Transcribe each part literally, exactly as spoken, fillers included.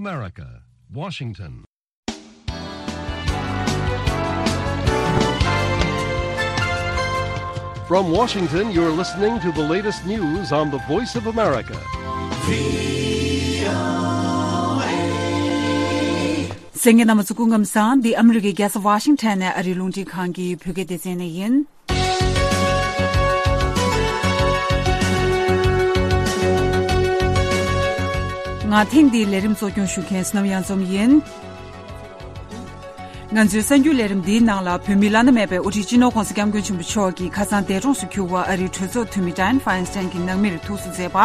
America, Washington. From Washington, you're listening to the latest news on the Voice of America. གསན་མཁན་རྣམ་པ་ཚོ་སྐུ་ཁམས་བཟང་། འདི་ཨ་མི་རི་ཀའི་རྒྱལ་ས་ཝ་ཤིང་ཊོན་ནས་ཨ་རིའི་རླུང་འཕྲིན་ཁང་གི་བོད་སྐད་སྡེ་ཚན་ནས་ཡིན། ང་ཐེངས་འདིའི་ལས་རིམ་གཙོ་སྐྱོང་ཞུ་མཁན་བསོད་ནམས་གཡང་འཛོམས་ཡིན། ང་ཚོའི་གསར་འགྱུར་ལས་རིམ་འདིའི་ནང་ལ། བོད་མིའི་བླ་ན་མེད་པའི་དབུ་ཁྲིད་སྤྱི་ནོར་༸གོང་ས་༸སྐྱབས་མགོན་ཆེན་པོ་མཆོག་གིས་ཁ་སང་འདས་གྲོངས་སུ་གྱུར་བ་ཨ་རིའི་གྲོས་ཚོགས་འཐུས་མི་Dianne Feinstein གྱི་ནང་མིར་ཐུགས་གསོ་མཛད་པ།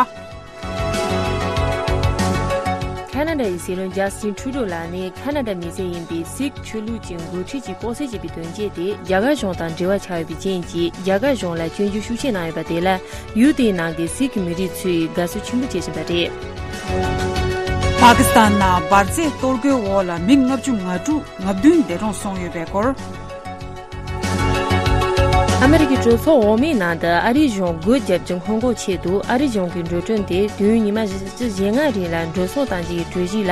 ཁ་ན་ཌ་ཡི་སྲིད་བློན་ཇ་སི་ཊིན་ཊུ་རུ་ཌོ་ལགས་ནས་ཁ་ན་ཌ་མི་སེར་ཡིན་པའི་སིག་ཆོས་ལུགས་ཀྱི་འགོ་ཁྲིད་ཅིག་ལྐོག་བསད་བྱས་པའི་དོན་རྐྱེན་དེ་རྒྱ་གར་གཞུང་དང་འབྲེལ་བ་ཆགས་ཡོད་པའི་རྐྱེན་གྱིས། རྒྱ་གར་གཞུང་ལ་སྐྱོན་བརྗོད་ཤུགས་ཆེ་གནང་ཡོད་པ་དེ་ལ། ཡུལ་དེའི་ནང་གི་སིག་མི་རིགས་ཚོས་དགའ་བསུ་ཆེན་པོ་བྱེད་བཞིན་པ་རེད། པ་ཀི་སི་ཐན་ནང་འབར་རྫས་གཏོར་རྒོལ་འོག་ལ་མི་ལྔ་བཅུ་ང་དྲུག་ང་བདུན་འདས་གྲོངས་སོང་ཡོད་པའི་སྐོར། ཨ་མི་རི་ཀའི་གྲོས་ཚོགས་འོག་མའི་ནང་དུ་ཨ་རིའི་གཞུང་སྒོ་བརྒྱབ་རྒྱུ་སྔོན་འགོག་ཆེད་དུ། ཨ་རིའི་གཞུང་གི་འགྲོ་གྲོན་དེ་དུས་ཡུན་ཉི་མ་བཞི་བཅུ་ཞེ་ལྔ་རིང་ལ་འགྲོ་སོང་གཏང་རྒྱུའི་གྲོས་གཞི་ལ།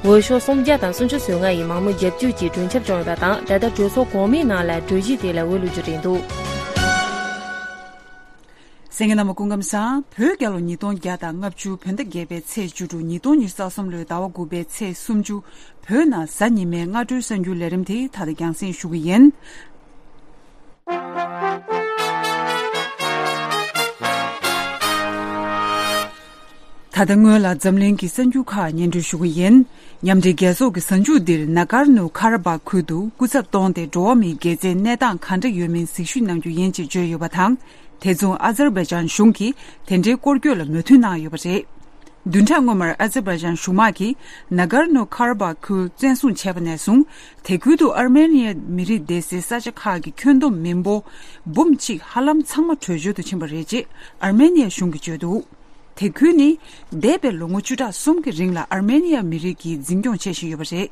འོས་ཤོག་སུམ་བརྒྱ་དང་སུམ་ཅུ་སོ་ལྔ་ཡིས་མང་མོས་རྒྱབ་སྐྱོར་གྱིས་གྲོས་འཆར་བྱུང་ཡོད་པ་དང་། ད་ལྟ་གྲོས་ཚོགས་གོང་མའི་ནང་ལ་གྲོས་གཞི་དེ་ལ་འོས་བླུག་རྒྱུ་རེད་འདུག། གསན་མཁན་རྣམ་པ་སྐུ་ཁམས་བཟང་། བོད་རྒྱལ་ལོ་ཉིས་སྟོང་བརྒྱ་དང་ལྔ་བཅུ་བོད་ཟླ་བརྒྱད་པའི་ཚེས་བཅུ་དྲུག་ཉིས་སྟོང་ཉི་ཤུ་རྩ་གསུམ་ལོའི་ཟླ་བ་དགུ་པའི་ཚེས་སུམ་ཅུ། བོད་ནང་གཟའ་ཉི་མའི་སྔ་དྲོའི་གསར་འགྱུར་ལས་རིམ་དེ་ད་ལྟ་རྒྱང་སྲིང་ཞུ་གི་ཡིན། ད་ལྟ་སྔོན་ལ་འཛམ་གླིང་གི་གསར་འགྱུར་ཁག་སྙན་སྒྲོན་ཞུ་གི་ཡིན། མཉམ་འབྲེལ་རྒྱལ་ཚོགས་ཀྱི་གཟའ་མཇུག་འདིར་ནཱ་གར་ནུ་ཁ་ར་བྷག་ཁུལ་དུ་སྐུ་ཚབ་བསྟོད་དེ་འགྲོ་བ་མིའི་དགེ་མཚན་གནས་སྟངས་གང་འདྲ་ཡོད་མིན་གཟིགས་ཞིབ་གནང་རྒྱུ་ཡིན་ཅེས་བརྗོད་ཡོད་པ་དང་། དེ་མཚུངས་ཨ་ཛར་བྷའི་ཇན་གཞུང་གིས་དེ་འདྲའི་སྐོར་སྐྱོད་ལ་མོས་མཐུན་གནང་ཡོད་པ་རེད། བདུན་ཕྲག་སྔོན་མར་ཨ་ཛར་བྷའི་ཇན་གཞུང་དམག་གིས་ནཱ་གར་ནུ་ཁ་ར་བྷག་ཁུལ་བཙན་བཟུང་བྱས་པ་ནས་བཟུང་། དེ་ཁུལ་དུ་ཨར་མེ་ནི་ཡའི་མི་རིགས་སྡོད་སའི་ས་ཆ་ཁག་གི་ཁྱོན་བསྡོམས་མི་འབོར་འབུམ་གཅིག་ཧ་ལམ་ཚང་མ་བྲོས་བྱོལ་དུ་ཕྱིན་པ་རེད་ཅེས་ཨར་མེ་ནི་ཡ་གཞུང་གིས་བརྗོད་འདུག། དེ་ཁུལ་ནི་འདས་པའི་ལོ་ངོ་བཅུ་ཕྲག་གསུམ་གྱི་རིང་ལ་ཨར་མེ་ནི་ཡ་མི་རིགས་ཀྱིས་འཛིན་སྐྱོང་བྱེད་བཞིན་ཡོད་པ་རེད།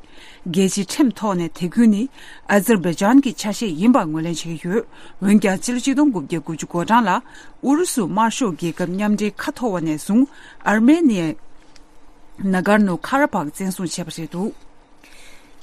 རྒྱལ་སྤྱིའི་ཁྲིམས་ཐོག་ནས་དེ་ཁུལ་ནི་ཨ་ཛར་བྷའི་ཇན་གྱི་ཆ་ཤས་ཡིན་པ་ངོས་ལེན་བྱེད་ཀྱི་ཡོད། འོན་ཀྱང་སྤྱི་ལོ་ཆིག་སྟོང་དགུ་བརྒྱ་དགུ་བཅུ་གོ་གྲངས་ལ་ཨུ་རུ་སུ་དམར་ཤོག་རྒྱལ་ཁབ་མཉམ་འབྲེལ་ཁ་འཐོར་བ་ནས་བཟུང་ཨར་མེ་ནི་ཡས་ནཱ་གར་ནུ་ཁ་ར་བྷག་བཙན་བཟུང་བྱས་པ་རེད་འདུག།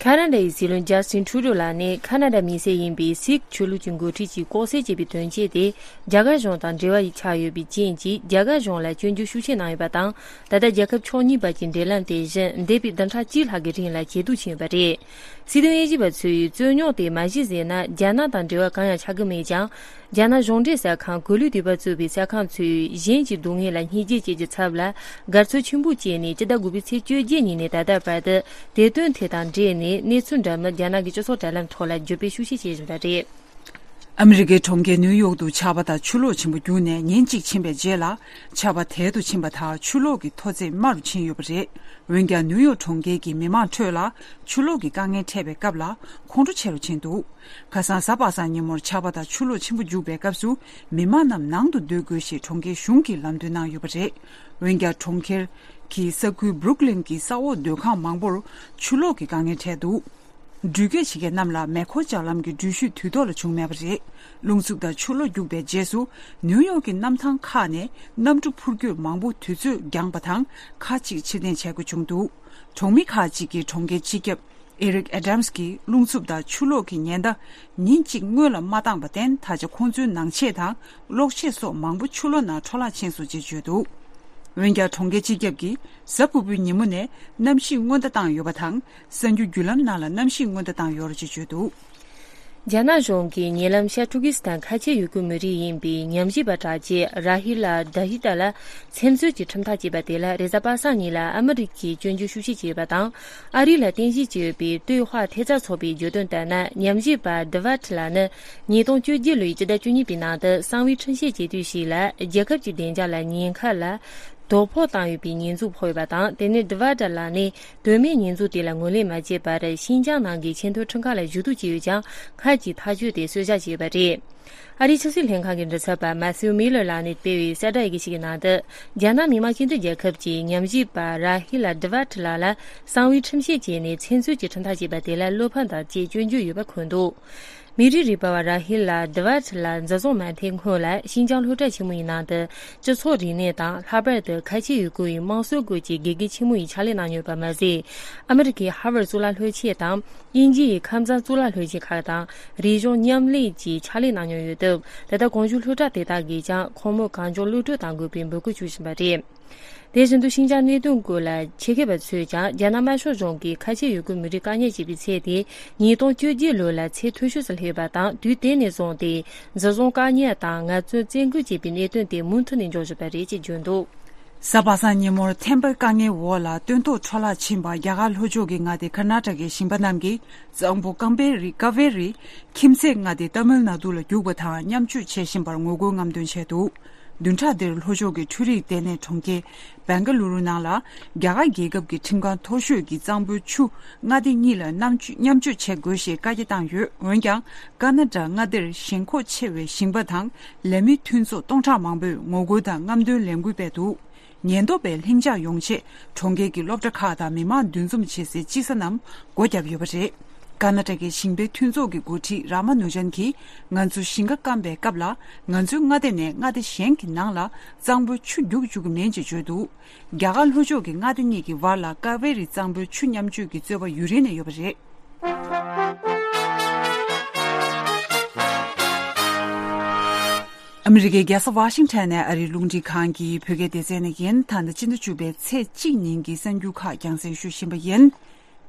ཁ་ན་ཌ་ཡི་སྲིད་བློན་ཇ་སི་ཊིན་ཊུ་རུ་ཌོ་ལགས་ནས་ཁ་ན་ཌ་མི་སེར་ཡིན་པའི་སིག་ཆོས་ལུགས་ཀྱི་འགོ་ཁྲིད་ཅིག་ལྐོག་བསད་བྱས་པའི་དོན་རྐྱེན་དེ་རྒྱ་གར་གཞུང་དང་འབྲེལ་བ་ཡིས་ཆགས་ཡོད་པའི་རྐྱེན་གྱིས་རྒྱ་གར་གཞུང་ལ་སྐྱོན་བརྗོད་ཤུགས་ཆེ་གནང་ཡོད་པ་དང་། ད་ལྟ་རྒྱལ་ཁབ་ཕྱོགས་གཉིས་བར་གྱི་འབྲེལ་ལམ་དེ་བཞིན་འདས་པའི་བདུན་ཕྲག་གཅིག་ལྷག་གི་རིང་ལ་ཇེ་སྡུག་ཕྱིན་ཡོད་པ་རེད། སྲིད་དོན་དབྱེ་ཞིབ་པ་ཚོས་རྩོད་རྙོག་དེ་མ་གཞི་ཟིན་ན་རྒྱ་ནག་དང་འབྲེལ་བ་གང་ཡང་ཆགས་ཀྱི་མེད་ཀྱང་། རྒྱ་ནག་གཞུང་འབྲེལ་གསར་ཁང་གོ་ལའི་དུས་བབ་གཙོས་པའི་གསར་ཁང་ཚོས་གཞན་གྱི་སྡུག་བསྔལ་ལ་བསྙས་བརྗོད་བྱེད་རྒྱུའི་ཚབ་ལ་དགའ་ཚོར་ཆེན་པོ་སྐྱེས་ནས། སྤྱི་ཟླ་དགུ་པའི་ཚེས་བཅོ་བརྒྱད་ཉིན་ནས་ད་ལྟ་བར་དུ་དེ་དོན་དེ་དང་འབྲེལ་ནས་གནས་ཚུལ་འདྲ་མིན་རྒྱ་ནག་གི་སྤྱི་ཚོགས་དྲ་ལམ་ཐོག་ལ་བརྗོད་སྤེལ་ཤུགས་ཆེ་བྱེད་བཞིན་པ་རེད། ཨ་མི་རི་ཀའི་གྲོང་ཁྱེར་ནིའུ་ཡོག་ཏུ་ཆར་པ་དང་ཆུ་ལོག་ཆེན་པོ་རྒྱུག་ནས་ཉིན་གཅིག་ཕྱིན་པའི་རྗེས་ལ་ཆར་པ་དལ་དུ་ཕྱིན་པ་དང་ཆུ་ལོག་གི་མཐོ་ཚད་དམའ་རུ་ཕྱིན་ཡོད་པ་རེད། འོན་ཀྱང་ནིའུ་ཡོག་གྲོང་ཁྱེར་གྱི་མི་མང་ཁྲོད་ལ་ཆུ་ལོག་གི་དཀའ་ངལ་འཕྲད་པའི་སྐབས་ལ་ཁོང་ཁྲོ་ཆེ་རུ་ཕྱིན་འདུག། ཁ་སང་གཟའ་པ་སངས་ཉིན་མོར་ཆར་པ་དང་ཆུ་ལོག་ཆེན་པོ་རྒྱུག་པའི་སྐབས་སུ་མི་མང་རྣམས་ནང་དུ་སྡོད་དགོས་ཞེས་གྲོང་ཁྱེར་གཞུང་གིས་ལམ་སྟོན་གནང་ཡོད་པ་རེད། འོན་ཀྱང་གྲོང་ཁྱེར་གྱི་ས་ཁུལ་སྦྲུག་ལིན་གྱི་ས་འོག་སྡོད་ཁང་མང་པོར་ཆུ་ལོག་གི་དཀའ་ངལ་འཕྲད་འདུག། འགྲུལ་སྐྱོད་བྱེད་མཁན་རྣམས་ལ་མེ་འཁོར་ལྕགས་ལམ་གྱི་འགྲུལ་བཞུད་དུས་ཐོག་ལ་བྱུང་མེད་པ་རེད། རླུང་འཚུབ་དང་ཆུ་ལོག་རྒྱུག་པའི་རྗེས་སུ་ནིའུ་ཡོག་གི་གནམ་ཐང་ཁག་ནས་གནམ་གྲུ་འཕུར་སྐྱོད་མང་པོ་དུས་ཚོད་འགྱངས་པ་དང་ཁག་ཅིག་ཕྱིར་འཐེན་བྱེད་དགོས་བྱུང་འདུག། གྲོང་མི་ཁག་ཅིག་གིས་གྲོང་ཁྱེར་སྤྱི་ཁྱབ་ཨེ་རིག་ཨེ་ཌམ་སི་གིས་རླུང་འཚུབ་དང་ཆུ་ལོག་གི་ཉེན་བརྡ་ཉིན་གཅིག་སྔོན་ལ་མ་བཏང་བར་བརྟེན། ད་ཆ་ཁོང་ཚོའི་ནང་ཆས་དང་གློག་ཆས་སོགས་མང་པོ་ཆུ་ལོག་ནང་འཕྲོ་བརླག་ཕྱིན་སོང་ཅེས་བརྗོད་འདུག། འོན་ཀྱང་གྲོང་ཁྱེར་སྤྱི་ཁྱབ་ཀྱིས་གཟའ་ཕུར་བུའི་ཉིན་མོ་ནས་གནམ་གཤིས་སྔོན་བརྡ་བཏང་ཡོད་པ་དང་། གསར་འགྱུར་བརྒྱུད་ལམ་ནང་ལ་གནམ་གཤིས་སྔོན་བརྡ་བཏང་ཡོད་རེད་ཅེས་བརྗོད་འདུག། རྒྱ་ནག་གཞུང་གིས་ཉེ་ལམ་ཤར་ཏུར་ཀི་སི་ཐན་ཁ་ཆེ་ཡུལ་གྱི་མི་རིགས་ཡིན་པའི་ཉམས་ཞིབ་པ་དྲག་ཆས་ར་ཧི་ལ་ཌ་ཧི་ཏ་ལ་མཚན་གསོལ་གྱི་ཁྲིམས་ཐག་བཅད་པ་དེ་ལ་རེས་གཟའ་པ་སངས་ཉིན་ལ་ཨ་མི་རི་ཀས་སྐྱོན་བརྗོད་ཤུགས་ཆེ་བྱས་ཡོད་པ་དང་། ཨ་རི་ལ་རྟེན་གཞི་བྱས་ཡོད་པའི་ཏུའུ་ཧྭ་ཐེབས་རྩ་ཚོགས་པས་བརྗོད་དོན་ལྟར་ན། ཉམས་ཞིབ་པ་ཌི་ཝར་ཊི་ལགས་ནི་ཉིས་སྟོང་བཅོ་བརྒྱད་ལོའི་སྤྱི་ཟླ་བཅུ་གཉིས་པའི་ནང་དུ་གསང་བའི་ཁྲིམས་བཤེར་བྱེད་དུས་ཤིག་ལ་རྒྱལ་ཁབ་ཀྱི་བདེ་འཇགས་ལ་ཉེན་ཁ་ལ་དོ་ཕོག་བཏང་ཡོད་པའི་ཉེས་འཛུགས་ཕོག་ཡོད་པ་དང་། དེ་ནས་ཌི་ཝར་ཊི་ལགས་ནི་དོན་མེད་ཉེས་འཛུགས་དེ་ལ་ངོས་ལེན་མ་བྱས་པར་ཤིན་ཅང་ནང་གི་ཆེས་མཐོའི་ཁྲིམས་ཁང་ལ་ཞུ་གཏུག་བྱས་ཡོད་ཀྱང་། སྔར་གྱི་ཐག་གཅོད་དེ་གསོད་བཞག་བྱས་ཡོད་པ་རེད། ཨ་རིའི་ཆབ་སྲིད་ལྷན་ཁང་གི་མགྲིན་ཚབ་པ་མ་ཐིའུ་མི་ལར་ལགས་ནས་སྤེལ་བའི་གསལ་བསྒྲགས་ཡི་གེ་ཞིག་གི་ནང་དུ། རྒྱ་ནག་མི་དམངས་སྤྱི་འཐུས་རྒྱལ་ཁབ་ཀྱི་ཉམས་ཞིབ་པ་ར་ཧི་ལ་ཌི་ཝར་ཊི་ལགས་ལ་གསང་བའི་ཁྲིམས་བཤེར་བྱས་ནས་མཚན་གསོལ་གྱི་ཁྲིམས་ཐག་བཅད་པ་དེ་ལ་བློ་ཕམ་དང་བཅས་སྐྱོན་བརྗོད་ཡོད་པ་འཁོད་འདུག། མི་རིགས་རིག་པ་བ་ར་ཧིལ་ལ་ཌི་ཝར་ཊི་ལ་འཛིན་བཟུང་མ་ཐེངས་སྔོན་ལ་ཤིན་ཅང་སློབ་གྲྭ་ཆེན་མོ་ཡི་ནང་དུ་སྤྱི་ཚོགས་རིག་གནས་དང་ལྷག་པར་དུ་ཁ་ཆེ་ཡུལ་སྐོར་ཡི་དམངས་སྲོལ་སྐོར་གྱི་དགེ་རྒན་ཆེན་མོ་ཡི་ཕྱག་ལས་གནང་མྱོང་པ་མ་ཟད། ཨ་མི་རི་ཀའི་ཧར་ཝར་གཙུག་ལག་སློབ་ཆེན་དང་། དབྱིན་ཇི་ཡི་ཁམས་བཟང་གཙུག་ལག་སློབ་ཆེན་ཁག་དང་རིག་གཞུང་མཉམ་ལས་ཀྱི་ཕྱག་ལས་གནང་མྱོང་ཡོད་སྟབས། ད་ལྟ་གོང་ཞུས་སློབ་གྲྭ་དེ་དག་གིས་ཀྱང་ཁོང་མོ་གངས་ལྗོངས་གློད་བཀྲོལ་གཏང་དགོས་པའི་འབོད་སྐུལ་ཞུ་བཞིན་པ་རེད། དེ་བཞིན་དུ་ཤིན་ཅང་གནད་དོན་སྐོར་ལ་ཆེད་མཁས་པ་ཚོས་ཀྱང་རྒྱ་ནག་དམར་ཤོག་གཞུང་གིས་ཁ་ཆེ་ཡུལ་སྐོར་མི་རིགས་བཀག་ཉར་བྱས་པའི་ཚད་དེ་ཉིས་སྟོང་བཅོ་བརྒྱད་ལོ་ལ་ཚད་མཐོ་ཤོས་སུ་སླེབས་པ་དང་། དུས་དེ་ནས་བཟུང་སྟེ་འཛིན་བཟུང་བཀག་ཉར་དང་ངལ་རྩོལ་བཙན་སྐུལ་བྱས་པའི་གནད་དོན་དེ་མུ་མཐུད་ནས་འབྱུང་བཞིན་པ་རེད་ཅེས་བརྗོད་འདུག། གཟའ་པ་སངས་ཉིན་མོར་ཐེམ་པའི་དཀའ་ངལ་འོག་ལ་སྟོན་ཐོག་འཕྲོ་བརླག་ཕྱིན་པ་རྒྱ་གར་ལྷོ་ཕྱོགས་ཀྱི་མངའ་སྡེ་ཀར་ནཱ་ཊ་ཀའི་ཞིང་པ་རྣམས་ཀྱིས་གཙང་པོ་ཀམ་བེ་རི་ཀ་བེ་རི་ཁྱིམ་མཚེས་མངའ་སྡེ་ཏཱ་མིལ་ནཱ་ཌུ་ལ་རྒྱུག་པ་དང་མཉམ་སྤྱོད་བྱེད་བཞིན་པར་ངོ་རྒོལ་རྔམ་སྟོན་བྱས་འདུག། བདུན་ཕྲག་འདིར་ལྷོ་ཕྱོགས་ཀྱི་འཕྲུལ་རིག་ལྟེ་གནས་གྲོང་ཁྱེར་བེང་ཀ་ལུ་རུ་ནང་ལ་རྒྱ་གར་རྒྱལ་ཁབ་ཀྱི་ཁྲིམས་ཁང་མཐོ་ཤོས་ཀྱིས་གཙང་པོའི་ཆུ་མངའ་སྡེ་གཉིས་ལ་མཉམ་སྤྱོད་མཉམ་སྤྱོད་བྱེད་དགོས་ཞེས་བཀའ་རྒྱ་བཏང་ཡོད། འོན་ཀྱང་ཀར་ན་ཊ་ཀ་མངའ་སྡེར་ཞེན་ཁོག་ཆེ་བའི་ཞིང་པ་དང་ལས་མི་མཐུན་ཚོགས་སྟོང་ཕྲག་མང་པོས་ངོ་རྒོལ་དང་རྔམ་སྟོན་ལས་འགུལ་སྤེལ་འདུག། ཉེན་རྟོག་པས་ལྷིང་འཇགས་ཡོང་ཆེད་གྲོང་ཁྱེར་གྱི་སློབ་གྲྭ་ཁག་དང་མི་མང་འདུ་འཛོམས་བྱེད་སའི་དཔྱིད་གསར་རྣམས་སྒོ་བརྒྱབ་ཡོད་པ་རེད། ཀར་ན་ཊ་ཀའི་ཞིང་པའི་མཐུན་ཚོགས་ཀྱི་འགོ་ཁྲིད་རཱ་མ་ནུ་ཇན་གྱིས། ང་ཚོ་ཞིང་ཁ་སྐམ་པའི་སྐབས་ལ་ང་ཚོའི་མངའ་སྡེ་ནས་མངའ་སྡེ་གཞན་གྱི་ནང་ལ་གཙང་པོའི་ཆུ་རྒྱུག་བཅུག་གི་མིན་ཅེས་བརྗོད་འདུག། རྒྱ་གར་ལྷོ་ཕྱོགས་ཀྱི་མངའ་སྡེ་གཉིས་ཀྱི་བར་ལ་ཀ་བེ་རི་གཙང་པོའི་ཆུ་མཉམ་སྤྱོད་ཀྱི་རྩོད་པ་ཡུན་རིང་ནས་ཡོད་པ་རེད། ཨ་མི་རི་ཀའི་རྒྱལ་ས་ཝ་ཤིང་ཊོན་ནས་ཨ་རིའི་རླུང་འཕྲིན་ཁང་གི་བོད་སྐད་སྡེ་ཚན་ནས་ཡིན། ད་ལྟ་སྤྱི་ཟླ་བཅུ་པའི་ཚེས་གཅིག་ཉིན་གྱི་གསར་འགྱུར་ཁག་རྒྱང་སྲིང་ཞུ་བཞིན་པ་ཡིན།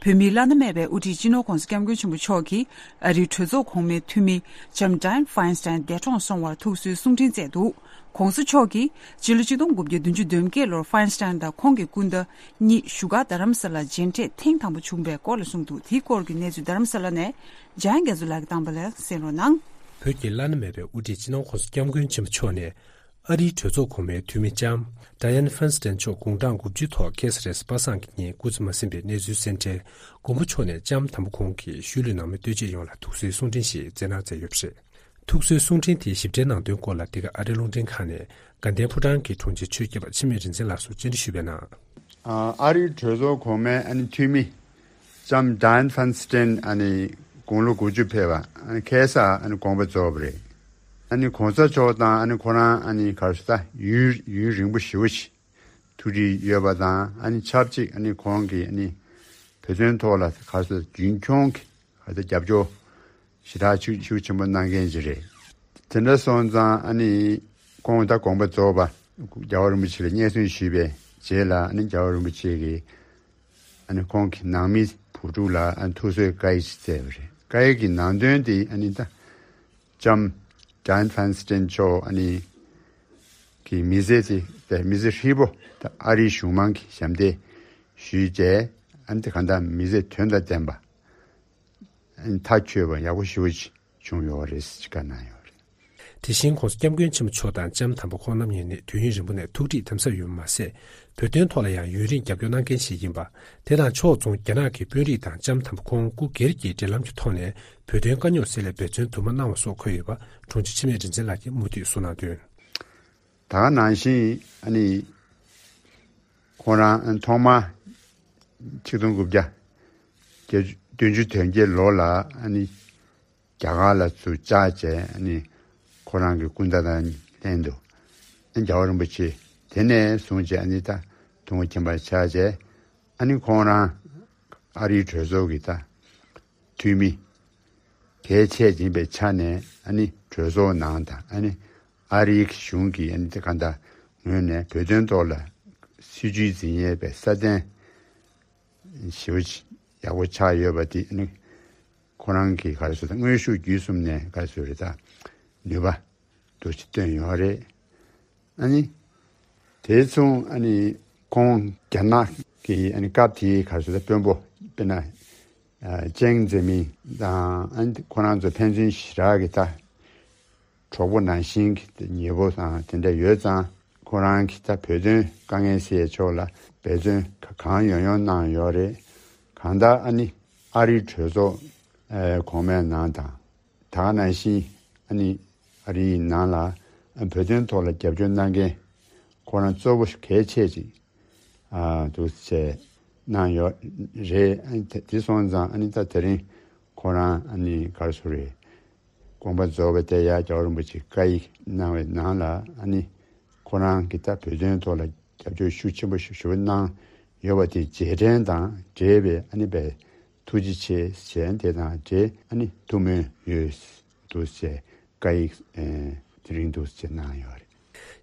བོད་མིའི་བླ་ན་མེད་པའི་དབུ་ཁྲིད་སྤྱི་ནོར་༧གོང་ས་༧སྐྱབས་མགོན་ཆེན་པོ་མཆོག་གིས་ཨ་རིའི་གྲོས་ཚོགས་གོང་མའི་འཐུས་མི་ལྕམ་Dianne Feinstein་འདས་གྲོངས་སོང་བར་ཐུགས་གསོའི་གསུང་འཕྲིན་བསྩལ་འདུག། ༧གོང་ས་མཆོག་གིས་སྤྱི་ལོ་ཆིག་སྟོང་དགུ་བརྒྱ་བདུན་ཅུ་དོན་བརྒྱད་ལོར་Feinstein་དང་ཁོང་གི་སྐུ་ཟླ་གཉིས་བཞུགས་སྒར་རྡ་རམ་ས་ལར་མཇལ་འཕྲད་ཐེངས་དང་པོ་བྱུང་བའི་སྐོར་ལ་གསུངས་འདུག། དེའི་སྐོར་གྱི་གནས་ཚུལ་རྡ་རམ་ས་ལ་ནས་འཇམ་དབྱངས་རྒྱ་མཚོ་ལགས་ཀྱིས་བཏང་པ་ལ་གསན་རོགས་གནང་། བོད་ཀྱི་བླ་ན་མེད་པའི་དབུ་ཁྲིད་སྤྱི་ནོར་༧གོང་ས་༧སྐྱབས་མགོན་ཆེན་པོ་མཆོག་ནས། ཨ་རིའི་གྲོས་ཚོགས་གོང་མའི་འཐུས་མི་ལྕམ་Dianne Feinstein་མཆོག་དགུང་གྲངས་དགུ་བཅུའི་ཐོག་ཁ་སང་རེས་གཟའ་པ་སངས་ཀྱི་ཉིན་སྐུ་ཚེ་མ་ཟིན་པའི་གནས་ཚུལ་གསན་འཕྲལ། མགོན་པོ་མཆོག་ནས་ལྕམ་དམ་པ་ཁོང་གི་ཤུལ་ལུས་ནང་མི་ལྟོས་བཅས་ཡོངས་ལ་ཐུགས་གསོའི་གསུང་འཕྲིན་ཞིག་སྩལ་གནང་མཛད་ཡོད་པ་རེད། ཐུགས་གསོའི་གསུང་འཕྲིན་དེའི་ཞིབ་ཕྲའི་ནང་དོན་སྐོར་ལ། འདི་ག་ཨ་རིའི་རླུང་འཕྲིན་ཁང་ནས་དགའ་ལྡན་ཕོ་བྲང་གི་དྲུང་ཆེ་ཆོས་སྐྱབས་པ་འཆི་མེད་རིག་འཛིན་ལགས་སུ་བཅར་འདྲི་ཞུས་པའི་ནང་། ཨ་རིའི་གྲོས་ཚོགས་གོང་མའི་ཨ་ནི་འཐུས་མི་ལྕམ་Dianne Feinstein་ཨ་ནི་དགུང་ལོ་དགུ་བཅུ་ཕེབས་པ་ཨ་ནི་ཁ་སང་ཨ་ནི་དགོངས་པ་རྫོགས་པ་རེད། ཨ་ནི་གོང་ས་མཆོག་དང་ཨ་ནི་ཁོ་རང་ཨ་ནི་ག་རེ་ཟེར་ད་ཡུན་ཡུན་རིང་པོ་ཞེ་པོ་ཞིག་ཐུག་འཕྲད་ཡོད་པ་དང་། ཨ་ནི་ཆབས་ཅིག་ཨ་ནི་ཁོང་གིས་ཨ་ནི་བོད་དོན་ཐོག་ལ་ག་རེ་ཟེར་རྒྱུན་འཁྱོངས་ཀྱི་ག་རེ་ཟེར་རྒྱབ་སྐྱོར་ཞེ་དྲག་ཤུགས་ཤུགས་ཆེན་པོ་གནང་མཁན་ཅིག་རེད། དེ་འདྲ་སོང་ཙང་ཨ་ནི་ཁོང་ད་དགོངས་པ་རྫོགས་པ་རྒྱལ་བ་རིན་པོ་ཆེ་ལ་སྙན་སེང་ཞུས་པའི་རྗེས་ལ། ཨ་ནི་རྒྱལ་བ་རིན་པོ་ཆེ་གིས་ཨ་ནི་ཁོང་གི་ནང་མི་བུ་ཕྲུག་ལ་ཨ་ནི་ཐུགས་གསོའི་བཀའ་ཡིག་ཅིག་བསྩལ་བ་རེད། བཀའ་ཡིག་གི་ནང་དོན་དེ་ཨ་ནི་ད་ལྕམ་Dianne Feinstein་མཆོག་ཨ་ནི་གི་མི་ཚེ་དེ་དེ་མི་ཚེ་ཧྲིལ་པོ་ད་ཨ་རིའི་གཞུང་མང་གི་ཞབས་འདེགས་ཞུས་བྱས། ཨ་ནི་དེ་གང་ལྟར་མི་ཚེ་དོན་དང་ལྡན་པ་ཨ་ནི་མཐའ་ཆོད་པ་ཡག་པོ་ཞེ་པོ་ཅིག་བྱུང་ཡོད་རེད་ཅེས་བཀའ་གནང་ཡོད་རེད། དེ་བཞིན་༧གོང་ས་༧སྐྱབས་མགོན་ཆེན་པོ་མཆོག་དང་ལྕམ་དམ་པ་ཁོང་རྣམ་གཉིས་ནི་དུས་ཡུན་རིང་པོ་ནས་ཐུག་འཕྲད་དམ་ཟབ་ཡོད་པ་མ་ཟད། བོད་དོན་ཐོག་ལ་ཡང་ཡུན་རིང་རྒྱབ་སྐྱོར་གནང་མཁན་ཞིག་ཡིན་པ། དེ་དང་ཕྱོགས་མཚུངས་རྒྱ་ནག་གི་དཔོན་རིགས་དང་ལྕམ་དམ་པ་ཁོང་སྐུ་སྒེར་གྱི་འབྲེལ་ལམ་གྱི་ཐོག་ནས་བོད་དོན་དཀའ་རྙོག་སེལ་སླད་འབད་བརྩོན་དུ་མ་གནང་བ་སོགས་འཁོད་ཡོད་པ་དྲུང་ཆེ་འཆི་མེད་རིག་འཛིན་ལགས་ཀྱིས་མུ་མཐུད་གསུངས་གནང་དོན། ད་ག་ནང་བཞིན་ཨ་ནི་ཁོང་རང་ཐོག་མ་ཆིག་སྟོང་དགུ་བརྒྱ་བདུན་ཅུ་དོན་བརྒྱད་ལོ་ལ་ཨ་ནི་རྒྱ་གར་ལ་ཚུར་བཅར་བྱས། ཨ་ནི་ཁོ་རང་གི་སྐུ་ཟླ་དང་ལྷན་དུ་ཨ་ནི་རྒྱལ་བ་རིན་པོ་ཆེ་དེ་ནས་བཟུང་བྱས་ཨ་ནི་ད་དུང་ཁྱིམ་པ་ཆགས་བྱས། ཨ་ནི་ཁོང་རང་ཨ་རིའི་གྲོས་ཚོགས་ཀྱི་ད་འཐུས་མི་གལ་ཆེ་ཡིན་པའི་ཆ་ནས། ཨ་ནི་གྲོས་ཚོགས་ནང་དང་ཨ་ནི་ཨ་རིའི་གཞུང་གི་ཨ་ནི་གང་ལྟར་ངོས་ནས་བོད་དོན་ཐོག་ལ་སྲིད་བྱུས་འཛིན་ཡས་པའི་སྲ་བརྟན་ཞེ་པོ་ཅིག་ཡག་པོ་ཆགས་ཡོད་པ་དེ། ཨ་ནི་ཁོ་རང་གི་ག་རེ་ཟེར་ད་དངོས་ཤུགས་བརྒྱུད་གསུམ་ནས་ག་རེ་ཟེར་རེད་ད་ནུས་པ་འདུག་སེ་བཏོན་ཡོད་རེད། ཨ་ནི་དེ་མཚུངས་ཨ་ནི་ཁོང་རྒྱ་ནག་གི་ཨ་ནི་སྐབས་དེའི་ག་རེ་ཟེར་ད་དཔོན་པོ་དཔེར་ན་ཨ་ཅེང་ཙེ་མིན་དང་། ཨ་ནི་ཁོ་རང་ཚོ་ཕན་ཚུན་ཞེ་དྲག་གི་ད་གྲོགས་པོ་ནང་བཞིན་གྱི་ཉེ་པོ་དང་དེ་འདྲ་ཡོད་ཙང་། ཁོ་རང་གིས་ད་བོད་དོན་དཀའ་ངལ་སེལ་ཕྱོགས་ལ་འབད་བརྩོན་གང་ཡོང་ཡོང་གནང་ཡོད་རེད། གང་ལྟར་ཨ་ནི་ཨ་རིའི་གྲོས་ཚོགས་ཨ་གོང་མའི་ནང་དང་། ད་ག་ནང་བཞིན་ཨ་ནི་ཨ་རིའི་ནང་ལ་ཨ་བོད་དོན་ཐོག་ལ་རྒྱབ་སྐྱོར་གནང་མཁན་ཁོ་རང་གཙོ་བོ་གལ་ཆེ་ཅིག་ཨ་འདུག་བྱས་གནང་ཡོད་རེད། ཨ་ནི་དེ་དེ་སོང་ཙང་ཨ་ནི་ད་དེ་རིང་ཁོ་རང་ཨ་ནི་ག་རེ་ཟེར་རེད། དགོངས་པ་རྫོགས་པ་དེ་ཡང་རྒྱལ་བ་རིན་པོ་ཆེས་བཀའ་ཡིག་གནང་བའི་ནང་ལ་ཨ་ནི་ཁོ་རང་གིས་ད་བོད་དོན་ཐོག་ལ་རྒྱབ་སྐྱོར་ཤུགས་ཆེན་པོ་ཞིག་ཞུ་གནང་ཡོད་པ་དེ་རྗེས་དྲན་དང་འབྲེལ་བའི་ཨ་ནི་བའི་ཐུགས་རྗེ་ཆེ་ཞེས་དེ་དང་འབྲེལ་ཨ་ནི་ཐུགས་སྨོན་ཡོད་འདུག་ཅེས་བཀའ་ཡིག་ཨེ་དེ་རིང་འདུག་ཅེས་གནང་ཡོད་རེད།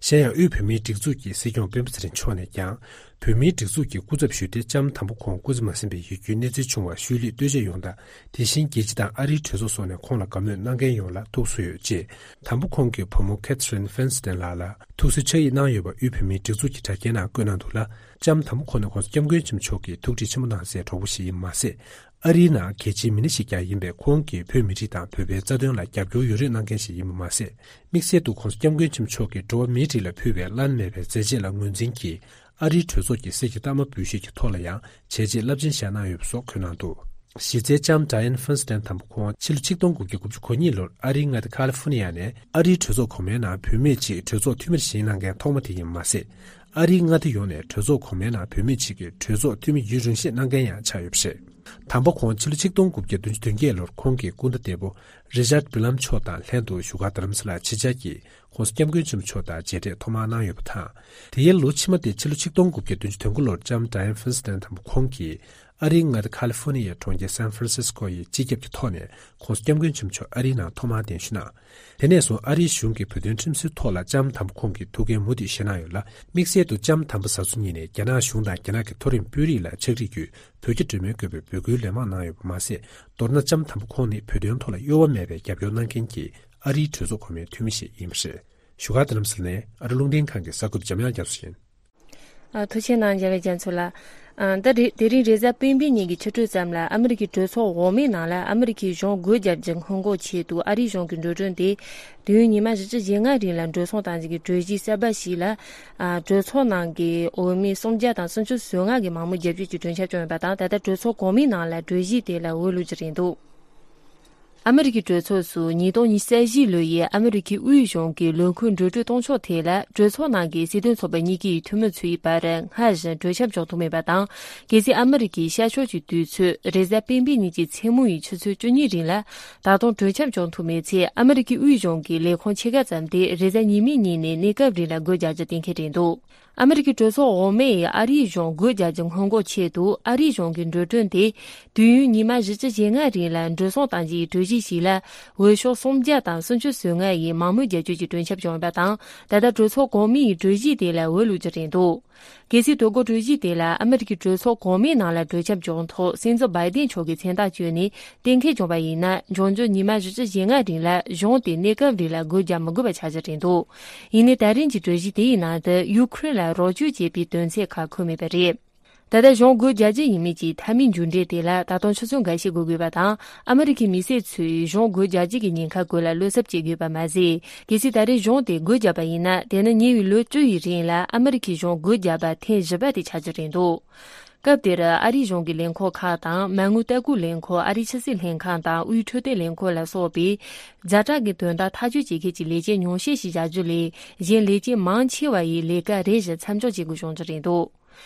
གཞན་ཡང་དབུས་བོད་མིའི་སྒྲིག་འཛུགས་ཀྱི་སྲིད་སྐྱོང་སྤེན་པ་ཚེ་རིང་མཆོག་ནས་ཀྱང་བོད་མིའི་སྒྲིག་འཛུགས་ཀྱི་སྐུ་ཚབ་ཞུས་ཏེ་ལྕམ་དམ་པ་ཁོང་སྐུ་ཚེ་མ་ཟིན་པའི་ཡིད་སྐྱོའི་གནས་ཚུལ་བྱུང་བར་ཤུལ་ལུས་ལྟོས་བཅས་ཡོངས་དང་དེ་བཞིན་རྒྱལ་སྤྱི་དང་ཨ་རིའི་གྲོས་ཚོགས་སོགས་ནས་ཁོང་ལ་དགའ་མོས་གནང་མཁན་ཡོངས་ལ་ཐུགས་གསོ་ཡོད་ཅེས་དམ་པ་ཁོང་གི་བུ་མོ་ཁེ་ཐི་རིན་ཧྥིན་སི་ཏན་ལགས་ལ་ཐུགས་གསོའི་ཕྱག་ཡིག་གནང་ཡོད་པ་དབུས་བོད་མིའི་སྒྲིག་འཛུགས་ཀྱི་དྲ་རྒྱའི་ནང་བཀོད་གནང་འདུག་ལ། ལྕམ་དམ་པ་ཁོང་ནས་༸གོང་ས་༸སྐྱབས་མགོན་ཆེན་པོ་མཆོག་གིས་ཐུགས་ཁྲལ་ཆེན་པོ་གནང་སའི་གྲོགས་པོ་ཞིག་ཡིན་མ་ཟད། ཨ་རིའི་ནང་གལ་ཆེའི་མི་སྣ་ཞིག་ཀྱང་ཡིན་པས་ཁོང་གིས་བོད་མི་རིགས་དང་བོད་པའི་རྩ་དོན་ལ་རྒྱབ་སྐྱོར་ཡོད་རེ་གནང་མཁན་ཞིག་ཡིན་པ་མ་ཟད། དམིགས་བསལ་དུ་༸གོང་ས་༸སྐྱབས་མགོན་ཆེན་པོ་མཆོག་གིས་འགྲོ་བ་མིའི་རིགས་ལ་ཕུལ་བའི་བླ་ན་མེད་པའི་མཛད་རྗེས་ལ་ངོས་འཛིན་གྱིས་ཨ་རིའི་གྲོས་ཚོགས་ཀྱི་གསེར་གྱི་རྟགས་མ་འབུལ་བཞེས་ཀྱི་ཐོག་ལ་ཡང་བྱས་རྗེས་རླབས་ཆེན་བཞག་གནང་ཡོད་པ་སོགས་འཁོད་གནང་འདུག་གཞི་རྩའི་ལྕམ་ཌ་ཡན་ཧྥིན་སི་ཏན་དམ་པ་ཁོང་ཕྱི་ལོ་ཆིག་སྟོང་དགུ་བརྒྱ་དགུ་བཅུ་གོ་གཉིས་ལོར་ཨ་རིའི་མངའ་སྡེ་ཁ་ལི་ཧྥོ་ནི་ཡ་ནས་ཨ་རིའི་གྲོས་ཚོགས་གོང་མའི་ནང་བུད་མེད་ཅིག་གྲོས་ཚོགས་འཐུས་མིར་བཞེངས་གནང་མཁན་ཐོག་མ་དེ་ཡིན་པ་མ་ཟད། ཨ་རིའི་མངའ་སྡེ་ཡོངས་ནས་གྲོས་ཚོགས་གོང་མའི་ནང་བུད་མེད་ཅིག་གིས་གྲོས་ཚོགས་འཐུས་མི་ཡུན་རིང་ཤོས་གནང་མཁན་ཡང་ཆགས་ཡོད་པ་རེད། དམ་པ་ཁོང་ཕྱི་ལོ་ཆིག་སྟོང་དགུ་བརྒྱ་བདུན་ཅུ་དོན་བརྒྱད་ལོར་ཁོང་གི་སྐུ་ཟླ་འདས་པོ་རི་ཅར་བྷི་ལམ་མཆོག་དང་ལྷན་དུ་བཞུགས་སྒར་རྡ་རམ་ས་ལར་ཆིབས་བཅར་གྱིས་༸གོང་ས་༸སྐྱབས་མགོན་ཆེན་པོ་མཆོག་དང་མཇལ་འཕྲད་ཐོག་མར་གནང་ཡོད་པ་དང་། དེའི་ལོ་ཕྱི་མ་སྟེ་ཕྱི་ལོ་ཆིག་སྟོང་དགུ་བརྒྱ་བདུན་ཅུ་དོན་དགུ་ལོར་ལྕམ་ཌ་ཡན་ཧྥིན་སི་ཏན་དམ་པ་ཁོང་གིས་ཨ་རིའི་མངའ་སྡེ་ཁ་ལི་ཧྥོ་ནི་ཡའི་གྲོང་ཁྱེར་སན་ཧྥ་རན་སིས་ཀོ་ཡི་སྤྱི་ཁྱབ་ཀྱི་ཐོག་ནས་༸གོང་ས་༸སྐྱབས་མགོན་ཆེན་པོ་མཆོག་ཨ་རིའི་ནང་ཐོག་མར་གདན་ཞུ་གནང་། དེ་ནས་བཟུང་ཨ་རིའི་གཞུང་གིས་བོད་དོན་ཁྲིམས་སྲོལ་ཐོག་ལ་ལྕམ་དམ་པ་ཁོང་གི་ཐུགས་འགན་མུ་མཐུད་བཞེས་གནང་ཡོད་ལ། དམིགས་བསལ་དུ་ལྕམ་དམ་པ་བཟའ་ཚོ་ཉིད་ནས་རྒྱ་ནག་གཞུང་དང་རྒྱ་ནག་གི་མཐོ་རིམ་དཔོན་རིགས་ལ་ཕྱག་བྲིས་བརྒྱུད་བོད་ཀྱི་གྲོས་མོལ་དགོས་པའི་འབོད་སྐུལ་ལན་མང་གནང་ཡོད་པ་མ་ཟད། མདོར་ན་ལྕམ་དམ་པ་ཁོང་ནི་བོད་དོན་ཐོག་ལ་གཡོ་བ་མེད་པའི་རྒྱབ་སྐྱོར་གནང་མཁན་གྱི་ཨ་རིའི་གྲོས་ཚོགས་གོང་མའི་འཐུས་མི་ཞིག་ཡིན་པ་རེད། བཞུགས་སྒར་རྡ་རམ་ས་ལ་ནས་ཨ་རི་རླུང་འཕྲིན་ཁང་གི་གསར་འགོད་པ་འཇམ་དབྱངས་རྒྱ་མཚོ་ཡིན། ཨ། ཐུགས་རྗེ་གནང་། འཇམ་དབྱངས་རྒྱ་མཚོ་ལགས། ཨ། ད་རེ་དེ་རིང་རེས་གཟའ་སྤེན་པའི་ཉིན་གྱི་ཕྱི་དྲོ་ཙམ་ལ་ཨ་མི་རི་ཀའི་གྲོས་ཚོགས་འོག་མའི་ནང་ལ་ཨ་མི་རི་ཀའི་གཞུང་སྒོ་བརྒྱབ་རྒྱུ་སྔོན་འགོག་ཆེད་དུ་ཨ་རིའི་གཞུང་གི་འགྲོ་གྲོན་དེ་དུས་ཡུན་ཉི་མ་བཞི་བཅུ་ཞེ་ལྔ་རིང་ལ་འགྲོ་སོང་གཏོང་རྒྱུ་གི་གྲོས་གཞི་གསར་པ་ཞིག་ལ། ཨ། གྲོས་ཚོགས་ནང་གི་འོས་མི་སུམ་བརྒྱ་དང་སུམ་ཅུ་སོ་ལྔ་གིས་མང་མོས་རྒྱབ་སྐྱོར་གྱི་གྲོས་འཆར་བྱུང་ཡོད་པ་དང་། ད་ལྟ་གྲོས་ཚོགས་གོང་མའི་ནང་ལ་གྲོས་གཞི་དེ་ལ་འོས་བླུག་རྒྱུ་རེད་འདུག་ཨ་མི་རི་ཀའི་གྲོས་ཚོགས་སུ་ཉིས་སྟོང་ཉི་ཤུ་རྩ་བཞི་ལོའི་ཨ་མི་རི་ཀའི་དབུས་གཞུང་གི་ལས་ཁུངས་འགྲོ་གྲོན་གཏོང་ཕྱོགས་ཐད་ལ་གྲོས་ཚོགས་ནང་གི་སྲིད་དོན་ཚོགས་པ་གཉིས་ཀའི་འཐུས་མི་ཚོའི་བར་སྔར་བཞིན་གྲོས་འཆམ་བྱུང་ཐུབ་མེད་པ་དང་། གལ་སྲིད་ཨ་མི་རི་ཀའི་ཤར་ཕྱོགས་ཀྱི་དུས་ཚོད་རེས་གཟའ་སྤེན་པའི་ཉིན་གྱི་མཚན་མོ་ཡི་ཆུ་ཚོད་བཅུ་གཉིས་རིང་ལ་ད་དུང་གྲོས་འཆམ་བྱུང་ཐུབ་མེད་ཚེ། ཨ་མི་རི་ཀའི་དབུས་གཞུང་གི་ལས་ཁུངས་ཕྱེད་ཀ་ཙམ་དེ་རེས་གཟའ་ཉི་མའི་ཉིན་ནས་གནས་སྐབས་རིང་ལ་སྒོ་རྒྱག་རྒྱུ་གཏན་འཁེལ་རེད་འདུག་ཨ་མི་རི་ཀའི་གྲོས་ཚོགས་འོག་མས་ཨ་རིའི་གཞུང་སྒོ་རྒྱག་རྒྱུ་སྔོན་འགོག་ཆེད་དུ་ཨ་རིའི་གཞུང་གི་འགྲོ་གྲོན་དེ་དུས་ཡུན་ཉི་མ་བཞི་བཅུ་ཞེ་ལྔ་རིང་ལ་འགྲོ་སོང་གཏོང་རྒྱུའི་གྲོས་གཞི་ཞིག་ལ་འོས་ཤོག་སུམ་བརྒྱ་དང་སུམ་ཅུ་སོ་ལྔ་ཡིས་མང་མོས་རྒྱབ་སྐྱོར་གྱི་གྲོས་འཆར་བྱུང་ཡོད་པ་དང་། ད་ལྟ་གྲོས་ཚོགས་གོང་མའི་གྲོས་གཞི་དེ་ལ་འོས་བླུག་རྒྱུ་རེད་འདུག་གལ་སྲིད་དོ་དགོང་གྲོས་གཞི་དེ་ལ་ཨ་མི་རི་ཀའི་གྲོས་ཚོགས་གོང་མའི་ནང་ལ་གྲོས་འཆམ་བྱུང་ཐོག་སྲིད་འཛིན་བྷའི་ཏིན་མཆོག་གིས་མཚན་རྟགས་བཅོས་ནས་གཏན་འཁེལ་བྱུང་བ་ཡིན་ན། འབྱུང་འགྱུར་ཉི་མ་བཞི་བཅུ་ཞེ་ལྔ་རིང་ལ་གཞུང་དེ་གནས་སྐབས་རིང་ལ་སྒོ་རྒྱག་མི་དགོས་པ་ཆགས་རྒྱུ་རེད་འདུག་ཡིན་ནའི་ད་རིང་གི་གྲོས་གཞི་དེ་ཡི་ནང་དུ་ཡུ་ཁུ་རེན་ལ་རོགས་སྐྱོར་བྱེད་པའི་དོན་ཚན་ཁག་འཁོད་མེད་པ་རེད། ད་ལྟ་གཞུང་སྒོ་རྒྱག་རྒྱུ་ཡིན་མིན་གྱི་མཐའ་མའི་མཇུག་འབྲས་དེ་ལ་ད་དུང་ཆུ་ཚོད་འགའ་ཤས་འགོར་དགོས་པ་དང་། ཨ་མི་རི་ཁའི་མི་སེར་ཚོས་གཞུང་སྒོ་རྒྱག་རྒྱུ་གི་ཉེན་ཁ་སྐོར་ལ་བློ་འཚབ་བྱེད་དགོས་པ་མ་ཟད། གལ་སྲིད་ད་རེས་གཞུང་དེ་སྒོ་བརྒྱབ་པ་ཡིན་ན། དེ་ནི་ཉེ་བའི་ལོ་བཅུ་ཡི་རིང་ལ་ཨ་མི་རི་ཁའི་གཞུང་སྒོ་བརྒྱབ་པ་ཐེངས་བཞི་པ་དེ་ཆགས་རྒྱུ་རེད་འདུག་སྐབས་དེར་ཨ་རིའི་གཞུང་གི་ལས་ཁུངས་ཁག་དང་མ་དངུལ་ལྟ་སྐུལ་ལས་ཁུངས། ཨ་རིའི་ཕྱི་སྲིད་ལྷན་ཁང་དང་དབུས་འཕྲོད་བསྟེན་ལས་ཁུངས་ལ་སོགས་པའི་ཛ་དྲག་གི་དོན་དག་ཐག་གཅོད་བྱེད་མཁན་གྱི་ལས་བྱེད་ཉུང་ཤས་ཤིག་བཞག་རྒྱུ་ལས། གཞན་ལས་བྱེད་མང་ཆེ་བ་ཡིས་ལས་ཀ་རེ་བཞིན་མཚམས་འཇོག་བྱེད་དགོས་བྱུང་རྒྱུ་རེད་འདུག་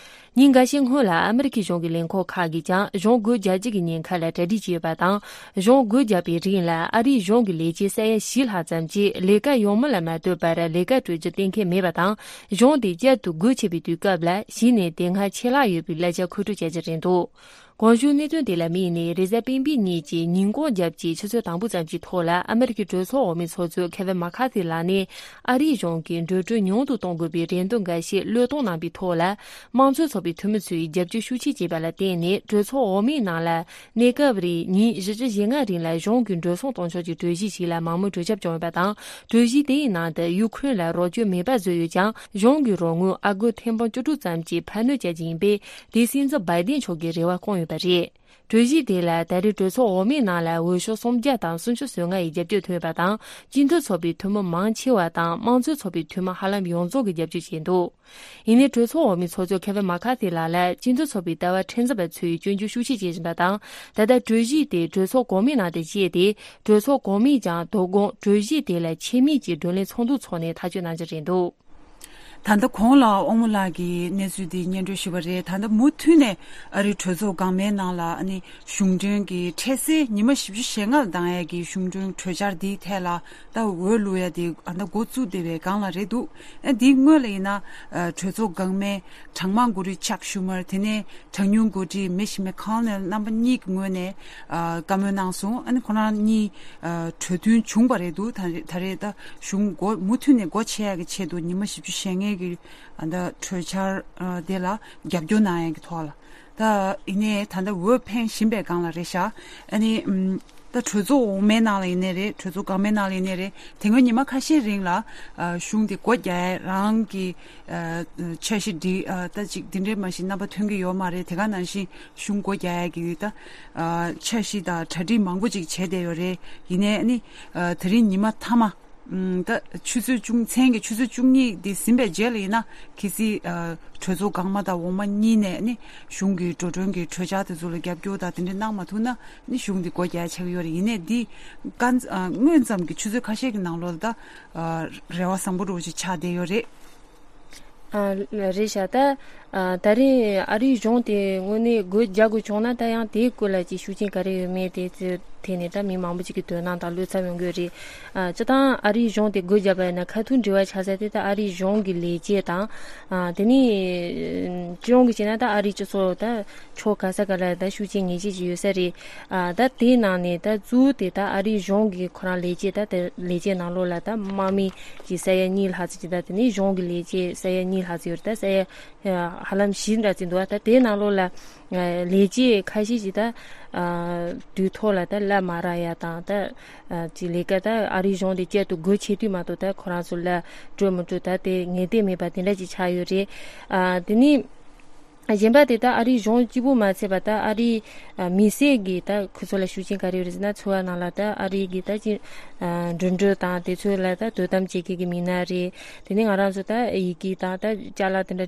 ཉིན་འགའ་ཤས་སྔོན་ལ་ཨ་མི་རི་ཁའི་གཞུང་གི་ལས་ཁུངས་ཁག་གིས་ཀྱང་གཞུང་སྒོ་རྒྱག་རྒྱུ་གི་ཉེན་ཁ་ལ་གྲ་སྒྲིག་བྱས་ཡོད་པ་དང་། གཞུང་སྒོ་བརྒྱབ་པའི་རིང་ལ་ཨ་རིའི་གཞུང་གི་ལས་བྱེད་ས་ཡ་བཞི་ལྷག་ཙམ་གྱིས་ལས་ཀ་ཡོང་མུས་ལ་མ་ལྟོས་པར་ལས་ཀ་སྤྲོད་རྒྱུ་གཏན་འཁེལ་མེད་པ་དང་། གཞུང་དེ་བསྐྱར་དུ་སྒོ་ཕྱེ་བའི་དུས་སྐབས་ལ་གཞི་ནས་དེ་སྔ་ཆད་ལྷག་ཡོད་པའི་གླེང་བྱ་མཁོ་སྤྲོད་བྱ་རྒྱུ་རེད་འདུག་གོང་ཞུས་གནད་དོན་དེ་ལ་དམིགས་ནས་རེས་གཟའ་སྤེན་པའི་ཉིན་གྱི་ཉིན་གུང་རྒྱབ་ཀྱི་ཆུ་ཚོད་དང་པོ་ཙམ་གྱི་ཐོག་ལ་ཨ་མི་རི་ཀའི་གྲོས་ཚོགས་འོག་མའི་ཚོགས་གཙོ་ཁེ་ཝིན་མ་ཁ་ཐི་ལགས་ནས། ཨ་རིའི་གཞུང་གིས་འགྲོ་གྲོན་ཉུང་དུ་གཏོང་དགོས་པའི་རེ་འདུན་འགའ་ཤས་བློས་གཏོང་གནང་པའི་ཐོག་ལ། དམངས་གཙོའི་ཚོགས་པའི་འཐུས་མི་ཚོས་རྒྱབ་སྐྱོར་ཤུགས་ཆེ་བྱས་པ་ལ་བརྟེན་ནས། གྲོས་ཚོགས་འོག་མའི་ནང་ལ་གནས་སྐབས་རིང་ཉིན་བཞི་བཅུ་ཞེ་ལྔ་རིང་ལ་གཞུང་གི་འགྲོ་སོང་གཏོང་ཕྱོགས་ཀྱི་གྲོས་གཞི་ཞིག་ལ་མང་མོས་གྲོས་འཆམ་བྱུང་ཡོད་པ་དང་། གྲོས་གཞི་དེའི་ནང་དུ་ཡུ་ཁུ་རེན་ལ་རོགས་སྐྱོར་མེད་པ་བཟོས་ཡོད་ཀྱང་། གཞུང་གི་རོགས་དངུལ་ཨ་སྒོར་ཐེར་འབུམ་བཅུ་དྲུག་ཙམ་གྱི་འཕར་སྣོན་བྱ་རྒྱུ་ཡིན་པས། དེ་སྲིད་འཛིན་བྷའི་ཏིན་མཆོག་གིས་རེ་བ་བསྐོང་ཡོད་པ་རེད། གྲོས་གཞི་དེ་ལ་ད་རེས་གྲོས་ཚོགས་འོག་མའི་ནང་ལ་འོས་ཤོག་སུམ་བརྒྱ་དང་སུམ་ཅུ་སོ་ལྔ་ཡི་རྒྱབ་སྐྱོར་ཐོན་ཡོད་པ་དང་། སྤྱི་འཐུས་ཚོགས་པའི་འཐུས་མི་མང་ཆེ་བ་དང་དམངས་གཙོའི་ཚོགས་པའི་འཐུས་མི་ཧ་ལམ་ཡོངས་རྫོགས་ཀྱིས་རྒྱབ་སྐྱོར་བྱས་འདུག་ཡིན་ནའི་གྲོས་ཚོགས་འོག་མའི་ཚོགས་གཙོ་ཁེ་ཝིན་མ་ཁ་ཐི་ལགས་ལ་སྤྱི་འཐུས་ཚོགས་པའི་ལྟ་བ་མཁྲེགས་འཛིན་པ་ཚོས་སྐྱོན་བརྗོད་ཤུགས་ཆེ་བྱེད་བཞིན་པ་དང་། ད་ལྟ་གྲོས་གཞི་དེ་གྲོས་ཚོགས་གོང་མའི་ནང་དུ་བཅུག་སྟེ། གྲོས་ཚོགས་གོང་མས་ཀྱང་དོ་དགོང་གྲོས་གཞི་དེ་ལ་ཆེད་དམིགས་ཀྱིས་བགྲོ་གླེང་ཚོགས་འདུ་འཚོགས་ནས་ཐག་གཅོད་གནང་རྒྱུ་རེད་འདུག་ད་ལྟ་གོང་ལ་དབང་མོ་ལགས་ཀྱིས་གནས་ཚུལ་འདི་སྙན་སྒྲོན་ཞུས་པ་རེད། ད་ལྟ་མུ་མཐུད་ནས་ཨ་རིའི་གྲོས་ཚོགས་འགག་མའི་ནང་ལ་ཨ་ནི་གཞུང་གྲོན་གྱི་འཕྲལ་སེལ་ཉི་མ་བཞི་བཅུ་ཞེ་ལྔ་ལ་འདང་ཡས་ཀྱི་གཞུང་གྲོན་གྲོས་འཆར་འདིའི་ཐད་ལ་ད་འོས་བླུག་ཡ་དེ་ཨ་ད་འགོ་བཙུགས་བསྡད་པའི་སྒང་ལ་རེད་འདུག་ཨ་འདིའི་སྔོན་ལ་ཡིན་ན་ཨ་གྲོས་ཚོགས་འགག་མའི་གྲངས་མང་འགོ་ཁྲིད་ཅག་ཤུ་མར། དེ་ནས་གྲངས་ཉུང་འགོ་ཁྲིད་མི་ཤི་མེ་ཁོ་ནེལ་རྣམ་པ་གཉིས་ཀྱི་ངོས་ནས་ཨ་བཀའ་མོལ་གནང་སོང་། ཨ་ནི་ཁོ་རང་གཉིས་ཨ་གྲོས་མཐུན་བྱུང་བ་རེད་འདུག་ད་རེས་ད་རེས་ད་གཞུང་འགོ་མུ་མཐུད་ནས་སྒོ་ཕྱེ་ཡག་གི་ཆེད་དུ་ཉི་མ་བཞི་བཅུ་ཞེ་ལྔའི་གི་ཨ་ད་གྲོས་འཆར་ཨ་དེ་ལ་རྒྱབ་སྐྱོར་གནང་ཡག་གི་ཐོག་ལ། ད་ཡིན་ནའི་ད་ལྟ་འོས་འཕེན་བཞིན་པའི་སྒང་ལ་རེད་ཤག་ཨ་ནི་ཨམ་ད་གྲོས་ཚོགས་འོག་མའི་ནང་ལ་ཡིན་ནའི་རེད། གྲོས་ཚོགས་འགག་མའི་ནང་ལ་ཡིན་ནའི་རེད། དེ་སྔོན་ཉི་མ་ཁ་ཤས་རིང་ལ་ཨ་གཞུང་དེ་སྒོ་རྒྱག་ཡ་རང་གི་ཨ་འཆར་གཞི་འདི་ཨ་ད་ཅིག་འདི་འདྲའི་མ་གཞི་རྣམ་པ་ཐོན་གྱི་ཡོད་མ་རེད། དེ་ག་ནང་བཞིན་གཞུང་སྒོ་རྒྱག་ཡ་གི་ད་ཨ་འཆར་གཞི་དང་གྲ་སྒྲིག་མང་པོ་ཅིག་བྱས་བསྡད་ཡོད་རེད། ཡིན་ནའི་ཨ་ནི་ཨ་དེ་རིང་ཉི་མ་མཐའ་མ་ཨམ་ད་ཆུ་ཚོད་བཅུ་མཚན་གྱི་ཆུ་ཚོད་བཅུ་གཉིས་འདི་ཟིན་པའི་རྗེས་ལ་ཡིན་ན་གལ་སྲིད་ཨ་གྲོས་ཚོགས་འགག་མ་དང་འོག་མ་གཉིས་ནས་ནི་གཞུང་གི་འགྲོ་གྲོན་གྱི་གྲོས་འཆར་དེ་ཚོ་ལ་རྒྱབ་སྐྱོར་དང་དེ་འདྲ་གནང་མ་ཐུབ་ན་ནི་གཞུང་འདི་སྒོ་རྒྱག་ཆགས་ཀྱི་ཡོད་རེད། ཡིན་ནའི་འདི་གང་ཨ་སྔོན་ཙམ་གྱི་ཆུ་ཚོད་ཁ་ཤས་ཀྱི་ནང་ལོགས་ལ་ད་ཨ་རེ་བ་བཟང་པོ་འདྲ་བོ་ཅིག་ཆགས་བསྡད་ཡོད་རེད། ཨ་རེད་ཤག་ད་ཨ་ད་རེས་ཨ་རིའི་གཞུང་དེ་དངོས་གནས་སྒོ་རྒྱག་དགོས་བྱུང་ན་ད་ཡང་དེའི་སྐོར་ལ་ཅིག་ཤུགས་རྐྱེན་ག་རེ་ཡོད་མེད་དེ་ཚོའི་ཐད་ནས་ད་མི་མང་པོ་ཅིག་གི་དོ་སྣང་དང་བློ་འཚབ་ཡོང་གི་ཡོད་རེད། ཨ་སྤྱིར་བཏང་ཨ་རིའི་གཞུང་དེ་སྒོ་བརྒྱབ་པ་ཡིན་ན་ཁ་ཐུག་འབྲེལ་བ་ཆགས་ས་དེ་ད་ཨ་རིའི་གཞུང་གི་ལས་བྱེད་དང་། ཨ་དེ་ནས་སྤྱི་ཡོངས་ཀྱི་བྱས་ན་ད་ཨ་རིའི་སྤྱི་ཚོགས་ད་ཕྱོགས་ག་ས་ག་ལ་ད་ཤུགས་རྐྱེན་ངེས་ཅན་ཅིག་ཡོད་ས་རེད། ཨ་ད་དེའི་ནང་ནས་ད་གཙོ་བོ་དེ་ད་ཨ་རིའི་གཞུང་གི་ཁོ་རང་ལས་བྱེད་ད་དེ་ལས་བྱེད་ནང་ལོགས་ལ་ད་དམག་མི་གི་ས་ཡ་གཉིས་ལྷག་ཙམ་ཅིག་ད་དེ་ནས་གཞུང་གི་ལས་བྱེད་ས་ཡ་གཉིས་ལྷག་ཙམ་ཡོད་རེད། ད་ས་ཡ་ཧ་ལམ་བཞི་འདྲ་ཙམ་འདུག་ད་དེའི་ནང་ལོགས་ལ་ལས་བྱེད་ཁ་ཤས་ཅིག་ད་དུས་ཐོག་ལ་ད་གླ་མ་རག་ཡ་དང་ད་ཅིག་ལས་ཀ་ད་ཨ་རིའི་གཞུང་དེ་བསྐྱར་དུ་སྒོ་ཕྱེ་དུས་མ་གཏོགས་ད་ཁོ་རང་ཚོ་གླ་སྤྲོད་མི་སྤྲོད་ད་དེ་ངེས་གཏན་མེད་པ་དེ་འདྲ་ཅིག་ཆགས་ཡོད་རེད། ཨ་དེ་ནས་གཞན་པ་དེ་ད་ཨ་རིའི་གཞུང་གཅིག་པུ་མ་ཚད་པ་ད་ཨ་རིའི་ཨ་མི་སེར་གྱི་ད་ཁོ་ཚོ་ལ་ཤུགས་རྐྱེན་ག་རེ་ཡོད་རེད་ཟེར་ན། འཚོ་བ་ནང་ལ་ད་ཨ་རིའི་གི་ད་ཅི་ཨ་འགྲིམ་འགྲུལ་དང་དེ་ཚོ་ལ་ད་དོ་དམ་བྱེད་མཁན་གྱི་མི་སྣ་རེད། དེ་ནས་ང་རང་ཚོ་ད་ཡི་གེ་དང་ད་ཅ་ལག་དེ་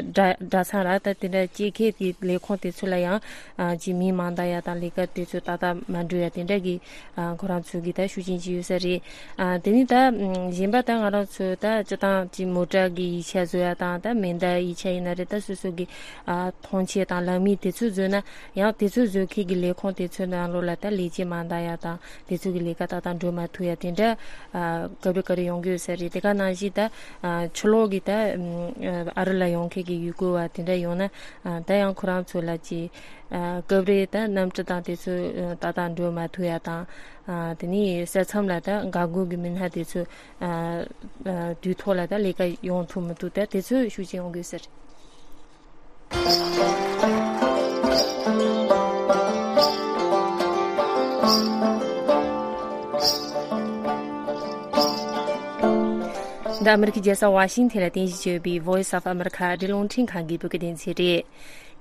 འདྲ་ཨ་སྒྲ་སྒྲ་ཚང་ར་ད་དེ་འདྲ་སྐྱེལ་མཁན་དེ་ལས་ཁུངས་དེ་ཚོ་ལ་ཡང་ཨ་ཅི་མི་མང་ད་ཡ་དང་ལས་ཀ་དེ་ཚོ་ཏག་ཏག་མ་འགྲོ་ཡ་དེ་འདྲ་གི་ཨ་ཁོ་རང་ཚོ་གི་ད་ཤུགས་རྐྱེན་ཅིག་ཡོད་ས་རེད། ཨ་དེ་ནས་ད་ཨམ་གཞན་པ་ད་ང་རང་ཚོ་ད་སྤྱིར་བཏང་ཅིག་མོ་ཊ་གི་ཡིག་ཆ་བཟོ་ཡ་དང་ད་མེ་མདའ་ཡིག་ཆ་ཡིན་ན་རེད། ད་སོ་སོ་གི་ཨ་མཐོང་ཆས་དང་ལག་མིག་དེ་ཚོ་བཟོས་ན་ཡང་དེ་ཚོ་བཟོ་མཁན་གྱི་ལས་ཁུངས་དེ་ཚོའི་ནང་ལོགས་ལ་ད་ལས་བྱེད་མ་འདང་ཡ་དང་དེ་ཚོ་གི་ལས་ཀ་ཏག་ཏག་འགྲོ་མ་ཐུབ་ཡ་དེ་འདྲ་ཨ་སྐབས་རེ་སྐབས་རེ་ཡོང་གི་ཡོད་ས་རེད། དེ་ག་ནང་བཞིན་ད་ཨ་ཕྱི་ལོགས་ཀྱི་ད་ཨམ་ཨ་རི་ལ་ཡོང་མཁན་གྱི་ཡུལ་སྐོར་བ་དེ་འདྲ་ཡོང་ན་ཨ་ད་ཡང་ཁོ་རང་ཚོ་ལ་ཅིག་ཨ་སྐབས་རེ་ད་གནམ་གྲུ་དང་དེ་ཚོ་ཨ་ཏག་ཏག་འགྲོ་མ་ཐུབ་ཡ་དང་། ཨ་དེ་ནས་ས་མཚམས་ལ་ད་འགག་སྒོ་གི་མི་སྣ་དེ་ཚོ་ཨ་ཨ་དུས་ཐོག་ལ་ད་ལས་ཀ་ཡོང་ཐུབ་མི་ཐུབ་ད་དེ་ཚོ་ཤུགས་རྐྱེན་ཡོང་གི་ཡོད་ས་རེད། འདི་ཨ་མི་རི་ཀའི་རྒྱལ་ས་ཝ་ཤིང་ཐན་ལ་རྟེན་གཞི་བྱས་ཡོད་པའི་Voice of America ཨ་རིའི་རླུང་འཕྲིན་ཁང་གི་བོད་སྐད་སྡེ་ཚན་རེད།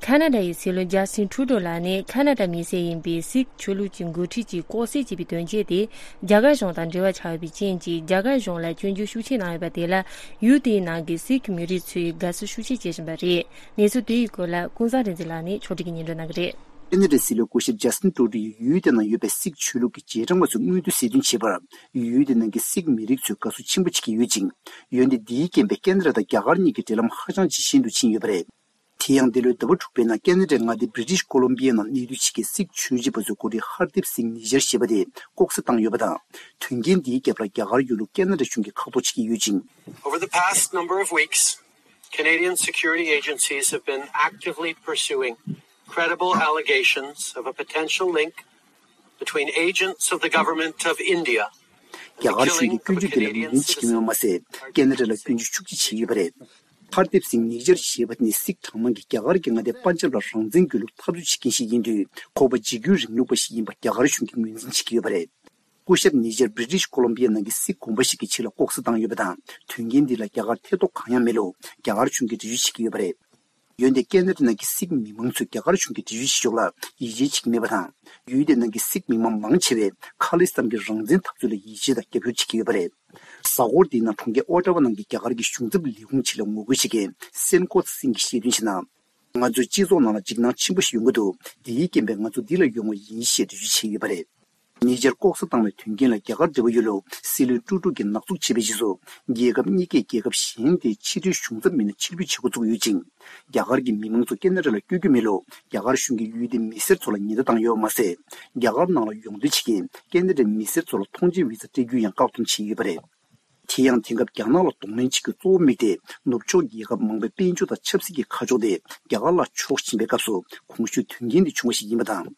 ཁ་ན་ཌ་ཡི་སྲིད་བློན་ཇ་སྟིན་ཁྲུ་ཌོ་ལགས་ནས་ཁ་ན་ཌ་མི་སེར་ཡིན་པའི་སིག་ཆོས་ལུགས་ཀྱི་འགོ་ཁྲིད་ཅིག་ལྐོག་བསད་བྱས་པའི་དོན་རྐྱེན་དེ་རྒྱ་གར་གཞུང་དང་འབྲེལ་བ་ཆགས་ཡོད་པའི་རྐྱེན་གྱིས་རྒྱ་གར་གཞུང་ལ་སྐྱོན་བརྗོད་ཤུགས་ཆེ་གནང་ཡོད་པ་དེ་ལ་ཡུལ་དེའི་ནང་གི་སིག་མི་རིགས་ཚོས་དགའ་བསུ་ཤུགས་ཆེ་བྱེད་བཞིན་པ་རེད། གནས་ཚུལ་དེའི་སྐོར་ལ་ཀུན་བཟང་རིག་འཛིན་ལགས་ནས་ཕྱོགས་སྒྲིག་གིས་སྙན་སྒྲོན་གནང་གི་རེད། ཁེ་ན་ཌའི་སྲིད་བློན་སྐུ་ཞབས་ཇ་སྟིན་ཀྲུ་ཌོ་ཡིས་ཡུལ་དེ་ནང་ཡོད་པའི་སིག་ཆོས་ལུགས་ཀྱི་རྗེས་འབྲང་པ་ཚོའི་མངོན་འདོད་གསལ་སྟོན་བྱེད་པར་ཡུལ་དེ་ནང་གི་སིག་མི་རིགས་ཚོས་དགའ་བསུ་ཆེན་པོ་བྱེད་ཀྱི་ཡོད་ཅིང་། འོན་ཏེ་འདིའི་རྐྱེན་པས་ཁེ་ན་ཌ་དང་རྒྱ་གར་གཉིས་ཀྱི་འབྲེལ་ལམ་ཧ་ཅང་ཇེ་ཞན་དུ་ཕྱིན་ཡོད་པ་རེད། དེ་ཡང་འདས་ལོའི་ཟླ་བ་དྲུག་པའི་ནང་ཁེ་ན་ཌའི་མངའ་སྡེ་བྷི་རི་ཊིཤ་ཀོ་ལོམ་བི་ཡའི་ནང་གནས་སྡོད་བྱེད་མཁན་སིག་ཆོས་བྱེད་པ་ཚོའི་འགོ་ཁྲིད་ཧར་དིབ་སིང་ནི་ཇར་ཞེས་པ་དེ་ལྐོག་ཟ་བཏང་ཡོད་པ་དང་། དོན་རྐྱེན་འདིའི་རྒྱབ་ལ་རྒྱ་གར་ཡོད་ལུགས་ཁེ་ན་ཌ་གཞུང་གིས་ཁ་རྡོག་བྱེད་ཀྱི་ཡོད་ཅིང་། Over the past number of weeks, Canadian security agencies have been actively pursuing credible allegations of a potential link between agents of the government of India རྒྱ་གར་གཞུང་གིས་སྐྱོན་བརྗོད་འདི་ལ་ངོས་ལེན་བྱེད་ཀྱི་མེད་པ་མ་ཟད། ཁེ་ན་ཌ་ལ་སྐྱོན་བརྗོད་ཤུགས་ཆེ་བྱས་ཡོད་པ་རེད། ཧར་དིབ་སིང་ནིག་ཇར་ཞེས་པ་ནི་སིག་གྲངས་མང་གིས་རྒྱ་གར་གྱི་མངའ་སྡེ་པན་ཇབ་ལ་རང་བཙན་དགོས་ལུགས་འཐབ་རྩོད་བྱེད་མཁན་ཞིག་ཡིན་དུས། ཁོ་པ་འཇིགས་སྐུལ་རིང་ལུགས་པ་ཞིག་ཡིན་པ་རྒྱ་གར་གཞུང་གིས་ངོས་འཛིན་བྱེད་ཀྱི་ཡོད་པ་རེད། སྐུ་ཞབས་ནིག་ཇར་བྷི་རི་ཊིཤ་ཀོ་ལོམ་བི་ཡ་ནང་གི་སིག་དགོན་པ་ཞིག་གི་ཆེད་ལ་ལྐོག་ཟ་བཏང་ཡོད་པ་དང་། དོན་རྐྱེན་འདི་ལ་རྒྱ་གར་ཐེ་གཏོགས་གང་ཡང་མེད་ལུགས་རྒྱ་གར་གཞུང་གིས་འགྲེལ་བརྗོད་བྱེད་ཀྱི་ཡོད་པ་རེད། འོན་ཏེ་ཁེ་ན་ཌ་ནང་གི་སིག་མི་མང་ཚོས་རྒྱ་གར་གཞུང་གི་འགྲེལ་བརྗོད་བྱེད་ཕྱོགས་ལ་ཡིད་ཆེས་བྱེད་ཀྱི་མེད་པ་དང་། ཡུལ་དེ་ནང་གི་སིག་མི་མང་མང་ཆེ་བས་ཁ་ལི་སི་ཐན་གྱི་རང་བཙན་འཐབ་རྩོད་ལ་ཡིད་ཆེས་དང་རྒྱབ་སྐྱོར་བྱེད་ཀྱི་ཡོད་པ་རེད། གཟའ་འཁོར་འདིའི་ནང་གྲོང་ཁྱེར་ཨོ་ཊ་ཝ་ནང་གི་རྒྱ་གར་གྱི་གཞུང་ཚབ་ལས་ཁུངས་ཆེད་ལ་ངོ་རྒོལ་བྱེད་མཁན་སེན་ཀོ་ཚ་སིང་གིས་བཤད་དོན་བྱས་ན། ང་ཚོའི་སྤྱི་ཚོགས་ནང་ལ་འཇིགས་སྣང་ཆེན་པོ་ཞིག་ཡོང་གི་འདུག་འདིའི་རྐྱེན་པས་ང་ཚོ་འདི་ལ་ཡོང་བ་ཡིན་ཞེས་འགྲེལ་བརྗོད་བྱས་ཡོད་པ་རེད། ཉེ་ཆར་ལྐོག་ཟ་བཏང་བའི་དོན་རྐྱེན་ལ་རྒྱ་གར་འབྲེལ་བ་ཡོད་ལུགས་སྲིད་བློན་ཀྲུག་ཀྲུག་གིས་ནག་འཛུགས་བྱས་པའི་རྗེས་སུ། རྒྱལ་ཁབ་གཉིས་ཀས་རྒྱལ་ཁབ་གཞན་དེའི་ཕྱི་འབྲེལ་གཞུང་ཚབ་མི་སྣ་ཕྱིར་འབུད་བྱེད་འགོ་བཙུགས་ཡོད་ཅིང་། རྒྱ་གར་གྱི་མི་མང་ཚོ་ཁེ་ན་ཌ་ལ་བསྐྱོད་རྒྱུ་མེད་ལུགས་རྒྱ་གར་གཞུང་གིས་ཡུལ་དེའི་མི་སེར་ཚོ་ལ་ཉེན་བརྡ་བཏང་ཡོད་པ་མ་ཟད། རྒྱ་གར་ནང་ལ་ཡོང་འདོད་བྱེད་མཁན་ཁེ་ན་ཌའི་མི་སེར་ཚོ་ལ་ཐོངས་མཆན་བི་ཛ་སྤྲད་རྒྱུ་ཡང་བཀག་སྡོམ་བྱས་ཡོད་པ་རེད། དེ་ཡང་དེང་སྐབས་རྒྱ་ནག་ལ་གདོང་ལེན་བྱེད་རྒྱུ་གཙོ་བོ་དམིགས་ཏེ། ནུབ་ཕྱོགས་རྒྱལ་ཁབ་མང་པོའི་དཔལ་འབྱོར་དང་ཆབ་སྲིད་ཀྱི་ཁ་ཕྱོགས་དེ་རྒྱ་གར་ལ་ཕྱོགས་བཞིན་པའི་སྐབས་སུ། གོང་ཞུས་དོན་རྐྱེན་འདི་བྱུང་བ་ཞིག་ཡིན་པ་དང་།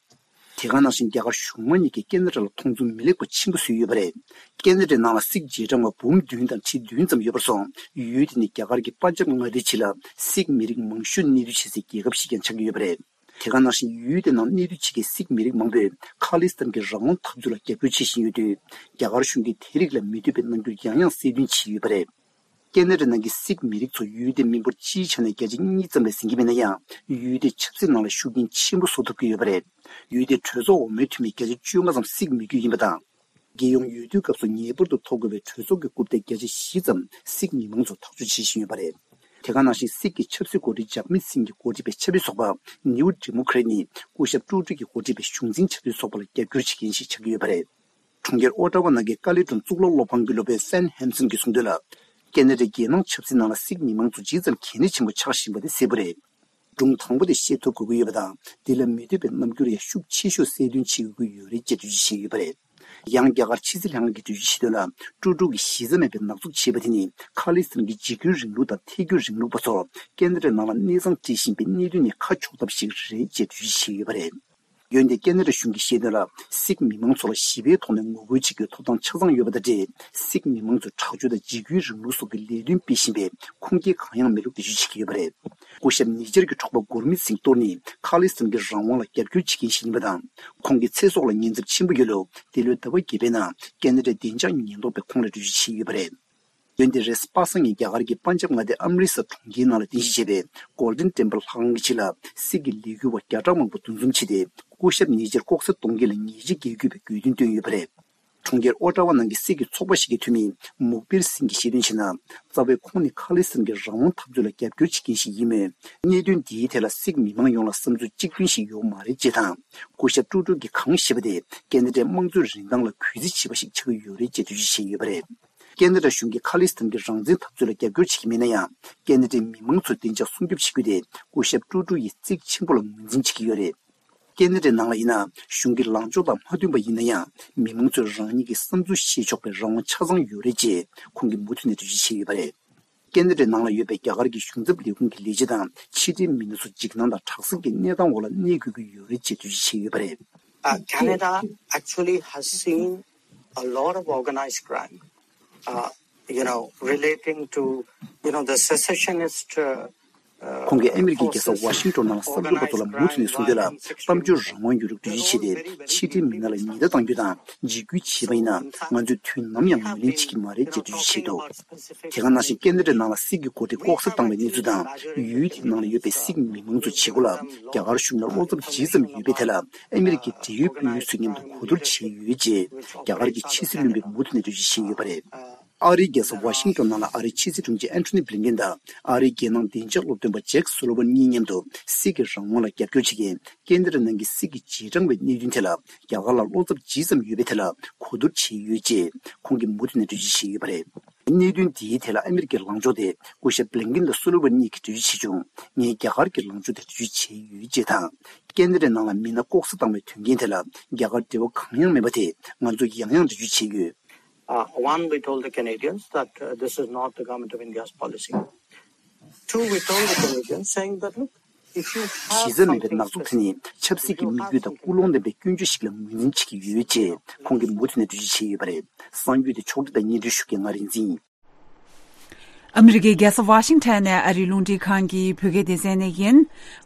དེ་ག་ནང་བཞིན་རྒྱ་གར་གཞུང་མང་གཉིས་ཀས་ཁེ་ན་ཌ་ལ་མཐོང་ཚུལ་མི་ལེགས་པ་ཆེན་པོ་བཟོས་ཡོད་པ་རེད། ཁེ་ན་ཌའི་ནང་ལ་སིག་རྗེས་འབྲང་བ་འབུམ་བདུན་དང་ཁྲི་བདུན་ཙམ་ཡོད་པར་སོང་། ཡུལ་དེ་ནི་རྒྱ་གར་གྱི་པན་ཇབ་མངའ་སྡེའི་ཕྱི་ལ་སིག་མི་རིགས་མང་ཤོས་གནས་སྡོད་བྱེད་སའི་རྒྱལ་ཁབ་ཞིག་ཀྱང་ཆགས་ཀྱི་ཡོད་པ་རེད། དེ་ག་ནང་བཞིན་ཡུལ་དེ་ནང་གནས་སྡོད་བྱེད་མཁན་སིག་མི་རིགས་མང་པོས་ཁ་ལིས་ཐན་གྱི་རང་དབང་འཐབ་རྩོད་ལ་རྒྱབ་སྐྱོར་བྱེད་བཞིན་ཡོད་དུས། རྒྱ་གར་གཞུང་གིས་དེ་རིགས་ལ་མི་འདོད་པའི་རྣམ་འགྱུར་ཡང་ཡང་གསལ་སྟོན་བྱས་ཡོད་པ་རེད། ཁེ་ན་ཌ་ནང་གི་སིག་མི་རིགས་ཚོ་ཡུལ་དེའི་མི་འབོར་སྤྱིའི་ཆ་ནས་བརྒྱ་ཆ་གཉིས་ཙམ་ལས་ཟིན་གྱི་མེད་ན་ཡང་། ཡུལ་དེའི་ཆབ་སྲིད་ནང་ལ་ཤུགས་རྐྱེན་ཆེན་པོ་བཟོ་ཐུབ་ཀྱི་ཡོད་པ་རེད། ཡུལ་དེའི་གྲོས་ཚོགས་འོག་མའི་འཐུས་མི་བརྒྱ་ཆ་བཅོ་ལྔ་ཙམ་སིག་མི་རྒྱུད་ཡིན་པ་དང་། རྒྱལ་ཡོངས་འོས་བསྡུའི་སྐབས་སུ་ངེས་པར་དུ་ཐོབ་དགོས་པའི་གྲོས་ཚོགས་ཀྱི་རྐུབ་སྟེགས་བརྒྱ་ཆ་བཞི་ཙམ་སིག་མི་མང་ཚོ་ཐག་གཅོད་བྱེད་བཞིན་ཡོད་པ་རེད། དེ་ག་ནང་བཞིན་སིག་གི་ཆབ་སྲིད་འགོ་ཁྲིད་ཇག་མིད་སིང་གིས་འགོ་ཁྲིད་པའི་ཆབ་སྲིད་ཚོགས་པ་ནིའུ་ཌི་མོ་ཁེ་རེ་ཊི་ནི་སྐུ་ཞབས་ཀྲུག་ཀྲུག་གིས་འགོ་ཁྲིད་པའི་གཞུང་འཛིན་བྱ་འདོད་ཚོགས་པ་ལ་རྒྱབ་སྐྱོར་བྱེད་མཁན་ཞིག་ཆགས་ཀྱི་ཡོད་པ་རེད། གྲོང་ཁྱེར་ཨོ་ཊ་ཝ་ནང་གི་ཀ་ལི་གྲོང་གཙུག་ལག་སློབ་ཁང་གི་སློབ་དཔོན་ཧྥན་ཧེམ་སན་གྱིས་གསུངས་དོན་ལ། ཁེ་ན་ཌའི་རྒྱལ་ནང་ཆབ་སྲིད་ནང་ལ་སིག་མི་མང་ཚོ་ཇི་ཙམ་གལ་གནད་ཆེན་པོ་ཆགས་བཞིན་པ་དེ་གསལ་པོ་རེད། སྒྲུང་དང་པོ་དེ་བཤད་ཐུབ་དགོས་ཀྱི་ཡོད་པ་དང་། འདི་ལ་མི་འདོད་པའི་རྣམ་འགྱུར་ཡང་ཤུགས་ཆེ་ཤོས་གསལ་སྟོན་བྱེད་དགོས་ཀྱི་ཡོད་རེད་ཅེས་འགྲེལ་བརྗོད་བྱས་ཡོད་པ་རེད། ཡང་རྒྱ་གར་ཕྱི་སྲིད་ལྷན་ཁང་གིས་འགྲེལ་བརྗོད་བྱས་དོན་ལ། ཀྲུག་ཀྲུག་གིས་གཞི་རྩ་མེད་པའི་ནག་འཛུགས་བྱས་པ་དེ་ནི་ཁ་ལིས་ཐན་གྱི་འཇིགས་སྐུལ་རིང་ལུགས་དང་ཐལ་འགྱུར་རིང་ལུགས་པ་ཚོ་ཁེ་ན་ཌའི་ནང་ལ་གནས་ཚང་སྤྲད་བཞིན་པའི་གནད་དོན་ནས་ཁ་ཕྱོགས་ཐབས་ཤིག་རེད་ཅེས་འགྲེལ་བརྗོད་བྱས་ཡོད་པ་རེད། འོན་ཏེ་ཁེ་ན་ཌ་གཞུང་གིས་བཤད་དོན་ལ། སིག་མི་མང་ཚོ་ལ་ཞི་བའི་ཐོག་ནས་ངོ་རྒོལ་བྱེད་རྒྱུའི་ཐོབ་ཐང་ཆ་ཚང་ཡོད་པ་དང་འབྲེལ། སིག་མི་མང་ཚོའི་དྲག་སྤྱོད་དང་འཇིགས་སྐུལ་རིང་ལུགས་སོགས་ཀྱི་ལས་དོན་སྤེལ་བཞིན་པའི་ཁུངས་སྐྱེལ་གང་ཡང་མེད་ལུགས་འགྲེལ་བརྗོད་བྱེད་ཀྱི་ཡོད་པ་རེད། སྐུ་ཞབས་ཉེ་ཆར་གྱི་འབྲོག་པ་གུར་མིད་སིང་ཏོར་ནི་ཁ་ལིས་ཐན་གྱི་རང་དབང་ལ་རྒྱབ་སྐྱོར་བྱེད་མཁན་ཞིག་ཡིན་པ་དང་། ཁོང་གི་ཚེ་སྲོག་ལ་ཉེན་ཚབས་ཆེན་པོ་ཡོད་ལུགས་འདི་ལོའི་ཟླ་བ་བརྒྱད་པའི་ནང་ཁེ་ན་ཌའི་བདེ་འཇགས་ཉེན་རྟོག་པས་ཁོང་ལ་འགྲེལ་བརྗོད་བྱས་ཡོད་པ་རེད། འོན་ཏེ་རེས་གཟའ་པ་སངས་ཉིན་རྒྱ་གར་གྱི་པན་ཇབ་མངའ་སྡེ་ཨམ་རི་སར་གྲོང་ཁྱེར་ནང་ལ་རྟེན་གཞི་བྱས་པའི་གོལ་ཌེན་ཊེམ་པལ་ལྷ་ཁང་གི་ཕྱི་ལ་སིག་གི་ལས་འགུལ་བ་བརྒྱ་ཕྲག་མང་པོ་འདུ་འཛོམས་བྱས་ཏེ། སྐུ་ཞབས་ཉེ་ཆར་ལྐོག་ཟ་གཏོང་མཁན་ལ་ཉེས་ཆད་འགེལ་དགོས་པའི་དགོས་འདུན་བཏོན་ཡོད་པ་རེད། གྲོང་ཁྱེར་ཨོ་ཊ་ཝ་ནང་གི་སིག་གི་ཚོགས་པ་ཞིག་གི་འཐུས་མི་མུག་པིར་སིང་གིས་བཤད་དོན་བྱས་ན། རྩ་བའི་ཁོང་ནི་ཁ་ལིས་ཐན་གྱི་རང་དབང་འཐབ་རྩོད་ལ་རྒྱབ་སྐྱོར་བྱེད་མཁན་ཞིག་ཡིན་མོད། གནད་དོན་འདིའི་ཐད་ལ་སིག་མི་མང་ཡོངས་ལ་བསམ་ཚུལ་གཅིག་མཐུན་ཞིག་ཡོད་མ་རེད་ཅེས་དང་། སྐུ་ཞབས་ཀྲུག་ཀྲུག་གིས་གང་བཤད་པ་དེ་ཁེ་ན་ཌའི་དམངས་གཙོའི་རིན་ཐང་ལ་གུས་བརྩི་བྱེད་པ་ཞིག་ཆགས་ཀྱི་ཡོད་རེད་ཅེས་འགྲེལ་བརྗོད་བྱས་ཡོད་པ་རེད། ཁེ་ན་ཌ་གཞུང་གིས་ཁ་ལིས་ཐན་གྱི་རང་བཙན་འཐབ་རྩོད་ལ་རྒྱབ་སྐྱོར་བྱེད་ཀྱི་མེད་ན་ཡང་། ཁེ་ན་ཌའི་མི་མང་ཚོའི་བདེ་འཇགས་སྲུང་སྐྱོབ་བྱེད་རྒྱུ་དེ་སྐུ་ཞབས་ཀྲུག་ཀྲུག་ཡིས་གཙིགས་ཆེན་པོ་ལ་ངོས་འཛིན་བྱེད་ཀྱི་ཡོད་རེད། ཁེ་ན་ཌའི་ནང་ལ་ཡིན་ན། གཞུང་གི་ལངས་ཕྱོགས་དང་མ་མཐུན་པ་ཡིན་ན་ཡང་། མི་མང་ཚོས་རང་ཉིད་ཀྱི་བསམ་ཚུལ་བཤད་ཆོག་པའི་རང་དབང་ཆ་ཚང་ཡོད་རེད་ཅེས་ཁོང་གིས་མུ་མཐུད་ནས་འགྲེལ་བརྗོད་བྱས་ཡོད་པ་རེད། ཁེ་ན་ཌའི་ནང་ལ་ཡོད་པའི་རྒྱ་གར་གྱི་གཞུང་ཚབ་ལས་ཁུངས་ཀྱི་ལས་བྱེད་དང་ཕྱི་འབྲེལ་མི་སྣ་ཚོ་འཇིགས་སྣང་དང་དྲག་ཟིང་གི་གནས་སྟངས་འོག་ལ་གནས་དགོས་ཀྱི་ཡོད་རེད་ཅེས་འགྲེལ་བརྗོད་བྱས་ཡོད་པ་རེད། Uh, Canada actually has seen a lot of organized crime, uh, you know, relating to, you know, the secessionist, uh, uh, ཁོང་གིས་ཨ་མི་རི་ཀའི་རྒྱལ་ས་ཝ་ཤིང་ཊོན་ནང་བསམ་ཚུལ་པ་ཚོ་ལ་མུ་མཐུད་ནས་གསུངས་དོན་ལ། གཏམ་བརྗོད་རང་དབང་ཡོད་ལུགས་འགྲེལ་བརྗོད་བྱས་ཏེ། ཕྱི་འབྲེལ་མི་སྣ་ལ་ཉེན་བརྡ་གཏང་རྒྱུ་དང་འཇིགས་སྐུལ་བྱས་པ་ཡིན་ན། ང་ཚོས་དུས་ནམ་ཡང་ངོས་ལེན་བྱེད་ཀྱི་མ་རེད་ཅེས་འགྲེལ་བརྗོད་བྱས་འདུག་དེ་ག་ནང་བཞིན་ཁེ་ན་ཌའི་ནང་ལ་སིག་གི་འགོ་ཁྲིད་ལྐོག་ཟ་བཏང་བའི་གནས་ཚུལ་དང་། ཡུལ་དེའི་ནང་ལ་ཡོད་པའི་སིག་མི་མང་ཚོའི་བྱེད་སྒོ་ལ་རྒྱ་གར་གཞུང་ལ་བློ་འཚབ་ཇི་ཙམ་ཡོད་པའི་ཐད་ལ། ཨ་མི་རི་ཀའི་འབྲེལ་ཡོད་དཔོན་རིགས་ཚོའི་མཉམ་དུ་གོ་བསྡུར་བྱས་ཡོད་ཅེས་རྒྱ་གར་གྱི་ཕྱི་སྲིད་བློན་པས་མུ་མཐུད་ནས་འགྲེལ་བརྗོད་བྱས་ཡོད་པ་རེད། ཨ་རིའི་རྒྱལ་ས་ཝ་ཤིང་ཊོན་ནང་ལ་ཨ་རིའི་ཕྱི་སྲིད་དྲུང་ཆེ་ཨན་ཐོ་ནི་བྷི་ལིན་ཀེན་དང་ཨ་རིའི་རྒྱལ་ནང་བདེ་འཇགས་སློབ་སྟོན་པ་ཇེཀ་སུ་ལི་ཝན་གཉིས་མཉམ་དུ་སིག་གི་རང་དབང་ལ་རྒྱབ་སྐྱོར་བྱེད་མཁན་ཁེ་ན་ཌ་ནང་གི་སིག་གི་རྗེས་འབྲང་བའི་གནད་དོན་ཐད་ལ་རྒྱ་གར་ལ་བློ་འཚབ་ཇི་ཙམ་ཡོད་པའི་ཐད་ལ་གོ་བསྡུར་བྱས་ཡོད་ཅེས་ཁོང་གིས་མུ་མཐུད་ནས་འགྲེལ་བརྗོད་བྱས་ཡོད་པ་རེད། གནད་དོན་འདིའི་ཐད་ལ་ཨ་མི་རི་ཀའི་ལངས་ཕྱོགས་དེ་སྐུ་ཞབས་བྷི་ལིན་ཀེན་དང་སུ་ལི་ཝན་གཉིས་ཀྱིས་འགྲེལ་བརྗོད་བྱས་བྱུང་། ངས་རྒྱ་གར་གྱི་ལངས་ཕྱོགས་དེ་འགྲེལ་བརྗོད་བྱས་ཡོད་ཅེས་དང་། ཁེ་ན་ཌའི་ནང་ལ་མི་སྣ་ལྐོག་ཟ་བཏང་བའི་དོན་རྐྱེན་དེ་ལ་རྒྱ་གར་འབྲེལ་བ་གང་ཡང་མེད་པ་དེ་ང་ཚོས་ཡང་ཡང་འགྲེལ་བརྗོད་བྱས་ཡོད། Uh, one, we told the Canadians that, uh, this is not the government of India's policy. Two, we told the Canadians saying that, look, if you have གཞི་རྩ་མེད་པའི་something ནག་འཛུགས་དེ་ནི་ཆབ་སྲིད་ཀྱི་དམིགས་ཡུལ་དང་ཀུན་སློང་ལྡན་པའི་སྐྱོན་བརྗོད་ཞིག་ལ་ངོས་འཛིན་བྱེད་ཀྱི་ཡོད་ཅེས་ཁོང་གིས་མུ་མཐུད་ནས་འགྲེལ་བརྗོད་བྱས་ཡོད་པ་རེད། གསར་འགྱུར་དེ་ཕྱོགས་སྒྲིག་དང་སྙན་སྒྲོན་ཞུ་མཁན་ང་རིག་འཛིན་ཡིན། ཨ་མི་རི་ཀའི་རྒྱལ་ས་ཝ་ཤིང་ཊོན་ནས་ཨ་རིའི་རླུང་འཕྲིན་ཁང་གི་བོད་སྐད་སྡེ་ཚན་ནས་ཡིན།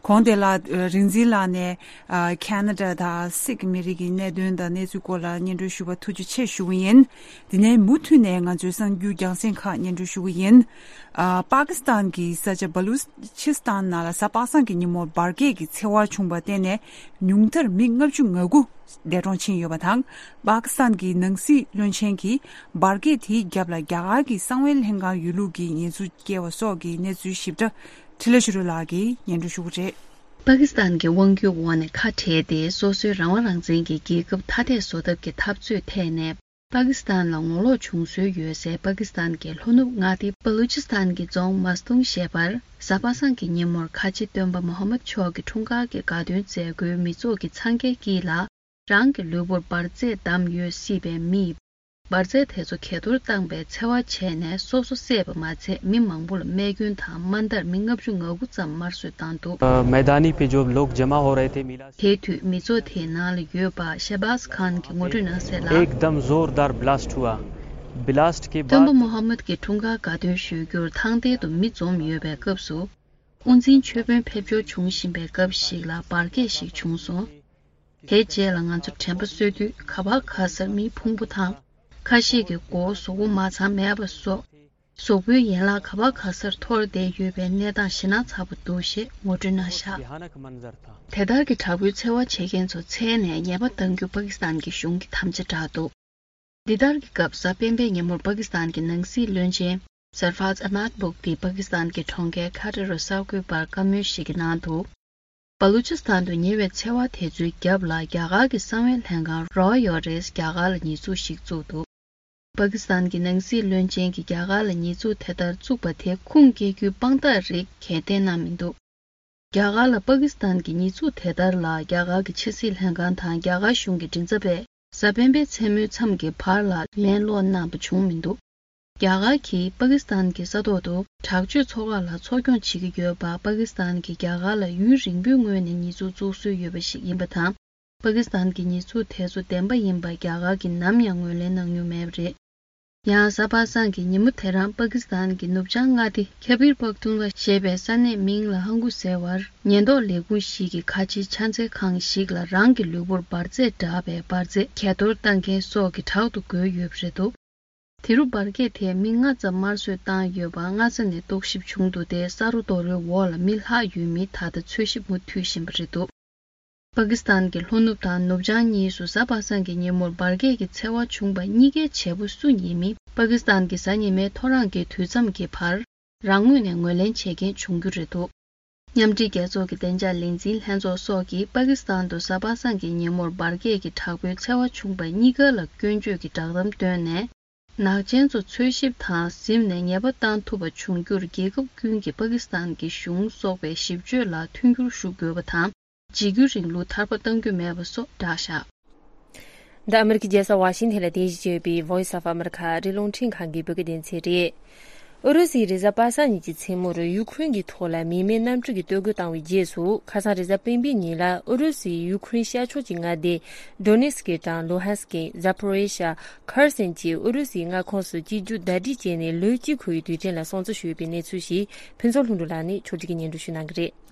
གོང་དེ་ལ་རིག་འཛིན་ལགས་ནས་ཁེ་ན་ཌ་དང་སིག་མི་རིགས་ཀྱི་གནད་དོན་དང་གནས་ཚུལ་སྐོར་ལ་སྙན་སྒྲོན་ཞུ་བར་ཐུགས་རྗེ་ཆེ་ཞུ་གི་ཡིན། དེ་ནས་མུ་མཐུད་ནས་ང་ཚོའི་གསར་འགྱུར་རྒྱང་སྲིང་ཁག་སྙན་སྒྲོན་ཞུ་གི་ཡིན། ཨ། པ་ཀི་སི་ཐན་གྱི་ས་ཆ་བ་ལུ་ཆི་སི་ཐན་ནང་ལ་གཟའ་པ་སངས་ཀྱི་ཉིན་མོར་འབར་གས་ཀྱི་འཚེ་བ་བྱུང་བར་བརྟེན་ནས་ཉུང་མཐར་མི་ལྔ་བཅུ་ང་དགུ་འདས་གྲོངས་ཕྱིན་ཡོད་པ་དང་། པ་ཀི་སི་ཐན་གྱི་ནང་སྲིད་བློན་ཆེན་གྱིས་འབར་གས་དེའི་རྒྱབ་ལ་རྒྱ་གར་གྱི་གསང་བའི་ལྷན་ཁང་ཡོད་ལུགས་ཀྱི་ཉེས་འཛུགས་བཀལ་བ་སོགས་ཀྱི་གནས་ཚུལ་ཞིབ་ཕྲ་འཕྲིན་ལས་ཆོས་སྒྲོན་ལགས་ཀྱིས་སྙན་སྒྲོན་ཞུ་གི་རེད། པ་ཀི་སི་ཐན་གྱི་དབང་སྒྱུར་འོག་ནས་ཁ་བྲལ་ཏེ། སོ་སོའི་རང་དབང་རང་བཙན་གྱི་རྒྱལ་ཁབ་ཐ་དད་བཟོ་ཐབས་ཀྱི་འཐབ་རྩོད་ཐད་ནས། པ་ཀི་སི་ཐན་ལ་ངོ་ལོག་བྱུང་སྲོལ་ཡོད་སའི་པ་ཀི་སི་ཐན་གྱི་ལྷོ་ནུབ་མངའ་སྡེ་བ་ལུ་ཅི་སི་ཐན་གྱི་རྫོང་མཱ་སི་ཏུང་ཞེས་པར། གཟའ་པ་སངས་ཀྱི་ཉིན་མོར་ཁ་ཆེ་སྟོན་པ་མོ་ཧམ་མད་མཆོག་གི་འཁྲུངས་སྐར་གྱི་དགའ་སྟོན་མཛད་སྒོའི་མི་ཚོགས་ཀྱི་འཚང་ཁའི་དཀྱིལ་ལ། རང་གི་ལུས་པོར་འབར་རྫས་བསྡམས་ཡོད་སྲིད་པའི་མིས། འབར་རྫས་དེ་ཚོ་གས་གཏོར་བཏང་པའི་འཚེ་བ་བྱས་ནས་སོ་སོ་བསད་པ་མ་ཚད། མི་མང་པོ་ལ་རྨས་སྐྱོན་དང་། དམའ་མཐར་མི་ལྔ་བཅུ་ང་དགུ་ཙམ་དམར་གསོད་བཏང་འདུག मैदानी पे जो लोग जमा हो रहे थे, मिला དེའི་དུས་མི་ཚོགས་དེའི་ནང་ལ་ཡོད་པ་ཤ་བཱས་ཁཱན་གྱིས་ངོ་སྤྲོད་གནང་གསལ་ལ། एकदम जोरदार ब्लास्ट हुआ। ब्लास्ट के बाद སྟོན་པ་མོ་ཧམ་མད་ཀྱི་འཁྲུངས་སྐར་དགའ་སྟོན་ཞུ་རྒྱུར་ཐང་སྟེང་དུ་མི་འཛོམས་ཡོད་པའི་སྐབས་སུ། དབུ་འཛིན་ཆོས་དཔོན་ཕེབས་འབྱོར་བྱུང་བཞིན་པའི་སྐབས་ཤིག་ལ་འབར་གས་ཤིག་བྱུང་སོང་། དེའི་རྗེས་ལ་ང་ཚོ་དྲན་པ་གསོས་དུས། ག་བ་ག་སར་མིའི་ཕུང་པོ་དང་། ཁ་ཤས་ཀྱི་མགོ་བོ་གཟུགས་པོ་མ་ཚང་མེད་པ་སོགས། གཟུགས་པོའི་ཡན་ལག་ག་བ་ག་སར་འཐོར་བསྡད་ཡོད་པའི་གནས་སྟངས་ཞེད་སྣང་ཚ་པོ་འདུག་ཞེས་ངོ་སྤྲོད་གནང་བཞག་དེ་ལྟར་གྱི་དྲག་པོའི་འཚེ་བ་བྱེད་མཁན་ཚོ་འཚོལ་ནས་ཉེས་པ་གཏང་རྒྱུ་པ་ཀི་སི་ཐན་གྱི་གཞུང་གིས་དམ་བཅའ་བསྒྲགས་འདུག་འདི་ལྟར་གྱི་སྐབས། གཟའ་སྤེན་པའི་ཉིན་མོར་པ་ཀི་སི་ཐན་གྱི་ནང་སྲིད་བློན་ཆེན་སར་ཧྥཱཛ་ཨ་མཱད་བུག་ཏིས་པ་ཀི་སི་ཐན་གྱི་གྲོང་ཁྱེར་ཁ་ཏ་རུ་གསར་འགོད་པར་བཀའ་མོལ་ཞིག་གི་ནང་དུ། བ་ལུ་ཅི་སི་ཐན་དུ་ཉེ་བའི་འཚེ་བ་དེ་ཚོའི་རྒྱབ་ལ་རྒྱ་གར་གྱི་གསང་བའི་ལྷན་ཁང་རོ་ཡོ་རེས་རྒྱ་གར་ལ་ཉེས་འཛུགས་ཤིག་བཙུགས་འདུག་པ་ཀི་སི་ཐན་གྱི་ནང་སྲིད་བློན་ཆེན་གྱིས་རྒྱ་གར་ལ་ཉེས་འཛུགས་དེ་ལྟར་བཙུགས་པ་དེ་ཁུངས་སྐྱེལ་རྒྱུའི་དཔང་རྟགས་རིགས་གང་ཡང་བསྟན་གནང་མི་འདུག་རྒྱ་གར་ལ་པ་ཀི་སི་ཐན་གྱི་ཉེས་འཛུགས་དེ་ལྟར་ལ་རྒྱ་གར་གྱི་ཕྱི་སྲིད་ལྷན་ཁང་དང་རྒྱ་གར་གཞུང་གི་མགྲིན་ཚབ་པས་གཟའ་སྤེན་པའི་མཚན་མོའི་མཚམས་ཀྱི་བར་ལ་ལན་སློག་གནང་པ་བྱུང་མི་འདུག་རྒྱ་གར་གྱིས་པ་ཀི་སི་ཐན་གྱི་ས་ཐོག་ཏུ་དྲག་སྤྱོད་ཚོགས་ཁག་ལ་འཚོ་སྐྱོང་བྱེད་ཀྱི་ཡོད་པ། པ་ཀི་སི་ཐན་གྱིས་རྒྱ་གར་ལ་ཡུན་རིང་པོའི་སྔོན་ནས་ཉེས་འཛུགས་བཙུགས་སྲོལ་ཡོད་པ་ཞིག་ཡིན་པ་དང་། པ་ཀི་སི་ཐན་གྱི་ཉེས་འཛུགས་དེ་ཚོ་བདེན་པ་ཡིན་པ་རྒྱ་གར་གྱིས་ནམ་ཡང་ངོས་ལེན་གནང་མྱོང་མེད་པ་རེད། ཡང་གཟའ་པ་སངས་ཀྱི་ཉིན་མོ་དེ་རང་པ་ཀི་སི་ཐན་གྱི་ནུབ་བྱང་མངའ་སྡེ་ཁེ་བིར་པག་ཏུང་ལ་ཞེས་པའི་ས་གནས་མིང་ལ་ཧང་གུ་ཟེར་བར་ཉེན་རྟོག་ལས་ཁུངས་ཤིག་གི་ཁ་ཆེའི་ཕྱག་འཚལ་ཁང་ཞིག་ལ་རང་གི་ལུས་པོར་འབར་རྫས་བསྒྲགས་པའི་འབར་རྫས་གས་གཏོར་བཏང་མཁན་སོགས་ཀྱིས་དྲག་ཏུ་རྒོལ་ཡོད་པ་རེད་འདུག་དེ་རུ་འབར་གས་དེས་མི་ལྔ་ཙམ་དམར་གསོད་བཏང་ཡོད་པ་སྔ་ས་ནས་རྟོག་ཞིབ་བྱུང་འདུག་སྟེ། ས་རོ་རྡོ་རོའི་འོག་ལ་མི་ལྷག་ཡོད་མིན་ད་ལྟ་འཚོལ་ཞིབ་མུ་མཐུད་བཞིན་པ་རེད་འདུག་པ་ཀི་སི་ཐན་གྱི་ལྷོ་ནུབ་དང་ནུབ་བྱང་གཉིས་སུ་གཟའ་པ་སངས་ཀྱི་ཉིན་མོར་འབར་གས་ཀྱི་འཚེ་བ་བྱུང་པ་གཉིས་ཀའི་བྱེད་པོ་སུ་ཡིན་མིན་པ་ཀི་སི་ཐན་གྱི་གཟའ་ཉི་མའི་ཐོ་རངས་ཀྱི་དུས་མཚམས་ཀྱི་བར། རང་ངོས་ནས་ངོས་ལེན་བྱེད་མཁན་བྱུང་རྒྱུ་རེད་འདུག་མཉམ་འབྲེལ་རྒྱལ་ཚོགས་ཀྱི་བདེ་འཇགས་ལས་འཛིན་ལྷན་ཚོགས་སོགས་ཀྱིས་པ་ཀི་སི་ཐན་དུ་གཟའ་པ་སངས་ཀྱི་ཉིན་མོར་འབར་གས་ཀྱི་དྲག་པོའི་འཚེ་བ་བྱུང་པ་གཉིས་ཀ་ལ་སྐྱོན་བརྗོད་ཀྱི་བསྒྲགས་གཏམ་བཏོན་ནས། ནག་ཅན་ཚོ་འཚོལ་ཞིབ་དང་གཟིམ་ནས་ཉེས་པ་བཏང་ཐུབ་པ་བྱུང་རྒྱུར་རྒྱལ་ཁབ་ཀུན་གྱིས་པ་ཀི་སི་ཐན་གྱི་གཞུང་སོགས་པའི་ཞིབ་དཔྱོད་ལ་མཐུན་འགྱུར་ཞུ་དགོས་པ་དང་། འཇིགས་སྐུལ་རིང་ལུགས་ཐར་པ་གཏང་རྒྱུ་མེད་པ་སོགས་བསྒྲགས་བཞག་འདི་ཨ་མི་རི་ཀའི་རྒྱལ་ས་ཝ་ཤིང་ཐན་ལ་རྟེན་གཞི་བྱས་པའི་Voice of America ཨ་རིའི་རླུང་འཕྲིན་ཁང་གི་བོད་སྐད་སྡེ་ཚན་རེད། ཨུ་རུ་སུས་རེས་གཟའ་པ་སངས་ཉིན་གྱི་མཚན་མོར་ཡུ་ཁུ་རེན་གྱི་ཐོག་ལ་མི་མེད་གནམ་གྲུ་གི་གཏོར་རྒོལ་བཏང་བའི་རྗེས་སུ། ཁ་སང་རེས་གཟའ་སྤེན་པའི་ཉིན་ལ་ཨུ་རུ་སུས་ཡུ་ཁུ་རེན་ཤར་ཕྱོགས་ཀྱི་མངའ་སྡེ་Donetsk དང་Luhansk། Zaporizhia། Kherson བཅས་ཨུ་རུ་སུའི་མངའ་ཁོངས་སུ་གཅིག་གྱུར་ཟླ་སྒྲིལ་བྱས་ནས་ལོ་གཅིག་འཁོར་བའི་དུས་དྲན་ལ་སྲུང་བརྩི་ཞུས་པའི་གནས་ཚུལ་ཞིག་ཕུན་ཚོགས་ལྷུན་གྲུབ་ལགས་ནས་ཕྱོགས་སྒྲིག་གིས་སྙན་སྒྲོན་ཞུ་གནང་གི་རེད།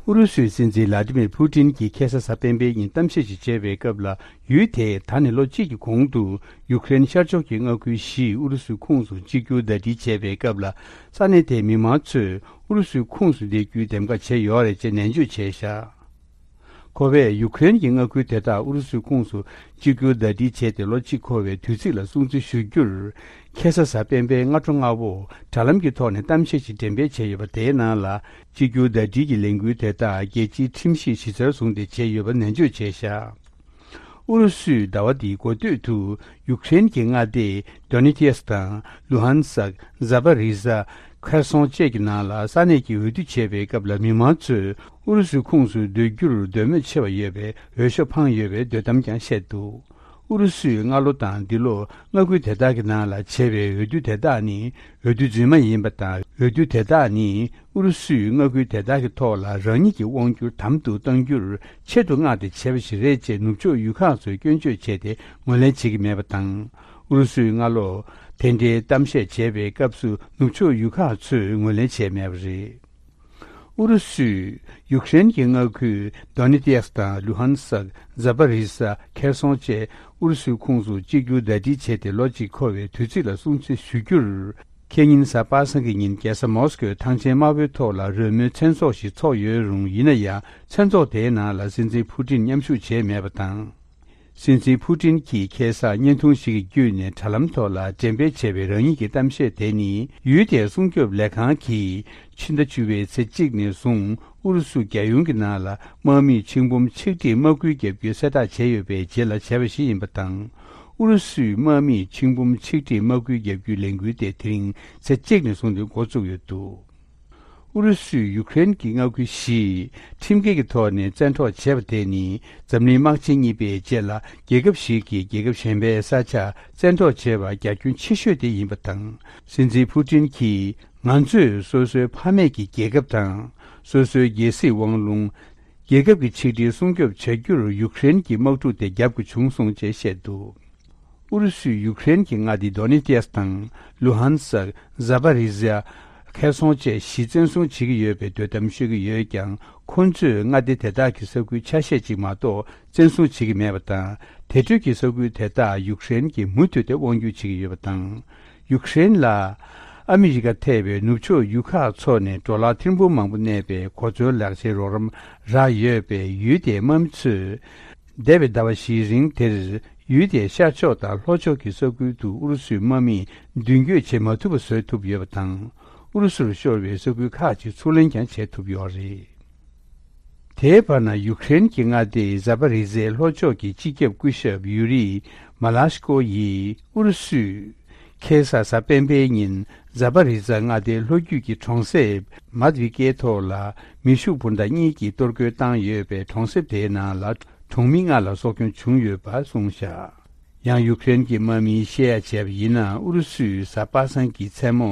ཨུ་རུ་སུའི་སྲིད་འཛིན་ལ་ཏི་མིར་ཕུ་ཏིན་གྱིས་ཁ་སང་གཟའ་སྤེན་པའི་ཉིན་གཏམ་བཤད་ཅིག་བྱས་པའི་སྐབས་ལ། ཡུལ་དེས་ད་ནི་ལོ་གཅིག་གི་གོང་དུ་ཡུ་ཀེ་རེན་ཤར་ཕྱོགས་ཀྱི་མངའ་ཁུལ་བཞི་ཨུ་རུ་སུའི་ཁོངས་སུ་གཅིག་གྱུར་ཟླ་སྒྲིལ་བྱས་པའི་སྐབས་ལ། ས་གནས་དེའི་མི་མང་ཚོས་ཨུ་རུ་སུའི་ཁོངས་སུ་སླེབས་རྒྱུའི་འདེམས་ཀ་བྱས་ཡོད་རེད་ཅེས་ནན་བརྗོད་བྱས་བཞག་ཁོ་བས་ཡུ་ཀེ་རེན་གྱི་མངའ་ཁུལ་དེ་དག་ཨུ་རུ་སུའི་ཁོངས་སུ་གཅིག་གྱུར་ཟླ་སྒྲིལ་བྱས་ཏེ་ལོ་གཅིག་འཁོར་བའི་དུས་ཚིགས་ལ་སྲུང་བརྩི་ཞུ་རྒྱུར། ཁ་སང་གཟའ་སྤེན་པའི་སྔ་དྲོ་སྔ་པོ་དྲ་ལམ་གྱི་ཐོག་ནས་གཏམ་བཤད་ཅིག་འགྲེམས་སྤེལ་བྱས་ཡོད་པ་དེའི་ནང་ལ། གཅིག་གྱུར་ཟླ་སྒྲིལ་གྱི་ལས་འགུལ་དེ་དག་རྒྱལ་སྤྱིའི་ཁྲིམས་གཞི་གཞི་རྩར་བཟུང་སྟེ་བྱས་ཡོད་པ་ནན་བརྗོད་བྱས་བཞག་ཨུ་རུ་སུས་ཟླ་བ་འདིའི་འགོ་སྟོད་དུ་ཡུ་ཀེ་རེན་གྱི་མངའ་སྡེ་Donetsk དང་Luhansk། Zaporizhia། Kherson བཅས་ཀྱི་ནང་ལ་ས་གནས་ཀྱི་འོས་བསྡུ་བྱས་པའི་སྐབས་ལ་མི་མང་ཚོས་ཨུ་རུ་སུའི་ཁོངས་སུ་སྡོད་རྒྱུར་འདོད་མོས་ཆེ་བ་ཡོད་པའི་འོས་ཤོག་འཕངས་ཡོད་པའི་འདོད་གཏམ་ཀྱང་བཤད་འདུག་ཨུ་རུ་སུས་སྔ་ལོ་དང་འདི་ལོ་མངའ་ཁུལ་དེ་དག་གི་ནང་ལ་བྱས་པའི་འོས་བསྡུ་དེ་དག་ནི་འོས་བསྡུ་རྫུན་མ་ཡིན་པ་དང་། འོས་བསྡུ་དེ་དག་ནི་ཨུ་རུ་སུས་མངའ་ཁུལ་དེ་དག་གི་ཐོག་ལ་རང་ཉིད་ཀྱི་དབང་སྒྱུར་དམ་དུ་གཏོང་རྒྱུར་ཆེད་དུ་མངགས་ཏེ་བྱས་པ་ཞིག་རེད་ཅེས་ནུབ་ཕྱོགས་ཡུལ་ཁག་ཚོས་སྐྱོན་བརྗོད་བྱས་ཏེ་ངོས་ལེན་བྱེད་ཀྱི་མེད་པ་དང་། ཨུ་རུ་སུས་སྔ་ལོ་དེ་འདྲའི་གཏམ་བཤད་བྱས་པའི་སྐབས་སུ་ནུབ་ཕྱོགས་ཡུལ་ཁག་ཚོས་ངོས་ལེན་བྱས་མེད་པ་རེད། ཨུ་རུ་སུས་ཡུཀ་རེན་གྱི་མངའ་ཁུལ་Donetsk དང་Luhansk། Zaporizhia། Kherson བཅས་ཨུ་རུ་སུའི་ཁོངས་སུ་གཅིག་གྱུར་ཟླ་སྒྲིལ་བྱས་ཏེ་ལོ་གཅིག་འཁོར་བའི་དུས་ཚིགས་ལ་སྲུང་བརྩི་ཞུ་རྒྱུར། ཁེ་ཉིན་གཟའ་པ་སངས་ཀྱི་ཉིན་རྒྱལ་ས་མོ་སི་ཀོའི་ཐང་ཆེན་དམར་པོའི་ཐོག་ལ་རོལ་མོའི་མཚན་ཚོགས་ཤིག་ཚོགས་ཡོད་རུང་། ཡིན་ན་ཡང་མཚན་ཚོགས་དེའི་ནང་ལ་སྲིད་འཛིན་ཕུ་ཏིན་མཉམ་ཞུགས་བྱས་མེད་པ་དང་། སྲིད་འཛིན་ཕུ་ཏིན་གྱིས་ཁ་སང་བརྙན་ཐུང་ཞིག་གི་བརྒྱུད་ནས་དྲ་ལམ་ཐོག་ལ་འགྲེམས་སྤེལ་བྱས་པའི་རང་ཉིད་ཀྱི་གཏམ་བཤད་དེ་ནི། ཡུལ་དེའི་སྲུང་སྐྱོབ་ལས་ཁང་གིས་ཕྱི་ཟླ་བཅུ་པའི་ཚེས་གཅིག་ནས་བཟུང་ ཨུ་རུ་སུ་རྒྱལ་ཡོངས་ཀྱི་ནང་ལ་དམག་མིས་ཆིག་འབུམ་ཆིག་ཁྲིར་དམག་སྐུལ་བརྒྱབ་རྒྱུའི་གསལ་བསྒྲགས་བྱས་ཡོད་པའི་རྗེས་ལ་བྱས་པ་ཞིག་ཡིན་པ་དང་། ཨུ་རུ་སུས་དམག་མིས་ཆིག་འབུམ་ཆིག་ཁྲིར་དམག་སྐུལ་བརྒྱབ་རྒྱུའི་ལས་འགུལ་དེ་དེ་རིང་ཚེས་གཅིག་ནས་བཟུང་སྟེ་འགོ་བཙུགས་ཡོད་འདུག་ཨུ་རུ་སུས་ཡུཀ་རེན་གྱི་མངའ་ཁུལ་བཞི་ཁྲིམས་འགལ་གྱི་ཐོག་ནས་བཙན་འཕྲོག་བྱས་པ་དེ་ནི་འཛམ་གླིང་དམག་ཆེན་གཉིས་པའི་རྗེས་ལ་རྒྱལ་ཁབ་ཞིག་གིས་རྒྱལ་ཁབ་གཞན་པའི་ས་ཆ་བཙན་འཕྲོག་བྱས་པ་རྒྱ་ཁྱོན་ཆེ་ཤོས་དེ་ཡིན་པ་དང་། སྲིད་འཛིན་ཕུ་ཏིན་གྱིས། ང་ཚོས་སོ་སོའི་ཕ་མེས་ཀྱི་རྒྱལ་ཁབ་དང་། སོ་སོའི་རྒྱལ་སྲིད་དབང་ལུང་། རྒྱལ་ཁབ་ཀྱི་ཆིག་སྒྲིལ་སྲུང་སྐྱོབ་བྱ་རྒྱུར་ཡུཀ་རེན་གྱི་དམག་འཁྲུག་དེ་རྒྱབ་དགོས་བྱུང་སོང་ཅེས་བཤད་འདུག་ཨུ་རུ་སུས་ཡུཀ་རེན་གྱི་མངའ་སྡེ་དོ་ནེ་ཏེས་དང་། ལུ་ཧན་སག་ཛ་པ་རི་ཛ། ཁེ་སོང་བཅས་གཞི་བཙན་བཟུང་བྱེད་ཀྱི་ཡོད་པའི་འདོད་གཏམ་ཤོད་ཀྱི་ཡོད་ཀྱང་། ཁོ་ཚོས་མངའ་སྡེ་དེ་དག་གི་ས་ཁུལ་ཆ་ཤས་ཅིག་མ་གཏོགས་བཙན་བཟུང་བྱེད་ཀྱི་མེད་པ་དང་། དེ་འཕྲོས་ཀྱི་ས་ཁུལ་དེ་དག་ཡུཀ་རེན་གྱིས་མུ་མཐུད་དེ་དབང་སྒྱུར་བྱེད་ཀྱི་ཡོད་པ་དང་། ཡུཀ་རེན་ལ་ཨ་མི་རི་ཀ་ཐེ་བའི་ནུབ་ཕྱོགས་ཡུལ་ཁག་ཚོ་ནས་ཌོ་ལར་ཐེར་འབུམ་མང་པོ་གནས་པའི་གོ་མཚོན་ལག་ཆའི་རོགས་རམ་རག་ཡོད་པའི་ཡུལ་དེའི་དམག་མི་ཚོས། འདས་པའི་ཟླ་བ་བཞིའི་རིང་དེར་ཡུལ་དེའི་ཤར་ཕྱོགས་དང་ལྷོ་ཕྱོགས་ཀྱི་ས་ཁུལ་དུ་ཨུ་རུ་སུའི་དམག་མིས་མདུན་སྐྱོད་བྱེད་མ་ཐུབ་པ་བཟོས་ཐུབ་ཡོད་པ་དང་། ཨུ་རུ་སུར་ཤོར་བའི་ས་ཁུལ་ཁག་ཅིག་ཚུར་ལེན་ཀྱང་བྱེད་ཐུབ་ཡོད་རེད། དེའི་བར་ན་ཡུཀ་རེན་གྱི་མངའ་སྡེའི་ཛ་པ་རི་ཛའི་ལྷོ་ཕྱོགས་ཀྱི་སྤྱི་ཁྱབ་སྐུ་ཞབས་ཡུ་རི་མ་ལ་ཤི་ཀོ་ཡིས་ཨུ་རུ་སུས་ཁ་སང་གཟའ་སྤེན་པའི་ཉིན་ཛ་པ་རི་ཛ་མངའ་སྡེའི་ལྷོ་རྒྱུད་ཀྱི་གྲོང་གསེབ་མཱད་ཝི་ཀའི་ཐོག་ལ་མེ་ཤུགས་འཕུར་མདའ་གཉིས་ཀྱིས་གཏོར་རྒོལ་བཏང་ཡོད་པའི་གྲོང་གསེབ་དེའི་ནང་ལ་གྲོང་མི་ལྔ་ལ་སྲོག་སྐྱོན་བྱུང་ཡོད་པ་གསུངས་བཞག་ཡང་ཡུཀ་རེན་གྱི་དམག་མིས་བཤད་ཡ་བྱས་པ་ཡིན་ན། ཨུ་རུ་སུས་གཟའ་པ་སངས་ཀྱི་མཚན་མོ་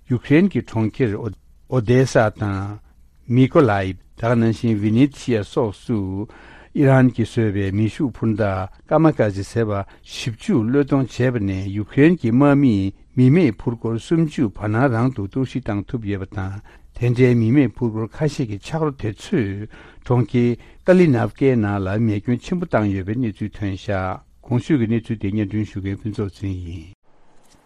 ཡུཀ་རེན་གྱི་གྲོང་ཁྱེར་ཨོ་ཨོ་དེ་ས་དང་། མི་ཀོ་ལའིབ། དེ་ག་ནང་བཞིན་ཝི་ནི་ཐི་ཡ་སོགས་སུ་ཨི་རན་གྱིས་བཟོས་པའི་མེ་ཤུགས་འཕུར་མདའ་ཀ་མ་ཀ་ཛི་ཟེར་བ་བཞི་བཅུ་བློས་གཏོང་བྱས་པ་ནས་ཡུཀ་རེན་གྱི་དམག་མིས་མི་མེད་འཕུར་འཁོར་སུམ་ཅུ་བར་སྣང་རང་དུ་གཏོར་བཤིག་བཏང་ཐུབ་ཡོད་པ་དང་། དེ་འདྲའི་མི་མེད་འཕུར་འཁོར་ཁ་ཤས་ཀྱི་ཆག་རོ་དེ་ཚོས་གྲོང་ཁྱེར་ཀ་ལི་ནབ་ཀའི་ནང་ལ་མེ་སྐྱོན་ཆེན་པོ་བཏང་ཡོད་པའི་གནས་ཚུལ་ཐོན་བཞག་གོང་ཞུས་ཀྱི་གནས་ཚུལ་དེ་སྙན་སྒྲོན་ཞུ་མཁན་ཕུན་ཚོགས་ཚེ་རིང་ཡིན།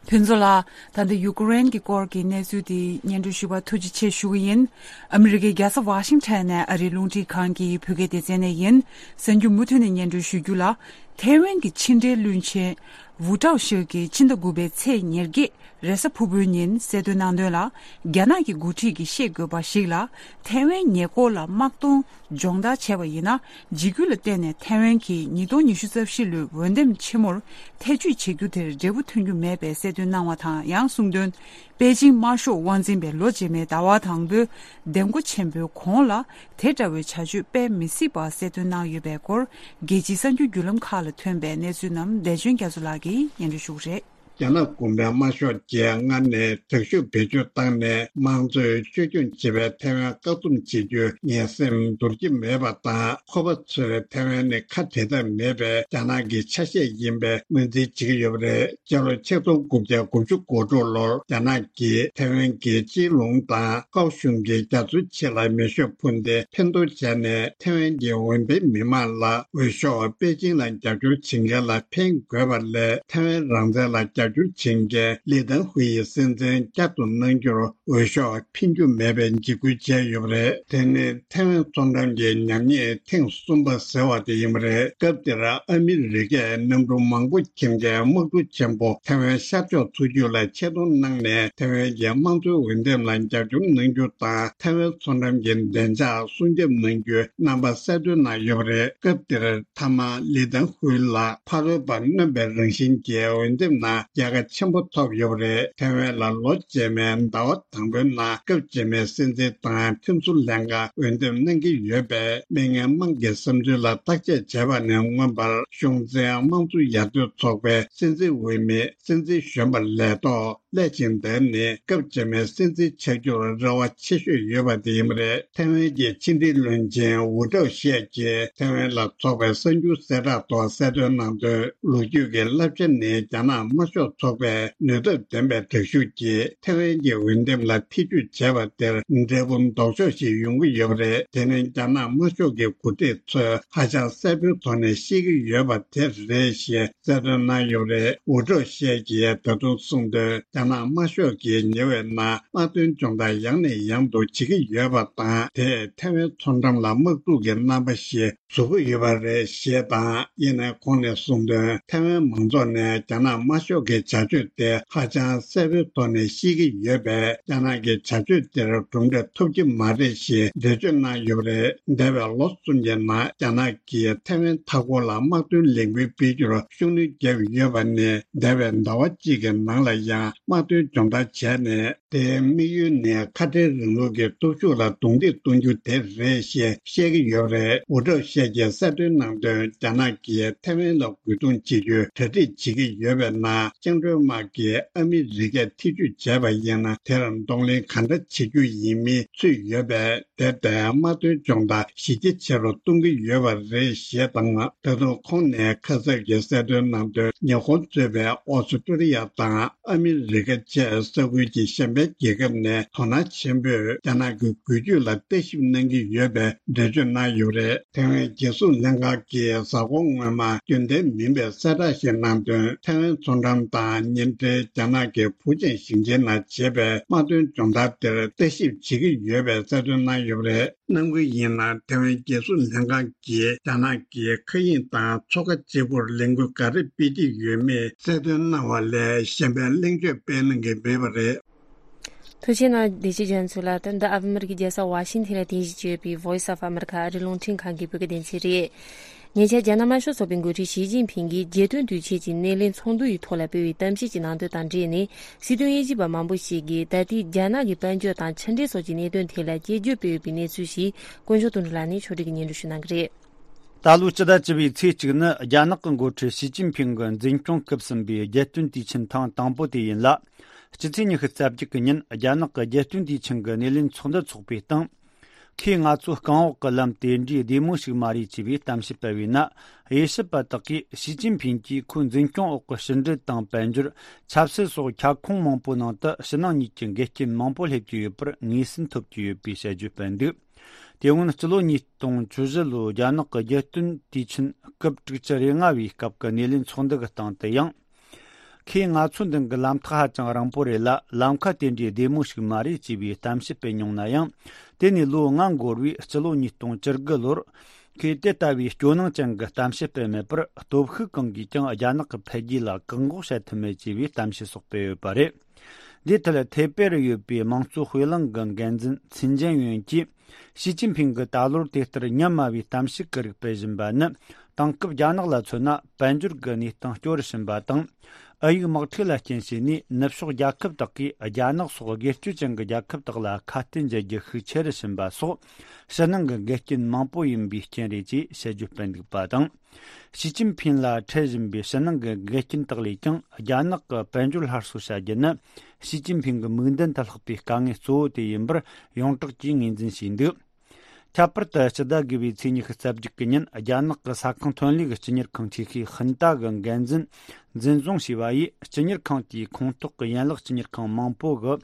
ཕུན་ཚོགས་ལགས། ད་ལྟ་ཡུ་ཀེ་རེན་གྱི་སྐོར་གྱི་གནས་ཚུལ་དེ་སྙན་སྒྲོན་ཞུ་བར་ཐུགས་རྗེ་ཆེ་ཞུ་གི་ཡིན། ཨ་མི་རི་ཀའི་རྒྱལ་ས་ཝ་ཤིང་ཊོན་ནས་ཨ་རིའི་རླུང་འཕྲིན་ཁང་གི་བོད་སྐད་སྡེ་ཚན་ནས་ཡིན། གསར་འགྱུར་མུ་མཐུད་ནས་སྙན་སྒྲོན་ཞུ་རྒྱུ་ལ། ཐའེ་ཝན་གྱི་ཕྱི་འབྲེལ་བློན་ཆེན་ཝུ་ཀྲའོ་ཤིའུ་གིས་ཕྱི་ཟླ་དགུ་པའི་ཚེས་ཉེར་བརྒྱད་རེས་གཟའ་ཕུར་བུའི་ཉིན་གསལ་སྟོན་གནང་དོན་ལ། རྒྱ་ནག་གི་འགོ་ཁྲིད་ཀྱིས་ཤེས་དགོས་པ་ཞིག་ལ། ཐའེ་ཝན་ཉེ་འཁོར་ལ་དམག་དོན་སྦྱོང་བརྡར་བྱས་པ་ཡིན་ན། འཇིགས་སྐུལ་ལ་བརྟེན་ནས་ཐའེ་ཝན་གྱིས་ཉིས་སྟོང་ཉི་ཤུ་རྩ་བཞི་ལོའི་འོས་འདེམས་ཆེན་མོར་ཐེ་བྱུས་བྱེད་རྒྱུ་དེར་འབྲས་བུ་ཐོན་རྒྱུ་མེད་པའི་གསལ་སྟོན་གནང་བ་དང་། ཡང་གསུངས་དོན། པེ་ཅིང་དམར་ཤོག་དབང་འཛིན་པས་ལོ་རྗེས་མའི་ཟླ་བ་དང་པོའི་འདེམས་བསྐོ་ཆེན་པོའི་གོང་ལ། དེ་འདྲ་བའི་བྱ་སྤྱོད་སྤེལ་མི་སྲིད་པ་གསལ་སྟོན་གནང་ཡོད་པའི་སྐོར། རྒྱལ་སྤྱིའི་གསར་འགྱུར་བརྒྱུད་ལམ་ཁག་ལ་ཐོན་པའི་གནས་ཚུལ་རྣམས་བདེ་ཆེན་རྒྱ་མཚོ་ལགས་ཀྱིས་སྙན་སྒྲོན་ཞུ་གི་རེད། རྒྱ་ནག་གོང་མའི་དམར་ཤོག་གིས་སྔར་ནས་དྲག་ཤུགས་བེད་སྤྱོད་བཏང་ནས་དམངས་གཙོའི་བཅོས་སྐྱོང་བྱེད་པའི་ཐའེ་ཝན་བཀག་སྡོམ་བྱེད་རྒྱུའི་ངན་སེམས་འདོར་གྱི་མེད་པ་དང་། ཁོ་པ་ཚོས་ཐའེ་ཝན་ནི་ཁ་བྲལ་ཐབས་མེད་པའི་རྒྱ་ནག་གི་ཆ་ཤས་ཡིན་པའི་ངོས་འཛིན་བྱེད་ཀྱི་ཡོད་པ་རེད། སྤྱི་ལོ་ཆིག་སྟོང་དགུ་བརྒྱ་དགུ་བཅུ་གོ་དྲུག་ལོར་རྒྱ་ནག་གིས་ཐའེ་ཝན་གྱི་སྤྱི་ལུང་དང་ཀའོ་གཞུང་གི་རྒྱ་མཚོའི་ཕྱེད་ལ་མེ་ཤུགས་འཕུར་མདའི་འཕེན་གཏོར་བྱས་ནས། ཐའེ་ཝན་གྱི་འོས་འཕེན་མི་མང་ལ་འོས་ཤོག་པེ་ཅིང་ལ་རྒྱབ་སྐྱོར་བྱེད་མཁན་ལ་འཕེན་དགོས་པ་ལས། ཐའེ་ཝན་རང་བཙན་ལ་རྒྱབ་སྐྱོར་བྱེད་མཁན་ལི་ཏན་ཧུའེ་ཡི་སྲིད་འཛིན་བསྐྱར་དུ་གནང་རྒྱུར་འོས་ཤོག་འཕེན་རྒྱུ་མེད་པའི་འཇིགས་སྐུལ་བྱས་ཡོད་པ་རེད། དེ་ནི་ཐའེ་ཝན་མཚོ་འགྲམ་གྱི་ཉམས་ཉེས་ཐེངས་གསུམ་པ་ཟེར་བ་དེ་ཡིན་པ་རེད། སྐབས་དེར་ཨ་མི་རི་ཀས་གནམ་གྲུ་མང་པོ་འཁྱེར་མཁན་དམག་གྲུ་ཆེན་པོ་ཐའེ་ཝན་ཤར་ཕྱོགས་མཚོ་རྒྱུད་ལ་ཆེད་གཏོང་གནང་ནས། ཐའེ་ཝན་གྱི་དམངས་གཙོའི་འོས་འདེམས་ལ་རྒྱབ་སྐྱོར་གནང་རྒྱུ་དང་། ཐའེ་ཝན་མཚོ་འགྲམ་གྱི་བདེ་འཇགས་སྲུང་སྐྱོབ་གནང་རྒྱུའི་རྣམ་པ་གསལ་སྟོན་གནང་ཡོད་པ་རེད། སྐབས་དེར་མཐའ་མ་ལི་ཏན་ཧུའེ་ལགས་ཕ་རོལ་པ་གནོན་པའི་རང་བཞིན་གྱི་འོས་འདེམས་ནང་རྒྱལ་ཁ་ཆེན་པོ་ཐོབ་ཡོད་པ་རེད། ཐའེ་ཝན་ལ་ལོ་རྗེས་མའི་ཟླ་བ་དང་པོའི་ནང་སྐབས་རྗེས་མའི་སྲིད་འཛིན་དང་ཁྲིམས་བཟོ་ལྷན་ཁང་འོས་འདེམས་གནང་གི་ཡོད་པས། མི་ངན་དམངས་ཀྱི་བསམ་ཚུལ་ལ་བརྟག་དཔྱད་བྱས་པ་ནས་མངོན་པར། གཞུང་འཛིན་དམངས་གཙོ་ཡར་ཐོན་ཚོགས་པའི་སྲིད་འཛིན་འོས་མི་སྲིད་འཛིན་གཞོན་པ་ལས་ཐོག་སླད་ཕྱིན། དེ་ནི་སྐབས་རྗེས་མའི་སྲིད་འཛིན་ཆགས་རྒྱུར་རེ་བ་ཆེ་ཤོས་ཡོད་པ་དེ་ཡིན་པ་རེད། ཐའེ་ཝན་གྱི་ཕྱི་འབྲེལ་བློན་ཆེན་ཝུ་ཀྲའོ་ཤིས་ཀྱིས་ཐའེ་ཝན་ལ་ཚོགས་པའི་གསར་འགྱུར་གསལ་བསྒྲགས་ཐོག་གསལ་སྟོན་གནང་དོན། ལོ་རྒྱུས་ཀྱི་བསླབ་བྱ་ནི་རྒྱ་ནག་དམར་ཤོག་ཚོགས་པས་ནུས་སྟོབས་ལྡན་པའི་དྲག་ཤུགས་ཀྱིས་ཐའེ་ཝན་གྱི་འོས་འདེམས་ལ་ཐེ་ཇུས་བྱས་པ་དེར་འབྲས་བུ་ལྡོག་ཕྱོགས་ཤིག་ཡོང་གི་ཡོད་པ་རེད། དེ་ནི་རྒྱ་ནག་དམར་ཤོག་གི་འགོ་ཁྲིད་ཚོས་ཧ་ཅང་གསལ་པོའི་ཐོག་ནས་ཤེས་ཀྱི་ཡོད་པ་དེ་རེད་ཞེས་གསལ་སྟོན་གནང་ཡོད་པ་རེད། ཝུ་ཀྲའོ་ཤིས་ཀྱིས་ད་དུང་གསུངས་དོན། རྒྱ་ནག་དམར་ཤོག་གིས་ཉེ་བའི་ནང་དམག་དོན་སྦྱོང་བརྡར་ཡང་ནས་ཡང་དུ་བྱེད་ཀྱི་ཡོད་པ་དང་། དེས་ཐའེ་ཝན་མཚོ་འགྲམ་ལ་དམག་འཁྲུག་གི་རྣམ་པ་ཞིག་བཟོ་གི་ཡོད་པ་རེད་ཞེས་དང་། ཡིན་ནའི་ཁོང་ནས་གསུངས་དོན། ཐའེ་ཝན་མང་ཚོགས་ནས་རྒྱ་ནག་དམར་ཤོག་གི་བྱ་སྤྱོད་དེ་ཧ་ཅང་གསལ་པོའི་ཐོག་ནས་ཤེས་ཀྱི་ཡོད་པས། རྒྱ་ནག་གི་བྱ་སྤྱོད་དེར་གྲུབ་འབྲས་ཐོབ་ཀྱི་མ་རེད་ཞེས་འགྲེལ་བརྗོད་གནང་ཡོད་པ་རེད། འདས་པའི་ལོ་གསུམ་གྱི་ནང་རྒྱ་ནག་གིས་ཐའེ་ཝན་མཐའ་འཁོར་ལ་དམག་དོན་ལས་འགུལ་སྤེལ་རྒྱུར་ཤུགས་སྣོན་བརྒྱབ་ཡོད་པ་ནི། འདས་པའི་ཟླ་བ་གཅིག་གི་ནང་ལ་ཡང་དམག་དོན་སྦྱོང་བརྡར་བྱས་ནས། དེའི་དམིགས་ཡུལ་ནི་ཁ་བྲལ་རིང་ལུགས་ཀྱི་སྟོབས་ཤུགས་ལ་རྡུང་རྡེག་གཏོང་རྒྱུ་དེ་རེད་ཞེས་བཤད་ཀྱི་ཡོད་པ་རེད། ཝུ་ཀྲོ་ཤེ་གྱིས་གསལ་སྟོན་གནང་དོན། རྒྱ་ནག་གིས་ཐའེ་ཝན་ལ་རྒོལ་རྡུང་བྱེད་རྒྱུའི་གྲ་སྒྲིག་བྱེད་ཀྱི་ཡོད་པའི་ནང་། བཅིངས་འགྲོལ་དམག་གིས་ཨ་མི་རི་ཀས་ཐེ་ཇུས་བྱས་པ་ཡིན་ན། དེར་གདོང་ལེན་ག་འདྲ་བྱེད་རྒྱུ་ཡིན་མིན་ཚུད་ཡོད་པས། དེ་ལྟའི་དམག་དོན་སྦྱོང་བརྡར་གཞི་རྒྱ་ཆེ་རུ་གཏོང་གི་ཡོད་པ་རེད་ཞེས་དང་། ད་དུང་ཁོང་ནས་ཁ་གསབ་ཀྱི་གསལ་སྟོན་གནང་དོན། ཉི་ཧོང་གཙོས་པའི་ཨོ་སི་ཀྲུ་ལི་ཡ་དང་ཨ་མི་རི་ཀ་བཅས་ས་ཁུལ་གྱི་གཞན་ཕན་རྒྱལ་ཁབ་ནས་དོ་སྣང་ཆེན་པོས་རྒྱ་ནག་གི་འགུལ་སྐྱོད་ལ་ལྟ་ཞིབ་གནང་གི་ཡོད་པའི་འགྲེལ་བརྗོད་གནང་ཡོད་པ་རེད། ཐའེ་ཝན་རྒྱལ་སྲུང་ལྷན་ཁང་གིས་གཟའ་འཁོར་སྔོན་མ་རྒྱུན་ལྡན་མིན་པའི་གསལ་བསྒྲགས་ཤིག་གནང་དོན། ཐའེ་ཝན་མཚོ་འགྲམ་དང་ཉེ་འབྲེལ་རྒྱ་ནག་གི་ཕུའུ་ཅན་ཞིང་ཆེན་ནང་བྱས་པའི་དམག་དོན་སྦྱོང་བརྡར་དེར་ལྟ་ཞིབ་བྱེད་ཀྱི་ཡོད་པའི་གསལ་སྟོན་གནང་ཡོད་པ་རེད། གནང་གི་ཡིན་ན། ཐའེ་ཝན་རྒྱལ་སྲུང་ལྷན་ཁང་གིས་རྒྱ་ནག་གི་མཁའ་དབྱིངས་དང་མཚོ་ཁ་གཅིག་པུར་ལས་འགུལ་ག་རེ་སྤེལ་གྱི་ཡོད་མེད་གསལ་སྟོན་གནང་བ་ལས་གཞན་པའི་གླེང་བརྗོད་སྤེལ་གནང་གི་མེད་པ་རེད། ཐུགས་རྗེ་གནང་། བདེ་སྐྱིད་ལྗོན་ཚུལ་ལ། ད་ལྟ་ཨ་མི་རི་ཀའི་རྒྱལ་ས་ཝ་ཤིང་ཐན་ལ་རྟེན་གཞི་བྱས་ཡོད་པའི་Voice of America ཨ་རིའི་རླུང་འཕྲིན་ཁང་གི་བོད་སྐད་སྡེ་ཚན་རེད། ཉེ་ཆར་རྒྱ་ནག་དམར་ཤོག་ཚོགས་པའི་འགོ་ཁྲིད་ཞི་ཅིན་ཕིང་གིས་རྒྱལ་སྟོན་དུས་ཆེན་གྱི་སྣེ་ལེན་ཚོགས་འདུ་ཡི་ཐོག་ལ་སྤེལ་བའི་གཏམ་བཤད་ཀྱི་ནང་དོན་དང་འབྲེལ་ནས། སྲིད་དོན་དབྱེ་ཞིབ་པ་མང་པོ་ཞིག་གིས་ད་ལྟའི་རྒྱ་ནག་གི་དཔལ་འབྱོར་དང་ཕྱི་འབྲེལ་སོགས་ཀྱི་གནད་དོན་ཐད་ལ་དཔྱད་བརྗོད་སྤེལ་ཡོད་པའི་གནས་ཚུལ་ཞིག་དཀོན་མཆོག་དོན་གྲུབ་ལགས་ནས་ཕྱོགས་སྒྲིག་གིས་སྙན་སྒྲོན་ཞུ་གནང་གི་རེད། ད་ལོའི་སྤྱི་ཟླ་བཅུ་པའི་ཚེས་གཅིག་ནི་རྒྱ་ནག་གི་འགོ་ཁྲིད་ཞི་ཅིན་ཕིང་གི་འཛིན་སྐྱོང་སྐབས་གསུམ་པའི་རྒྱལ་སྟོན་དུས་ཆེན་ཐེངས་དང་པོ་དེ་ཡིན་ལ། སྤྱི་ཚེས་ཉི་ཤུ་རྩ་བརྒྱད་ཀྱི་ཉིན་རྒྱ་ནག་གི་རྒྱལ་སྟོན་དུས་ཆེན་གྱི་སྣེ་ལེན་ཚོགས་འདུ་འཚོགས་པའི་སྟེང་། ཁོས་ང་ཚོ་རྐང་འོག་གི་ལམ་དེ་འདྲའི་བདེ་མོ་ཞིག་མ་རེད་ཅེས་པའི་གཏམ་བཤད་སྤེལ་བས་ན། དབྱེ་ཞིབ་པ་དག་གིས་ཞི་ཅིན་ཕིང་གིས་ཁོའི་འཛིན་སྐྱོང་འོག་གི་ཕྱི་འབྲེལ་དང་དཔལ་འབྱོར། ཆབ་སྲིད་སོགས་ཁྱབ་ཁོངས་མང་པོའི་ནང་དུ་ཕྱི་ནང་གཉིས་ཀྱི་འགལ་རྐྱེན་མང་པོ་སླེབས་ཀྱི་ཡོད་པར་ངོས་ཟིན་ཐོབ་ཀྱི་ཡོད་པའི་དཔྱད་བརྗོད་སྤེལ་འདུག་དེ་སྔོན་སྤྱི་ལོ་ཉིས་སྟོང་བཅུ་བཞི་ལོའི་རྒྱ་ནག་གི་རྒྱལ་སྟོན་དུས་ཆེན་སྐབས་དྲུག་ཅུ་རེ་ལྔ་བའི་སྐབས་ཀྱི་སྣེ་ལེན་ཚོགས་འདུ་གི་སྟེང་དུ་ཡང་། ཁོས་ང་ཚོའི་མདུན་གྱི་ལམ་ཐག་ཧ་ཅང་རིང་པོ་རེད་ལ། ལམ་ཁ་དེ་འདྲའི་བདེ་མོ་ཞིག་མ་རེད་ཅེས་པའི་གཏམ་བཤད་སྤེལ་མྱོང་ན་ཡང་། དེ་ནས་ལོ་ལྔ་འགོར་བའི་སྤྱི་ལོ་ཉིས་སྟོང་བཅུ་དགུ་ལོར། ཁོས་དེ་ལྟ་བུའི་སྐྱོ་སྣང་ཅན་གྱི་གཏམ་བཤད་སྤེལ་མེད་པར། སྟོབས་ཤུགས་གང་གིས་ཀྱང་རྒྱ་ནག་གི་འཕེལ་རྒྱས་ལ་བཀག་འགོག་བྱ་ཐུབ་མེད་ཅེས་པའི་གཏམ་བཤད་སོགས་སྤེལ་ཡོད་པ་རེད། འདིའི་ཐད་ཐེ་པེ་རུ་ཡོད་པའི་དམངས་གཙོ་དཔེ་ལེན་གྱི་འགན་འཛིན་ཚིན་ཅན་ཡོན་གྱིས། ཞི་ཅིན་ཕིང་གིས་ད་ལོར་དེ་ལྟར་སྙམ་མ་བའི་གཏམ་བཤད་ཀྱི་རིགས་སྤེལ་བཞིན་པ་ནི། དེང་སྐབས་རྒྱ་ནག་ལ་མཚོན་ན། དཔལ་འབྱོར་གྱི་གནས་སྟངས་སྐྱོ་རུ་ཕྱིན་པ་དང་། ཨ་ཡིག་དམག་འཁྲུག་ལ་རྐྱེན་བྱས་ནས། ནུབ་ཕྱོགས་རྒྱལ་ཁབ་དག་གིས་རྒྱ་ནག་སོགས་སྒེར་གཅོད་ཅན་གྱི་རྒྱལ་ཁབ་དག་ལ་ཁ་གཏད་འཇལ་རྒྱུ་ཤུགས་ཆེ་རུ་ཕྱིན་པ་སོགས། ཕྱི་ནང་གི་འགལ་རྐྱེན་མང་པོ་ཡིན་པའི་རྐྱེན་རེད་ཅེས་དཔྱད་བརྗོད་སྤེལ་འདུག་པ་དང་། ཞི་ཅིན་ཕིང་ལ་འཕྲད་བཞིན་པའི་ཕྱི་ནང་གི་འགལ་རྐྱེན་དག་ལས་ཀྱང་། རྒྱ་ནག་གི་དཔལ་འབྱོར་སླར་གསོ་བྱ་རྒྱུ་ནི། ཞི་ཅིན་ཕིང་གི་མིག་མདུན་དུ་ལྷགས་པའི་དཀའ་ངལ་གཙོ་བོ་དེ་ཡིན་པར་ཡོངས་གྲགས་ཀྱིས་ངོས་འཛིན་བྱས་འདུག་ཁྱད་པར་དུ་སྤྱི་ཟླ་དགུ་པའི་ཚེས་ཉི་ཤུ་རྩ་བརྒྱད་ཀྱི་ཉིན། རྒྱ་ནག་གི་ས་ཁང་ཐོན་ལས་ཀྱི་སྤྱི་གཉེར་ཁང་ཆེ་ཤོས་ཧིན་ཏ་གི་འགན་འཛིན་འཛིན་བཟུང་བྱས་པ་ཡིས། སྤྱི་གཉེར་ཁང་དེའི་ཁོངས་གཏོགས་ཀྱི་ཡན་ལག་སྤྱི་གཉེར་ཁང་མང་པོ་གི་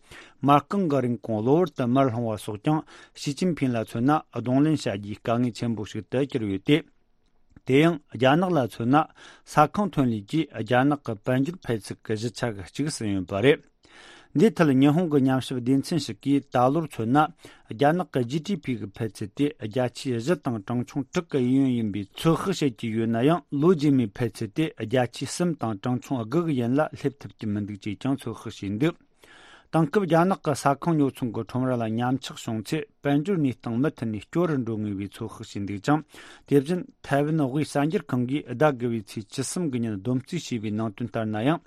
མ་རྐང་གི་རིན་གོང་གློ་བུར་དུ་མར་ལྷུང་བ་སོགས་ཀྱང་། ཞི་ཅིན་ཕིང་ལ་མཚོན་ན། གདོང་ལེན་བྱ་རྒྱུའི་དཀའ་ངལ་ཆེན་པོ་ཞིག་ཏུ་གྱུར་ཡོད་དེ། དེ་ཡང་རྒྱ་ནག་ལ་མཚོན་ན། ས་ཁང་ཐོན་ལས་ཀྱིས་རྒྱ་ནག་གི་དཔལ་འབྱོར་འཕེལ་ཚད་ཀྱི་བཞི་ཆ་གི་གཅིག་ཟིན་ཡོད་པ་རེད། འདིའི་ཐད་ཉི་ཧོང་གི་ཉམས་ཞིབ་སྡེ་ཚན་ཞིག་གིས། ད་ལོར་མཚོན་ན། རྒྱ་ནག་གི་ཇི་ཌི་པི་གི་འཕེལ་ཚད་དེ། བརྒྱ་ཆའི་བཞི་དང་གྲངས་ཆུང་དྲུག་གི་ཡན་ཡོད་ཡིན་པའི་ཚོད་དཔག་བྱེད་ཀྱི་ཡོད་ན་ཡང་། ལོ་རྗེས་མའི་འཕེལ་ཚད་དེ། བརྒྱ་ཆའི་གསུམ་དང་གྲངས་ཆུང་དགུ་གི་ཡན་ལ་སླེབས་ཐུབ་ཀྱི་མི་འདུག་ཅེས་ཀྱང་ཚོད་དཔག་བྱས་འདུག་དེང་སྐབས་རྒྱ་ནག་གི་ས་ཁང་ཉོ་ཚོང་གི་ཁྲོམ་ར་ལ་ཉམས་ཆག་བྱུང་ཚེ། དཔལ་འབྱོར་གནས་སྟངས་མུ་མཐུད་ནས་སྐྱོ་རུ་འགྲོ་ངེས་པའི་ཚོད་དཔག་བྱས་འདུག་ཅིང་། དེ་བཞིན་ཐའེ་ཝན་དབུས་གསར་འགྱུར་ཁང་གིས་ཟླ་དགུ་པའི་ཚེས་བཅུ་གསུམ་གྱི་ཉིན་བསྡོམས་རྩིས་བྱས་པའི་ནང་དོན་ལྟར་ན་ཡང་།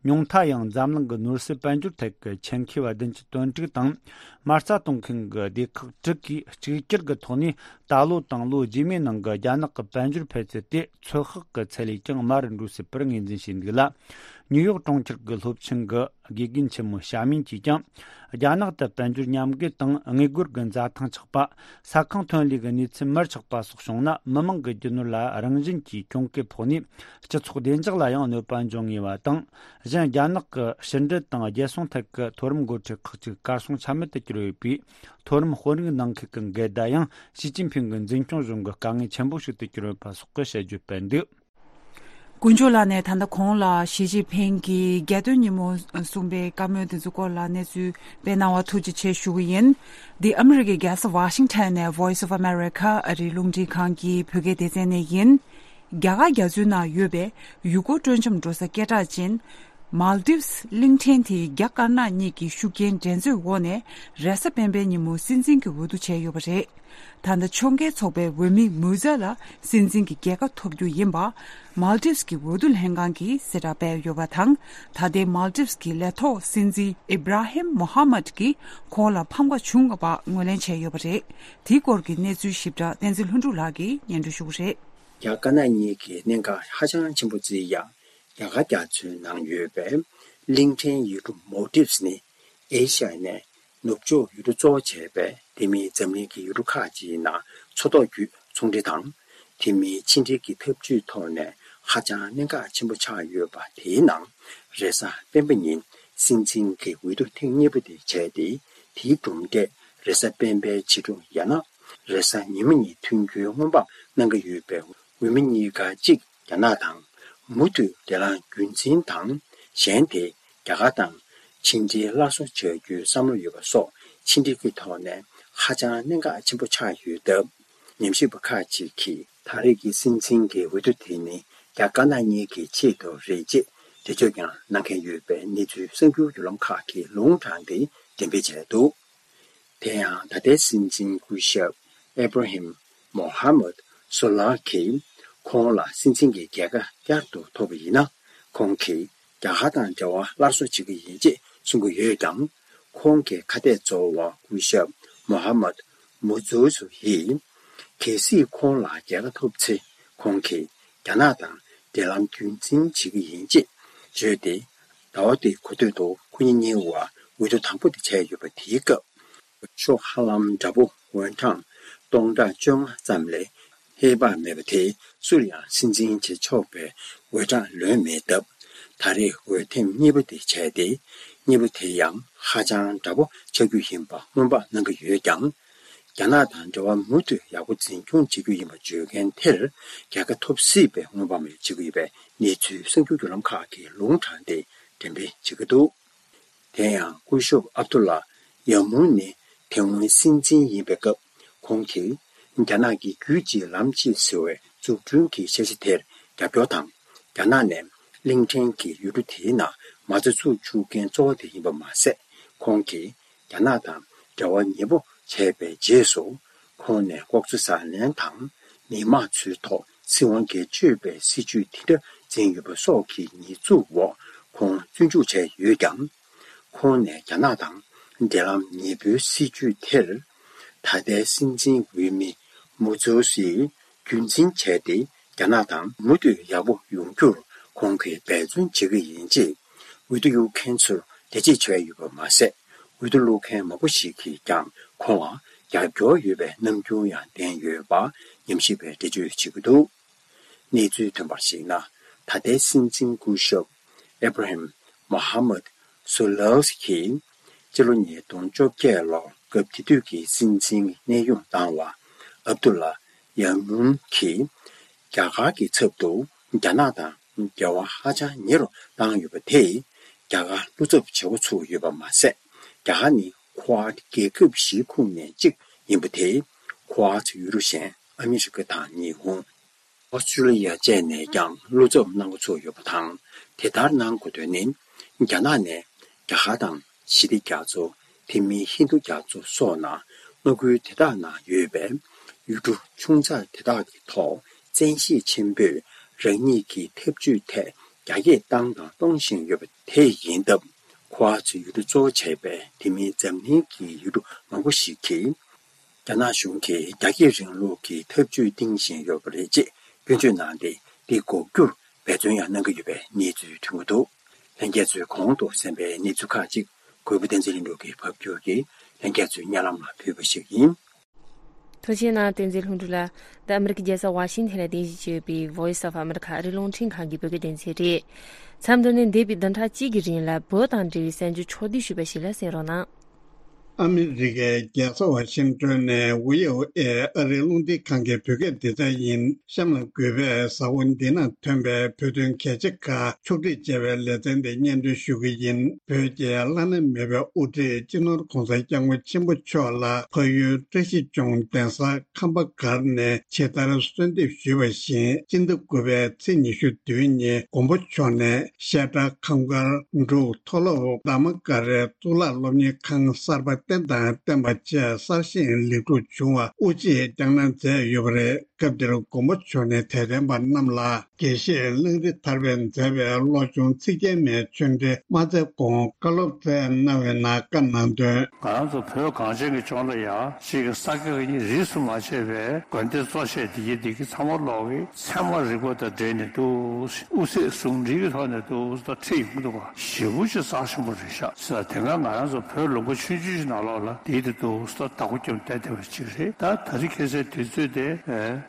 ཉུང་མཐའ་ཡང་འཛམ་གླིང་གི་ནོར་སྲིད་དཔལ་འབྱོར་ཐད་ཀྱི་ཆེད་མཁས་པ་བདུན་ཅུ་དོན་དྲུག་དང་། མ་རྩ་གཏོང་མཁན་གྱི་སྡེ་ཁག་དྲུག་གིས་གཅིག་གྱུར་གྱི་ཐོག་ནས། ད་ལོ་དང་ལོ་རྗེས་མའི་ནང་གི་རྒྱ་ནག་གི་དཔལ་འབྱོར་འཕེལ་ཚད་དེ། ཚོད་དཔག་གི་ཚད་ལས་ཀྱང་དམའ་རུ་འགྲོ་སྲིད་པར་ངོས་འཛིན་བྱས་འདུག་ལ། ཉིའུ་ཡོག་གྲོང་ཁྱེར་གྱི་སློབ་ཆེན་གྱི་དགེ་རྒན་ཆེན་མོ་ཞྭ་མིན་གྱིས་ཀྱང་། རྒྱ་ནག་ཏུ་དཔལ་འབྱོར་ཉམས་རྒུད་དང་། དངུལ་སྒོར་གྱི་འཛའ་ཐང་ཆག་པ། ས་ཁང་ཐོན་ལས་ཀྱི་གནས་ཚུལ་མར་ཆག་པ་སོགས་བྱུང་ན། མི་མང་གི་རྒྱུ་ནོར་ལ་རང་བཞིན་གྱིས་གྱོང་གུད་ཕོག་ནས། སྤྱི་ཚོགས་བདེ་འཇགས་ལ་ཡང་གནོད་པ་འབྱུང་ངེས་པ་དང་། གཞན། རྒྱ་ནག་གི་ཕྱི་འབྲེལ་དང་རྒྱལ་སྲུང་ཐད་ཀྱི་མཐོ་རིམ་འགོ་ཁྲིད་ཁག་ཅིག་གར་སོང་ཆ་མེད་དུ་གྱུར་ཡོད་པའི། མཐོ་རིམ་དཔོན་རིགས་ནང་ཁུལ་གྱི་འགལ་ཟླ་ཡང་། ཞི་ཅིན་ཕིང་གི་འཛིན་སྐྱོང་གཞུང་གི་དཀའ་ངལ་ཆེན་པོ་ཞིག་ཏུ་གྱུར་ཡོད་པ་སོགས་ཀྱི་དཔྱད་བརྗོད་སྤེལ་འདུག་དཀོན་མཆོག་ལགས་ནས་ད་ལྟ་གོང་ལ་ཞི་ཅིན་ཕིང་གིས་རྒྱལ་སྟོན་ཉིན་མོ་གསུངས་པའི་བཀའ་མོལ་དེ་ཚོའི་སྐོར་ལ་གནས་ཚུལ་སྤེལ་གནང་བར་ཐུགས་རྗེ་ཆེ་ཞུ་གི་ཡིན། འདི་ཨ་མི་རི་ཀའི་རྒྱལ་ས་ཝ་ཤིང་ཊོན་ནས་Voice of America ཨ་རིའི་རླུང་འཕྲིན་ཁང་གི་བོད་སྐད་སྡེ་ཚན་ནས་ཡིན། རྒྱ་གར་རྒྱ་མཚོའི་ནང་ཡོད་པའི་ཡུལ་སྐོར་སྤྲོ་འཆམ་འགྲོ་ས་སྐད་གྲགས་ཅན་མཱལ་ཏིབ་སི་གླིང་ཕྲན་དེའི་རྒྱ་དཀར་ནག་གཉིས་ཀྱི་ཤུགས་རྐྱེན་འགྲན་རྩོད་འོག་ནས་རེས་གཟའ་སྤེན་པའི་ཉིན་མོ་སྲིད་འཛིན་གྱི་འོས་བསྡུ་བྱས་ཡོད་པ་རེད། ད་ལྟ་ཕྱོགས་འགལ་ཚོགས་པའི་འོས་མི་མུ་ཛ་ལ་སྲིད་འཛིན་གྱི་རྒྱལ་ཁ་ཐོབ་རྒྱུ་ཡིན་པ་མཱལ་ཏིབ་སི་གི་འོས་བསྡུ་ལྷན་ཁང་གིས་གསལ་བསྒྲགས་སྤེལ་ཡོད་པ་དང་། ད་ལྟའི་མཱལ་ཏིབ་སི་གི་ལས་ཐོག་སྲིད་འཛིན་ཨི་བྷ་ར་ཧིམ་མོ་ཧ་མད་ཀྱིས་ཁོང་ལ་ཕམ་ཁ་བྱུང་བ་ངོས་ལེན་བྱས་ཡོད་པ་རེད། དེའི་སྐོར་གྱི་གནས་ཚུལ་ཞིབ་ཕྲ་བསྟན་འཛིན་ལྷུན་གྲུབ་ལགས་ཀྱིས་སྙན་སྒྲོན་ཞུ་གི་རེད། རྒྱ་དཀར་ནག་གཉིས་ཀྱི་གནད་འགག་ཧ་ཅང་ཆེན་པོ་བརྩིས་ཡང་། རྒྱ་གར་རྒྱ་མཚོའི་ནང་ཡོད་པའི་གླིང་ཕྲན་ཡུལ་གྲུ་མོལ་ཏིབ་སི་ནི་ཨེ་ཤ་ཡ་ནས་ནུབ་ཕྱོགས་ཡུལ་གྲུ་གཙོ་བོ་བྱས་པའི་དེ་མིན་འཛམ་གླིང་གི་ཡུལ་གྲུ་ཁག་ཅིག་ནང་མཚོ་ཐོག་བརྒྱུད་ཚོང་འབྲེལ་དང་། དེ་མིན་ཕྱི་འབྲེལ་གྱི་འཐབ་ཇུས་ཐོག་ནས་ཧ་ཅང་གནད་འགག་ཆེན་པོ་ཆགས་ཡོད་པ། དེའི་ནང་རེས་གཟའ་སྤེན་པ་ཉིན་སྲིད་འཛིན་གྱི་འོས་བསྡུ་ཐེངས་གཉིས་པ་དེ་བྱས་ཏེ། དེའི་གྲུབ་འབྲས་རེས་གཟའ་སྤེན་པའི་ཕྱི་དྲོ་ཡང་ན་རེས་གཟའ་ཉི་མ་ཉིན་ཐོན་རྒྱུའི་སྔོན་དཔག་གནང་གི་ཡོད་པའི་འོས་མི་གཉིས་ཀ་གཅིག་རྒྱ་ནག་དང་མུ་མཐུད་འབྲེལ་ལམ་རྒྱུན་འཛིན་དང་། གཞན་དེ་རྒྱ་གར་དང་ཕྱི་འབྲེལ་སླར་གསོ་བྱ་རྒྱུའི་བསམ་བློ་ཡོད་པ་སོགས་ཕྱི་འབྲེལ་གྱི་ཐོག་ནས་ཧ་ཅང་གནད་འགག་ཆེན་པོ་ཆགས་ཡོད་སྟབས། ཉམས་ཞིབ་པ་ཁག་ཅིག་གིས་ད་རེས་ཀྱི་སྲིད་འཛིན་གྱི་འོས་བསྡུ་དེ་ནི་རྒྱ་དཀར་ནག་གཉིས་ཀྱི་ཆེད་དུ་རེད་ཅེས་འགྲེལ་བརྗོད་ཀྱང་གནང་མཁན་ཡོད་པའི་གནས་ཚུལ་གསར་འགྱུར་བརྒྱུད་ལམ་ཁག་གིས་ལུང་དྲངས་ཏེ་འགྲེམས་སྤེལ་བྱས་འདུག་དེ་ཡང་ད་ལྟའི་སྲིད་འཛིན་སྐུ་ཞབས་ཨེ་བྷ་ར་ཧིམ་མོ་ཧ་མད་སོ་ལ་གིས་ཁོང་ལ་སྲིད་འཛིན་གྱི་རྒྱལ་ཁ་བསྐྱར་དུ་ཐོབ་པ་ཡིན་ན། ཁོང་གིས་རྒྱ་གར་དང་འབྲེལ་བ་སླར་གསོ་བྱེད་ཀྱི་ཡིན་ཅེས་གསུང་གི་ཡོད་ཀྱང་། ཁོང་གི་ཁ་གཏད་གཙོ་བོ་སྐུ་ཞབས་མོ་ཧ་མད་མུ་ཛུ་སུ་ཡིས། གལ་སྲིད་ཁོང་ལ་རྒྱལ་ཁ་ཐོབ་ཚེ། ཁོང་གིས་རྒྱ་ནག་དང་འབྲེལ་ལམ་རྒྱུན་འཛིན་བྱེད་ཀྱི་ཡིན་ཅེས་བརྗོད་དེ། ཟླ་བ་འདིའི་འགོ་སྟོད་དུ་ཁོ་གཉིས་གཉིས་བར་འོས་བསྡུ་དང་པོ་དེ་བྱས་ཡོད་པ། དེའི་སྐབས། ཤོག་ཧ་ལམ་འདྲ་པོ་འོས་གྲངས་སྟོང་ཕྲག་བཅོ་ལྔ་ཙམ་ལས་ཧེ་བག་མེད་པ་དེ་སུར་ཡང་སྲིད་འཛིན་བྱེད་ཆོག་པའི་འོས་གྲངས་ལོན་མེད་སྟབས། ད་རེས་འོས་ཐེངས་གཉིས་པ་དེ་བྱས་ཏེ། གཉིས་པ་དེ་ཡང་ཧ་ཅང་འདྲ་པོ་ཆགས་རྒྱུ་ཡིན་པ་སྔོན་དཔག་གནང་གི་ཡོད་ཀྱང་། རྒྱ་ནག་དང་འབྲེལ་བ་མུ་མཐུད་ཡག་པོ་འཛིན་སྐྱོང་བྱེད་རྒྱུ་ཡིན་པ་བརྗོད་མཁན་དེར་རྒྱལ་ཁ་ཐོབ་སྲིད་པའི་སྔོན་དཔག་མེད་བྱེད་ཀྱི་ཡོད་པའི་གནས་ཚུལ་གསར་འགྱུར་བརྒྱུད་ལམ་ཁག་གིས་ལུང་དྲངས་ཏེ་འགྲེམས་སྤེལ་བྱེད་ཀྱི་འདུག་དེ་ཡང་སྐུ་ཞབས་ཨབ་དུ་ལ་ཡ་མུན་ནི་དེ་སྔོན་སྲིད་འཛིན་ཡིན་པའི་སྐབས། ཁོང་གིས་རྒྱ་ནག་གི་རྒྱུད་གཅིག་ལམ་གཅིག་ཟེར་བའི་འཛུགས་སྐྲུན་གྱི་འཆར་གཞི་དེར་རྒྱབ་སྐྱོར་དང་། རྒྱ་ནག་ནས་གླིང་ཕྲན་གྱི་ཡུལ་གྲུ་དེའི་ནང་མ་རྩ་ཚུགས་བཅུག་མཁན་གཙོ་བོ་དེ་ཡིན་པ་མ་ཟད། ཁོང་གིས་རྒྱ་ནག་དང་འབྲེལ་བ་ཉེ་པོ་བྱས་པའི་རྗེས་སུ། ཁོང་ནས་ལྐོག་འཛུལ་ཟ་ལེན་དང་། མི་དམངས་ཚོའི་ཐོག་སྲིད་དབང་སྒེར་གཅོད་པའི་སྲིད་ཇུས་དེ་འདྲ་འཛིན་ཡོད་པ་སོགས་ཀྱི་ཉེས་འཛུགས་འོག་ཁོང་བཙོན་འཇུག་བྱས་ཡོད་ཀྱང་། ཁོང་ནས་རྒྱ་ནག་དང་འབྲེལ་ལམ་ཉེ་པོའི་སྲིད་ཇུས་དེར། ད་ལྟའི་སྲིད་འཛིན་འོས་མི་མུ་ཛུ་སིས་རྒྱུན་འཛིན་བྱས་ཏེ། རྒྱ་ནག་དང་མུ་མཐུད་ཡག་པོ་ཡོང་རྒྱུར་ཁོང་གིས་འབད་བརྩོན་བྱེད་ཀྱི་ཡིན་ཅེས་འོས་བསྡུ་གཡུག་མཁན་ཚོར་འགྲེལ་བརྗོད་བྱས་ཡོད་པ་མ་ཟད། འོས་བསྡུ་བླུག་མཁན་མང་པོ་ཞིག་གིས་ཀྱང་ཁོང་ལ་རྒྱབ་སྐྱོར་ཡོད་པའི་རྣམ་འགྱུར་ཡང་བསྟན་ཡོད་པ་ཉམས་ཞིབ་པས་འགྲེལ་བརྗོད་བྱེད་ཀྱི་འདུག་གནས་ཚུལ་ཐོན་པར་གཞིགས་ན། ད་ལྟའི་སྲིད་འཛིན་སྐུ་ཞབས་ཨེ་བྷ་ར་ཧིམ་མོ་ཧ་མད་སོ་ལཱ་གིས་སྤྱི་ལོ་ཉིས་སྟོང་བཅོ་བརྒྱད་ལོར་སྐབས་དེ་དུས་ཀྱི་སྲིད་འཛིན་གནས་དབྱུང་བཏང་བ་ཨབ་དུ་ལ་ཡ་མུན་གྱིས་རྒྱ་གར་གྱི་ཚབ་ཏུ་རྒྱ་ནག་དང་འབྲེལ་བ་ཧ་ཅང་ཉེ་རུ་བཏང་ཡོད་པ་དེས། རྒྱ་གར་བློ་འཚབ་བྱེད་འགོ་ཚུགས་ཡོད་པ་མ་ཟད། རྒྱ་གར་ནི་ཁོ་ཝཱཌ་རྒྱལ་ཁབ་བཞིའི་ཁོངས་ནས་གཅིག་ཡིན་པ་དེས། ཁོ་ཝཱཌ་ཡུལ་གྲུ་གཞན་ཨ་མི་རི་ཀ་དང་ཉི་ཧོང་། ཨོ་སི་ཀྲུ་ལི་ཡ་བཅས་ནས་ཀྱང་བློ་འཚབ་གནང་འགོ་ཚུགས་ཡོད་པ་དང་། དེ་ལྟར་གནང་དགོས་དོན་ནི། རྒྱ་ནག་ནས་རྒྱ་གར་དང་ཞི་བདེ་རྒྱ་མཚོ། དེ་མིན་ཧིན་རྡུ་རྒྱ་མཚོ་སོགས་ནང་མངའ་ཁུལ་དེ་དག་ནང་ཡོད་པའི་ཡུལ་གྲུ་ཆུང་ཙག་དེ་དག་གི་ཐོག་བཙན་ཤེད་ཆེན་པོས་རང་ཉིད་ཀྱི་འཐབ་ཇུས་ཐད་རྒྱ་སྐྱེད་བཏང་དང་གཏོང་བཞིན་ཡོད་པ་དེ་ཡིན་སྟབས། ཁོ་ཝཱཌ་ཡུལ་གྲུ་གཙོ་བོ་བྱས་པའི་དེ་མིན་འཛམ་གླིང་གི་ཡུལ་གྲུ་མང་པོ་ཞིག་གིས། རྒྱ་ནག་གཞུང་གིས་རྒྱ་སྐྱེད་རིང་ལུགས་ཀྱི་འཐབ་ཇུས་འདིང་བཞིན་ཡོད་པ་རེད་ཅེས་སྐྱོན་བརྗོད་གནང་སྟེ། འདི་འགོག་རྒྱུར་འབད་བརྩོན་ཡང་གནང་གི་ཡོད་པའི་གནས་ཚུལ་ཐོན་གྱི་འདུག་ལྷན་རྒྱས་ཚོས་གོང་དུ་གསན་པའི་གནས་ཚུལ་ཁག་ཅིག་གུས་པ་བསྟན་འཛིན་ལྷུན་གྲུབ་ཀྱིས་ཕབ་སྒྱུར་གྱིས་ལྷན་རྒྱས་ཚོའི་སྙན་ལམ་ལ་ཕུལ་བ་ཞིག་ཡིན། ཐུགས་རྗེ་གནང་། བསྟན་འཛིན་ལྷུན་གྲུབ་ལགས། འདི་ཨ་མི་རི་ཀའི་རྒྱལ་ས་ཝ་ཤིང་ཐན་ལ་རྟེན་གཞི་བྱས་ཡོད་པའི་Voice of America ཨ་རིའི་རླུང་འཕྲིན་ཁང་གི་བོད་སྐད་སྡེ་ཚན་རེད། མཚམས་འདི་ནས་འདས་པའི་བདུན་ཕྲག་གཅིག་གི་རིང་ལ་བོད་དང་འབྲེལ་བའི་གསར་འགྱུར་ཕྱོགས་བསྡུས་ཞུས་པ་ཞིག་ལ་གསན་རོགས་གནང་། ཨ་མི་རི་ཀའི་རྒྱལ་ས་ཝ་ཤིང་ཏོན་ནས་ཝི་ཨོ་ཨེ་ཨ་རིའི་རླུང་འཕྲིན་ཁང་གི་བོད་སྐད་སྡེ་ཚན་ཡིན། གཤམ་ལ་འགོད་པའི་གཟའ་འཁོར་འདི་ན་ཐོན་པའི་བོད་དོན་གལ་ཆེ་ཁག་ཕྱོགས་སྒྲིག་བྱས་པའི་ལེ་ཚན་དེ་སྙན་སྒྲོན་ཞུ་གི་ཡིན། བོད་ཀྱི་བླ་ན་མེད་པའི་དབུ་ཁྲིད་སྤྱི་ནོར་༧གོང་ས་༧སྐྱབས་མགོན་ཆེན་པོ་མཆོག་ལ་ཕ་ཡུལ་བཀྲ་ཤིས་ལྗོངས་གདན་ས་ཁམས་པ་སྒར་ནས་ཇི་ལྟར་གསོལ་འདེབས་ཞུས་པ་བཞིན། སྤྱི་ཟླ་དགུ་པའི་ཚེས་ཉི་ཤུ་བདུན་ཉིན་མགོན་པོ་མཆོག་ནས་བཤད་གྲྭ་ཁམས་སྒར་འབྲུག་མཐོ་སློབ་དྷརྨ་ཀ་རའི་གཙུག་ལག་སློབ་གཉེར་ཁང་གསར་པ་རྟེན་དང་བརྟེན་པ་བཅས་གསར་བཞེངས་ལེགས་གྲུབ་བྱུང་བ་དབུ་འབྱེད་བསྐྱངས་གནང་མཛད་ཡོད་པ་རེད། སྐབས་དེར་མགོན་པོ་མཆོག་ནས་དད་ལྡན་པ་རྣམས་ལ་དགེ་བཤེས་གླང་རི་ཐར་པས་མཛད་པའི་བློ་སྦྱོང་ཚིག་བརྒྱད་མའི་ཆོས་འབྲེལ་མ་མཛད་གོང་བཀའ་སློབ་སྩལ་གནང་བའི་ནང་བཀའ་གནང་དོན། ང་རང་ཚོ་བོད་གངས་ཅན་གྱི་ལྗོངས་ལ་ཡང་ཅིག་གི་ས་དགེ་བཀའ་རྙིང་རིས་སུ་མ་ཆད་པའི་དགོན་སྡེ་གཙོ་ཆེ་འདི་གི་འདི་གི་ཚང་མ་ལོག་གི་ཚད་མ་རིག་པ་དང་འབྲེལ་ནས་འདུག་དབུ་ཚད་ཟུང་འབྲེལ་གྱི་ཐོག་ནས་འདུག་ད་ཁྲིད་ཡོང་གི་འདུག་ག་ཞེ་པོ་ཅིག་རྩ་ཆེན་པོ་རེད་ཤག་ཟེར་དེ་སྔ་ང་རང་ཚོ་བོད་ལུང་པ་ཆུང་ཆུང་ཞིག་ནང་ལོགས་ལ་འདི་འདི་འདུག་ད་བདག་པོ་རྒྱབ་བསྡད་བསྡད་པ་ཅིག་རེད། ད་ད་རེས་ཁ་སང་དུས་ཚོད་དེ་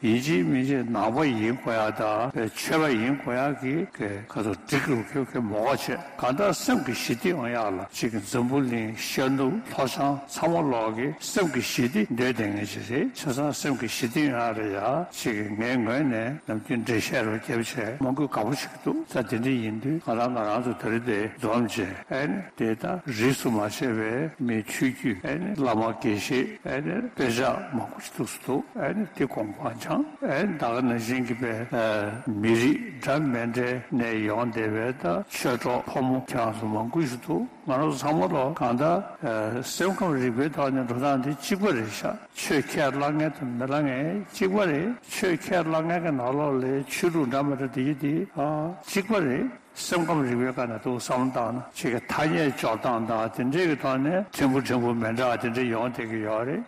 ཡིན་གཅིག་མིན་གཅིག་ནང་པ་ཡིན་དགོས་ཡ་ད་ཆོས་པ་ཡིན་དགོས་ཡ་གི་ག་ཚོད་འགྲིག་རུ་ཁྱོད་ཁྱོད་མོ་ག་བྱས། གང་ལྟར་སེམས་ཀྱི་ཞི་བདེ་ཡོང་ཡག་ལ་ཅིག་འཛམ་བུ་གླིང་ཤར་ནུབ་ལྷོ་བྱང་ཚང་མ་ལོག་གི་སེམས་ཀྱི་ཞི་བདེ་འདོད་བསྡད་མཁན་ཅིག་རེད། བྱས་ཙང་སེམས་ཀྱི་ཞི་བདེ་ཡོང་ཡག་ལ་ཡ་ཅིག་ངའི་ངོས་ནས་ནམ་རྒྱུན་འགྲེལ་བཤད་རུ་བརྒྱབ་བྱས་མང་པོས་དགའ་པོ་བྱེད་ཀྱི་འདུག་ད་དེ་འདྲ་ཡིན་དུས་ང་རང་ང་རང་ཚོ་དེ་རིང་དེ་འཛོམས་བྱས་ཨ་ནི་དེ་ད་རིས་སུ་མ་ཆད་པའི་མི་ཆོས་བརྒྱུད་ཨ་ནི་བླ་མ་དགེ་བཤེས་ཨ་ནི་དཔེ་ཆ་མང་པོ་ཞིག་འདུག་སུ་འདུག་ཨ་ནི་དེ་དགོངས་པ་འཆང་ཨ་ནི་ད་ག་ནང་བཞིན་གྱི་པའི་མི་རིགས་འདྲ་མི་འདྲ་ནས་ཡོང་བསྡད་པའི་ད་ཆོས་གྲོགས་ཕོ་མོ་ཁྱེད་རང་ཚོ་མང་པོ་ཞིག་འདུག་ང་རང་ཚོ་ཚང་མ་ལོ་གང་ལྟར་སེམས་ཁམས་རིག་པའི་ཐོག་ནས་འགྲོ་སྟངས་དེ་གཅིག་པ་རེད་ཤག་ཆོས་ཁས་བླངས་མཁན་དང་མི་བླངས་མཁན་གཅིག་པ་རེད། ཆོས་ཁས་བླངས་མཁན་གྱི་ནང་ལོགས་ལ་ཆོས་ལུགས་འདྲ་མི་འདྲ་དེ་ཡི་དེ་གཅིག་པ་རེད། སེམས་ཁམས་རིག་པའི་སྒང་ནས་འདུག་བསམ་བློ་བཏང་ན་ཅིག་གི་ཐ་སྙད་སྦྱོར་སྟངས་དང་དེ་འདྲའི་གི་ཐོག་ནས་ཕྲན་བུ་ཕྲན་བུ་མི་འདྲ་བ་དེ་འདྲ་ཡོང་བསྡད་ཀྱི་ཡོད་རེད།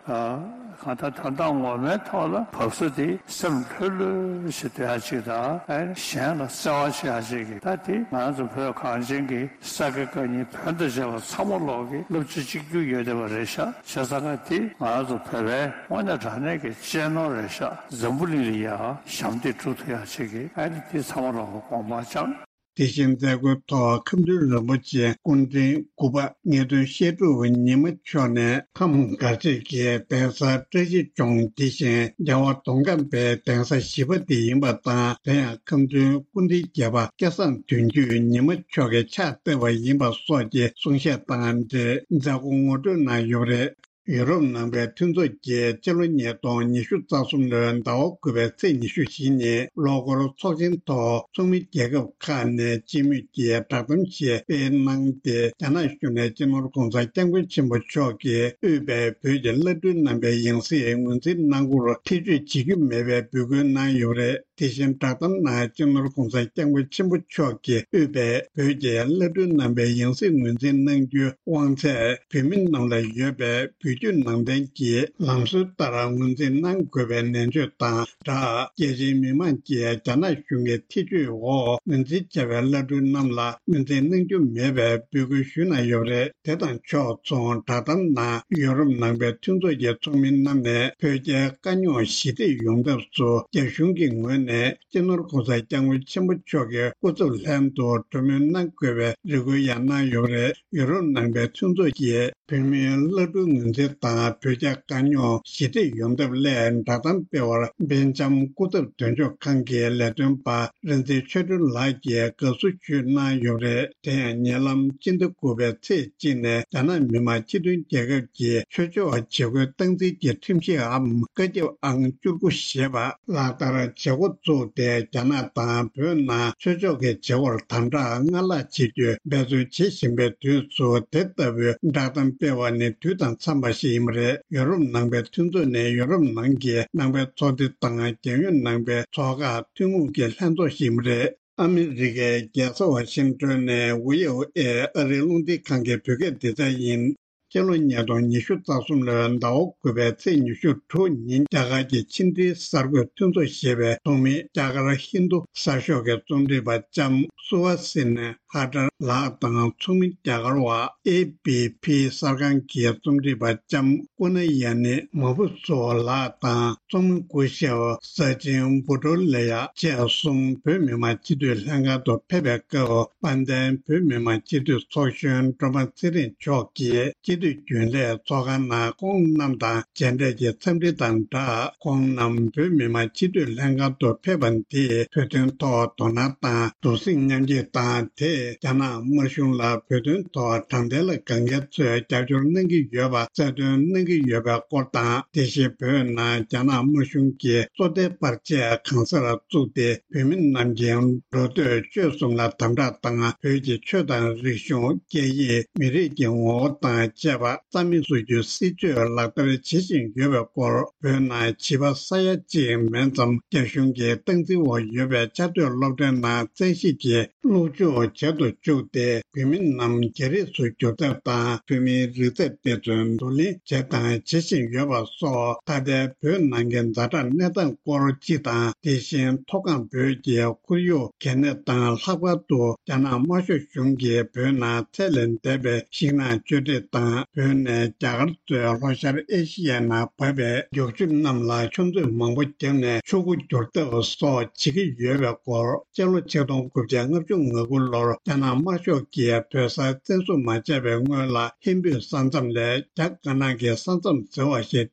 གང་ལྟར་དོན་དག་ངོ་མའི་ཐོག་ལ་བབས་ས་དེ་སེམས་ལྷོད་ལྷོད་ཞིག་སྡོད་ཡ་ཅིག་དང་ཨ་ནི་གཞན་ལ་བརྩེ་བ་བྱེད་ཡ་ཅིག་གི་ད་དེ་ང་རང་ཚོ་བོད་གངས་ཅན་གྱི་ས་དགེ་བཀའ་རྙིང་བོན་དང་བཅས་པ་ཚང་མ་ལོག་གི་བསླབ་བྱ་གཅིག་གྱུར་ཡོད་བསྡད་པ་རེད་ཤག་བྱས་ཙང་ཀ་དེ་ང་རང་ཚོ་བོད་པའི་དངོས་གནས་དྲང་གནས་ཀྱི་གཅེས་ནོར་རེད་ཤག་འཛམ་བུ་གླིང་ལ་ཡང་ཞབས་འདེགས་སྒྲུབ་ཐུབ་ཡ་ཅིག་གི་ཨ་ནི་དེ་ཚང་མ་ལོག་གི་དགོངས་པ་འཆང་། དེ་བཞིན་མཛད་སྒོའི་ཐོག་ཁམས་སྤྲུལ་རིན་པོ་ཆེ་སྐུ་ཕྲེང་དགུ་པ་ངེས་དོན་བཤད་སྒྲུབ་ཉི་མ་མཆོག་ནས་ཁམས་སྒར་གཅིག་གི་གདན་ས་བཀྲ་ཤིས་ལྗོངས་འདི་བཞིན་རྒྱལ་བ་མདོ་ཁམས་པའི་གདན་ས་བཞི་པ་དེ་ཡིན་པ་དང་། དེ་ཡང་ཁམས་ཚན་སྐུ་ཕྲེང་བརྒྱད་པ་སྐལ་བཟང་དོན་གྱུས་ཉི་མ་མཆོག་གིས་ཕྱག་བཏབ་པ་ཡིན་པ་སོགས་ཀྱི་གསུང་བཤད་དང་འབྲེལ་མཛད་སྒོ་ངོ་སྤྲོད་གནང་ཡོད་པ་རེད། ཡུ་རོབ་ནང་པའི་མཐུན་ཚོགས་ཀྱིས་སྤྱི་ལོ་ཉིས་སྟོང་ཉི་ཤུ་རྩ་གསུམ་ལོའི་ཟླ་བ་དགུ་པའི་ཚེས་ཉི་ཤུ་བཞི་ཉིན་ལོ་འཁོར་ཚོགས་ཆེན་ཐོག་ཚོགས་མི་རྒྱལ་ཁབ་ཁག་ནས་སྤྱི་མོས་ཀྱིས་བསྒྲགས་གཏམ་ཞིག་སྤེལ་གནང་སྟེ། རྒྱ་ནག་གཞུང་ནས་སྤྱི་ནོར་༧གོང་ས་༧སྐྱབས་མགོན་ཆེན་པོ་མཆོག་གིས་དབུས་པའི་བོད་ཀྱི་བླ་སྤྲུལ་རྣམ་པའི་ཡང་སྲིད་ངོས་འཛིན་གནང་སྐོར་ཐེ་བྱུས་བྱེད་རྒྱུ་མེད་པའི་འབོད་སྐུལ་གནང་ཡོད་པ་རེད། དེ་བཞིན་བསྒྲགས་གཏམ་ནང་སྤྱི་ནོར་༧གོང་ས་༧སྐྱབས་མགོན་ཆེན་པོ་མཆོག་གིས་དབུས་པའི་བོད་ཀྱི་བླ་སྤྲུལ་རྣམ་པའི་ཡང་སྲིད་ངོས་འཛིན་གནང་རྒྱུའི་དབང་ཚད་བོད་མི་རྣམས་ལ་ཡོད་པའི་བོད་བརྒྱུད་ནང་བསྟན་གྱི་ལམ་སྲོལ་ལྟར་ངོས་འཛིན་གནང་དགོས་པའི་ནན་བརྗོད་དང་སྦྲགས། རྒྱལ་སྤྱིའི་མི་མང་གིས་རྒྱ་ནག་གཞུང་གི་ཐེ་བྱུས་འོག་ངོས་འཛིན་བྱས་པའི་བླ་སྤྲུལ་རྣམས་ལ་ངོས་འཛིན་གནང་རྒྱུ་མེད་པའི་འབོད་སྐུལ་ཞུས་གནང་ཡོད་པ་རེད། དེ་དང་ཕྱོགས་མཚུངས་བསྒྲགས་གཏམ་ནང་ཡུ་རོབ་ནང་པའི་མཐུན་ཚོགས་ཀྱི་ཚོགས་མི་རྣམས་ནས་བོད་རྒྱའི་དཀའ་རྙོག་ཞི་འགྲིག་ཡོང་ཐབས་སུ་རྒྱ་གཞུང་གི་ངོས་ནས་སྤྱི་ནོར་༧གོང་ས་༧སྐྱབས་མགོན་ཆེན་པོ་མཆོག་གི་སྐུ་ཚབ་ལྷན་དུ་གྲོས་མོལ་གནང་དགོས་པའི་རེ་སྐུལ་ཡང་གནང་ཡོད་པ་རེད། ཡུ་རོབ་ནང་པའི་མཐུན་ཚོགས་ཀྱིས་བོད་མིའི་བླ་སྤྲུལ་ངོས་འཛིན་དང་བོད་རྒྱ་དཀའ་རྙོག་ཞི་འགྲིག་ཡོང་ཐབས་སླད་བསྒྲགས་གཏམ་སྤེལ་བར་སྦེལ་ཇམ་སྐུ་ཚབ་དོན་གཅོད་ཁང་གི་ལས་དོན་པ་རིག་འཛིན་ཆོས་སྒྲོན་ལགས་ཀྱིས་དགའ་བསུ་ཞུས་གནང་ཡོད་པ་རེད། དེ་ཡང་ཉེ་ལམ་སྤྱི་ཟླ་དགུ་པའི་ཚེས་གཅིག་ནས་རྒྱ་ནག་མི་དམངས་སྤྱི་མཐུན་རྒྱལ་ཁབ་ཀྱི་ཆོས་ཕྱོགས་བྱེད་སྒོའི་སྟངས་འཛིན་གྱི་ཁྲིམས་གཞིའམ་བཀའ་ཁྱབ་ཨང་བཅུ་དགུ་ཞེས་པ་ལག་བསྟར་བྱེད་འགོ་བཙུགས་ཏེ། རྒྱ་ནག་དང་བོད་ནང་ཆོས་ཕྱོགས་ཀྱི་བྱེད་སྒོར་དམ་དྲག་སྔར་ལྷག་བྱེད་རྒྱུའི་འབད་རྩོལ་བྱེད་བཞིན་པའི་དུས་སུ། དེ་ལྟ་བུའི་བསྒྲགས་གཏམ་སྤེལ་བ་ནི་དུས་དང་འཚམས་པ་ཞིག་ཡིན་པ་རེད། ཡུ་རོབ་ནང་པའི་མཐུན་ཚོགས་ནས་ཡུ་རོབ་ནང་གི་ནང་པའི་ཚོགས་སྡེ་དང་རྒྱལ་ཡོངས་ནང་པའི་ཚོགས་ཁག་ཐུན་མོང་གི་ལྷན་ཚོགས་ཤིག་ཡིན་པ་རེད། ཨ་མི་རི་ཀའི་རྒྱལ་ས་ཝ་ཤིང་ཏོན་ནས་ཝི་ཨོ་ཨེ་ཨ་རིའི་རླུང་འཕྲིན་ཁང་གི་བོད་སྐད་སྡེ་ཚན་ཡིན། སྤྱི་ལོ་ཉིས་སྟོང་ཉི་ཤུ་རྩ་གསུམ་ལོའི་ཟླ་བ་དགུ་པའི་ཚེས་ཉི་ཤུ་དྲུག་ཉིན་རྒྱ་གར་གྱི་ཕྱི་འབྲེལ་གསར་འགོད་མཐུན་ཚོགས་ཞེས་པའི་ཚོགས་མི་རྒྱ་གར་ཧིན་རྡུ་གསར་ཤོག་གི་རྩོམ་སྒྲིག་པ་ལྕམ་སུ་ཝ་སི་ནི་ཧ་ཏར་ལགས་དང་། ཚོགས་མི་རྒྱ་གར་བ་ཨེ་བི་བི་གསར་ཁང་གི་རྩོམ་སྒྲིག་པ་ལྕམ་ཀུ་ན་ཡ་ནི་མ་བུ་སོ་ལགས་དང་། རྩོམ་སྐུ་ཞབས་ས་ཆེན་བུ་ཏོ་ལེ་ཡ་བཅས་གསུམ་བོད་མི་མང་སྤྱི་འཐུས་ལྷན་ཁང་དུ་ཕེབས་པའི་སྐབས། དཔལ་ལྡན་བོད་མི་མང་སྤྱི་འཐུས་ཚོགས་གཞོན་སྒྲོལ་མ་ཚེ་རིང་མཆོག་གིས་སྤྱི་ སྲིད་དོན་རྒྱུན་ལས་ཚོགས་ཁང་ནང་ཁོང་རྣམས་དང་མཇལ་འཕྲད་ཀྱི་འཚམས་འདྲི་དང་སྦྲགས། ཁོང་རྣམས་བོད་མི་མང་སྤྱི་འཐུས་ལྷན་ཁང་དུ་ཕེབས་པ་འདིས་བོད་དོན་ཐོག་དོ་སྣང་དང་གདུང་སེམས་མཉམ་སྐྱེད་དང་། དེས་རྒྱ་ནག་དམར་གཞུང་ལ་བོད་དོན་ཐོག་དྲང་བདེན་ལ་དགའ་མཁན་ཚོས་རྒྱབ་སྐྱོར་གནང་གི་ཡོད་པ་གསལ་སྟོན་གནང་གི་ཡོད་པའི་སྐོར་དང་། དེ་བཞིན་བོད་ནང་རྒྱ་ནག་དམར་གཞུང་གིས་བཙོ་ཐལ་པར་ཆས་གང་སར་བཙུགས་ཏེ། བོད་མི་རྣམས་ཀྱི་འགྲོ་སྡོད་སྤྱོད་གསུམ་ལ་དམ་དྲག་དང་། བོད་ཀྱི་ཆོས་དང་རིག་གཞུང་། སྐད་ཡིག། མི་རིགས་ཀྱི་ངོ་བོ་དང་བཅས་པ་རྩ་མེད་བཟོ་རྒྱུའི་སྲིད་བྱུས་ལག་བསྟར་བྱེད་བཞིན་ཡོད་པའི་སྐོར། བོད་ནང་བྱིས་པ་ས་ཡ་གཅིག་མན་ཙམ་རྒྱ་གཞུང་གི་སྟངས་འཛིན་འོག་ཡོད་པའི་བཅའ་སྡོད་སློབ་གྲྭའི་ནང་བཙན་ཤེད་ཀྱིས་སློབ་འཇུག་བྱེད་དུ་བཅུག་སྟེ། བོད་མི་རྣམས་རྒྱ་རིགས་སུ་བསྒྱུར་ཐབས་དང་། བོད་མིའི་རིག་རྩལ་འབད་བརྩོན་བསྡུ་ལེན་བྱས་དང་བྱེད་བཞིན་ཡོད་པ་སོགས། ད་ལྟའི་བོད་ནང་གི་ཛ་དྲག་གནས་སྟངས་སྐོར་སྤྱི་དང་། དེ་བཞིན་མཐོ་སྒང་བོད་ཀྱི་ཁོར་ཡུག་གལ་གནད་དང་། ལྷག་པར་དུ་རྒྱ་ནག་དམར་ཤོག་གཞུང་གིས་བོད་ནང་ཚད་ལས་འདས་པའི་ཤིང་ནགས་གཅོད་འབྲེག་དང་། བོད་ནས་རྒྱ་གར་གཙོས་ལྷོ་ཤར་ཨེ་ཤི་ཡའི་ནང་བབས་པའི་རྒྱུག་ཆུ་རྣམས་ལ་ཆུ་མཛོད་མང་པོ་བརྒྱབ་ནས་ཆུ་མགོ་བསྒྱུར་ཐབས་སོགས་བྱེད་ཀྱི་ཡོད་པའི་སྐོར། སྤྱི་ལོ་ཆིག་སྟོང་དགུ་བརྒྱ་ལྔ་བཅུ་ང་དགུ་ལོར་རྒྱ་ནག་དམར་ཤོག་གིས་བོད་སར་བཙན་བཟུང་མ་བྱས་པའི་སྔོན་ལ། ཧིན་བོད་ས་མཚམས་ལས་རྒྱ་དཀར་ནག་གི་ས་མཚམས་ཟེར་བ་ཞིག་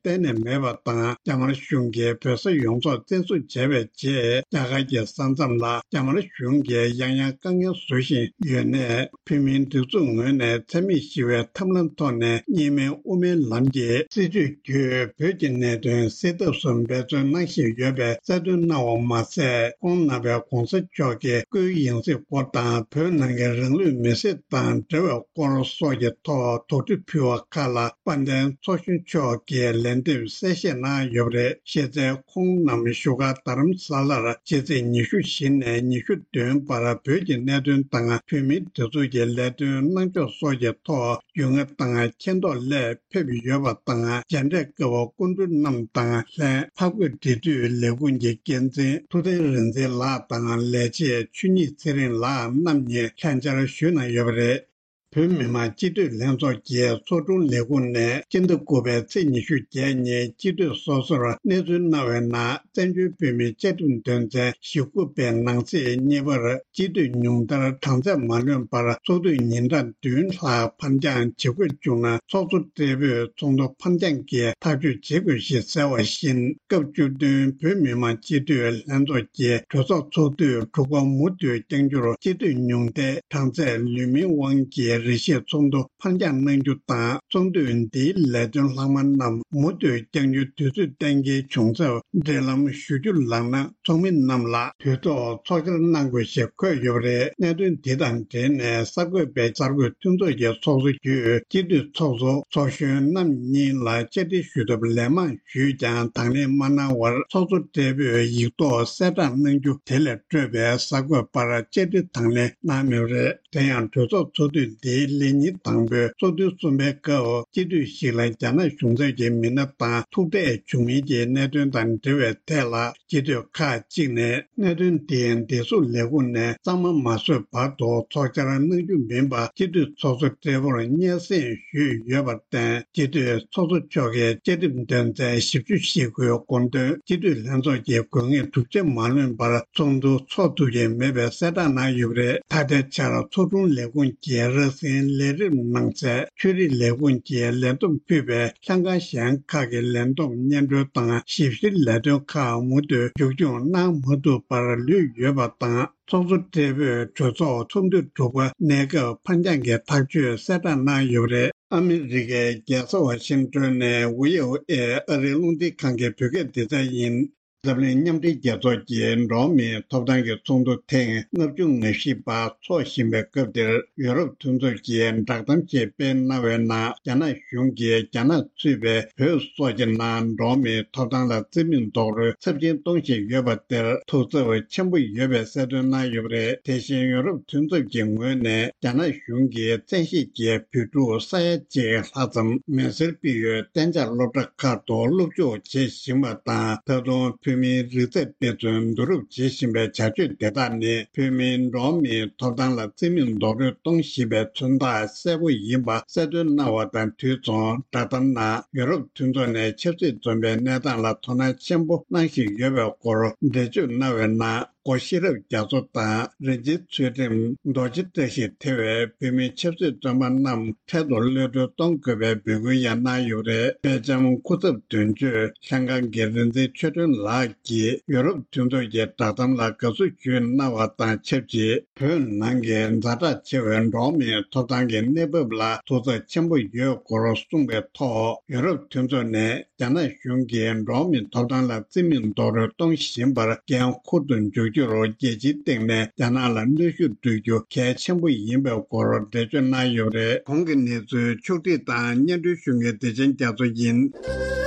གཏན་ནས་མེད་པ་དང་། རྒྱ་དམར་གཞུང་གིས་བོད་ས་ཡོངས་རྫོགས་བཙན་བཟུང་བྱས་པའི་རྗེས། རྒྱ་གར་གྱི་ས་མཚམས་ལ་རྒྱ་དམར་གཞུང་གིས་ཡང་ཡང་དཀའ་ངལ་བཟོ་བཞིན་ཡོད་ནས། བོད་མིའི་སྒྲིག་འཛུགས་ངོས་ནས་འཚེ་མེད་ཞི་བའི་ཐབས་ལམ་ཐོག་ནས་གཉིས་སྨན་དབུ་མའི་ལམ་གྱི་སྲིད་བྱུས་བརྒྱུད་བོད་ཀྱི་གནད་དོན་སེལ་ཐབས་སུ་འབད་བརྩོན་གནང་བཞིན་ཡོད་པའི་གསལ་སྟོན་གནང་བ་མ་ཟད། ཁོང་རྣམ་པས་གོང་ས་མཆོག་གི་སྐུའི་ཡང་སྲིད་སྐོར་དང་། བོད་ནང་གི་རང་ལུས་མེར་སྲེག་དང་འབྲེལ་བའི་སྐོར་སོགས་ཀྱི་ཐོག་དོགས་འདྲི་ཕུལ་བ་ཁག་ལ། དཔལ་ལྡན་ཚོགས་གཞོན་མཆོག་གིས་ལན་འདེབས་གསལ་བཤད་གནང་ཡོད་པ་རེད། གཞི་རྩའི་ཁོང་རྣམས་བཞུགས་སྒར་རྡ་རམ་ས་ལར་ཕྱི་ཚེས་ཉི་ཤུ་བཞི་ནས་ཉི་ཤུ་བདུན་བར་བོད་ཀྱི་གནད་དོན་དང་། བོད་མིའི་སྒྲིག་འཛུགས་ཀྱི་ལས་དོན་གནང་ཕྱོགས་སོགས་ཀྱི་ཐོག་རྒྱུས་མངའ་དང་མཁྱེན་རྟོགས་སླད་ཕེབས་ཡོད་པ་དང་། མཇལ་འཕྲད་སྐབས་སྐུ་མགྲོན་རྣམས་དང་ལྷན། ཕག་རྒོད་འབྲེལ་མཐུད་ལས་ཁུངས་ཀྱི་འགན་འཛིན་ཐུབ་བསྟན་རིག་འཛིན་ལགས་དང་། ལས་བྱེད་ཆོས་ཉིད་ཚེ་རིང་ལགས་རྣམ་གཉིས་ལྷན་བཅར་ཞུས་གནང་ཡོད་པ་རེད། བོད་མི་མང་སྤྱི་འཐུས་ལྷན་ཚོགས་ཀྱི་ཚོགས་དྲུང་ལས་ཁུངས་ནས་སྤྱི་ཟླ་དགུ་པའི་ཚེས་ཉི་ཤུ་བརྒྱད་ཉིན་སྤྱི་འཐུས་སོ་སོར་གནས་ཚུལ་གནང་བའི་ནང་། བཙན་བྱོལ་བོད་མིའི་བཅའ་ཁྲིམས་དོན་ཚན་ཞེ་དགུ་པའི་ནང་གསེས་གཉིས་པར། སྤྱི་འཐུས་ཉུང་མཐར་གྲངས་ཚད་མ་ལོན་པར་ཚོགས་དུས་ཉིན་གྲངས་བདུན་ལྷག་ཕར་འགྱངས་བྱེད་དགོས་བྱུང་ན། ཚོགས་གཙོ་སྦྲེལ་པོས་ཚོགས་འདུ་ཕར་འགྱངས་ཀྱིས་ཐག་གཅོད་བྱེད་དགོས་ཞེས་གསལ་བ་བཞིན། སྐབས་བཅུ་བདུན་བོད་མི་མང་སྤྱི་འཐུས་ལྷན་ཚོགས་ཀྱི་གྲོས་ཚོགས་ཚོགས་དུས་དྲུག་པ་མུ་མཐུད་བསྐྱང་རྒྱུར་སྤྱི་འཐུས་ཉུང་མཐའི་གྲངས་ཚད་ལུས་མིན་དབང་གིས་རེ་ཞིག་ཚོགས་འདུ་ཕར་འགྱངས་གནང་རྒྱུ་དང་། ཚོགས་དུས་འདིའི་ལས་དོན་ལྷག་མ་རྣམས་མུ་མཐུད་བསྐྱང་རྒྱུའི་དུས་ཚོད་གཏན་འཁེལ་བྱུང་ཚབ་འབྲེལ་ལམ་ཞུ་རྒྱུ་ལགས་ན། ཚོགས་མི་རྣམས་ལ་དུས་ཐོག་ཚོགས་བཅར་གནང་དགོས་ཞེས་འཁོད་ཡོད་པ་རེད། གནད་དོན་འདི་དང་འབྲེལ་ནས་གསར་འགོད་པས་གསར་འགོད་མཐུན་ཚོགས་ཀྱི་ཚོགས་གཙོ་བརྒྱུད་སྤྱི་འཐུས་ཚོགས་གཙོ་ཚོགས་གཞོན་རྣམ་གཉིས་ལ་བཅར་འདྲི་ཞུ་ཐབས་ལན་མང་ཞུས་ཀྱང་དང་ལེན་མ་གནང་བར། ཚོགས་གཙོ་སྦྲེལ་པོས་ཡིག་ཐོག་གསལ་བསྒྲགས་གནང་རྒྱུ་དེ་ལས་སྤྲོས་པའི་གསར་འགོད་པར་བཅར་འདྲི་དང་ལེན་གནང་མེད་པ་རེད། དེ་ཡང་གྲོས་ཚོགས་ཚོགས་དུས་འདིའི་ལས་ཉིན་དང་པོའི་ཚོགས་ཐུན་གསུམ་པའི་སྐབས། སྤྱི་འཐུས་ཤིག་ལ་རྒྱ་ནག་གཞུང་ཚབ་ཀྱི་མི་སྣ་དང་ཐུག་འཕྲད་བྱུང་མིན་གྱི་གནད་དོན་དང་འབྲེལ་བའི་ཐད་ལ། སྤྱི་འཐུས་ཁག་ཅིག་ནས་གནད་དོན་དེ་བདེ་སྲུང་ལས་ཁུངས་ནས་གཙང་མ་མ་བཟོས་བར་དུ་ཚོགས་བཅར་གནང་རྒྱུ་མིན་པ། སྤྱི་འཐུས་ཚོགས་གཙོ་སྦྲེལ་པོར་སྙན་སེང་ཞུས་ཡོད་པར་བརྟེན། སྤྱི་འཐུས་ཚོགས་གཙོ་མཆོག་གིས་བཅའ་ཁྲིམས་དོན་ཚན་བཞི་བཅུ་ཞེ་དགུའི་དགོངས་དོན། སྤྱི་འཐུས་ལྷན་ཚོགས་ཀྱི་དགོས་ངེས་གྲུབ་ཆ་མ་ལོན་པར་ཚོགས་འདུ་འཚོགས་ཐུབ་ཀྱི་མེད་པའི་གསལ་བསྒྲགས་གནང་ཡོད་པ་རེད། ད་ལྟའི་ཆར་ཚོགས་དྲུང་ལས་ཁུངས་ཀྱི་ར་སེན་ལས་རིམ་ནང་གསལ། ཆོས་རིག་ལས་ཁུངས་ཀྱིས་ལས་བསྡོམས་ཕུད་པའི་ལྷན་ཁང་གཞན་ཁག་གི་ལས་བསྡོམས་སྙན་སྒྲོན་དང་ཞིབ་བཤེར་ལས་དོན་ཁག་མུ་མཐུད་མཇུག་སྐྱོང་གནང་མ་ཐུབ་པར་ལུས་ཡོད་པ་དང་། ཚོགས་གཙོ་སྦྲེལ་པོས་གྲོས་ཚོགས་ཚོགས་འདུ་དྲུག་པ་གནས་སྐབས་ཕར་འགྱངས་ཀྱི་ཐག་གཅོད་གསལ་བསྒྲགས་གནང་ཡོད་པ་རེད། ཨ་མི་རི་ཀའི་རྒྱལ་ས་ཝ་ཤིང་ཏོན་ནས་བྷི་ཨོ་ཨེ་ཨ་རིའི་རླུང་འཕྲིན་ཁང་གི་བོད་སྐད་སྡེ་ཚན་ཡིན། འཛམ་གླིང་མཉམ་འབྲེལ་རྒྱལ་ཚོགས་ཀྱི་འགྲོ་བ་མིའི་ཐོབ་ཐང་གི་ཚོགས་འདུ་ཐེངས་ལྔ་བཅུ་ང་བཞི་པ་འཚོགས་བཞིན་པའི་སྐབས་འདིར། ཡོ་རོབ་མཐུན་ཚོགས་ཀྱིས་བསྒྲགས་གཏམ་ཞིག་སྤེལ་གནང་བའི་ནང་། རྒྱ་ནག་གཞུང་གིས་རྒྱ་ནག་གཙོས་པའི་བོད་སོགས་ཀྱི་ནང་འགྲོ་བ་མིའི་ཐོབ་ཐང་ལ་བརྩི་མེད་རྡོག་རོལ་ཚབས་ཆེན་གཏོང་བཞིན་ཡོད་པ་དེར་ཐུགས་འཚབ་ཆེན་པོ་ཡོད་པའི་གསལ་སྟོན་གནང་ཡོད་པ་རེད། དེ་བཞིན་ཡོ་རོབ་མཐུན་ཚོགས་ཀྱི་ངོས་ནས་རྒྱ་ནག་གཞུང་གིས་བཙན་ཤེད་ཀྱིས་བོད་ཕྲུག་ས་ཡ་གཅིག་ལྷག་ཙམ་མེ་སེར་སྤེལ་ཡུལ་གཏན་འཇགས་སློབ་གྲྭ་ཁག་ཏུ་སློབ་འཇུག་བྱེད་བཞིན་པ་དང་། ད་དུང་བོད་མིའི་རིག་རྩལ་དཔེ་མཚོན་བསྡུ་རུབ་བྱེད་བཞིན་པའི་བྱ་སྤྱོད་དེ་དག་ནི། བོད་མིའི་འགྲོ་བ་མིའི་ཐོབ་ཐང་ལ་བརྩི་མེད་རྡོག་རོལ་གཏོང་བཞིན་པའི་མཚོན་རྟགས་གསལ་པོ་ཡིན་པ་གསལ་སྟོན་གནང་བ་དང་དུས་མཚུངས། བསྒྲགས་གཏམ་ནང་ཡོ་རོབ་མཐུན་ཚོགས་ནས་ཆབ་སྲིད་འཛོམས་པའི་གནས་སྟངས་ལ་དོ་སྣང་ཆེན་པོ་གནང་བཞིན་ཡོད་པའི་སྐོར་འགྲེལ་བརྗོད་གནང་བའི་ནང་། སྒོ་ཤེས་རབ་རྒྱ་མཚོ་དང་། རིན་ཆེན་ཚུལ་ཁྲིམས། རྡོ་རྗེ་བཀྲ་ཤིས། ཐེ་བའི་བོད་མིའི་ཆབ་སྲིད་བཙོན་པ་རྣམས་འཕྲལ་དུ་གློད་གྲོལ་གཏོང་དགོས་པའི་འབོད་སྐུལ་ཡང་གནང་ཡོད་པ་རེད། དཔེ་ཆ་སྐུ་ཚབ་དོན་གཅོད་ལྷན་ཁང་གི་རིག་འཛིན་ཆོས་སྒྲོན་ལགས་ཀྱིས་ཡུ་རོབ་མཐུན་ཚོགས་ཀྱི་བསྒྲགས་གཏམ་ལ་དགའ་བསུ་ཞུས་གནང་བ་དང་ཆབས་ཅིག་བོད་ནང་གི་ཛ་དྲག་ཆེ་བའི་འགྲོ་བ་མིའི་ཐོབ་ཐང་གི་གནས་བབ་ལ་ཐོག་ཚད་ཆེན་པོ་ཡོད་སྐོར་གསུངས་པའི་ཐོག་ཡུ་རོབ་མཐུན་ཚོགས་ནས། རྒྱ་ནག་གཞུང་གིས་འགྲོ་བ་མིའི་ཐོབ་ཐང་ལ་བརྩི་མེད་རྡོག་རོལ་གཏོང་བཞིན་པར་འགན་འཁུར་དུ་འཇུག་རྒྱུར་རྒྱལ་སྤྱིའི་སྟེང་ནས་རྒྱ་ནག་ལ་གནོན་ཤུགས་སྤྲོད་རྒྱུ་གལ་ཆེན་པོ་ཡིན་པའི་སྐོར་འགྲེལ་བརྗོད་གནང་ཡོད་པ་རེད། གོང་གི་གནས་ཚུལ་ཕྱོགས་སྒྲིག་དང་སྙན་སྒྲོན་ཞུ་མཁན་བདེ་ཆེན་རྒྱ་མཚོ་ཡིན།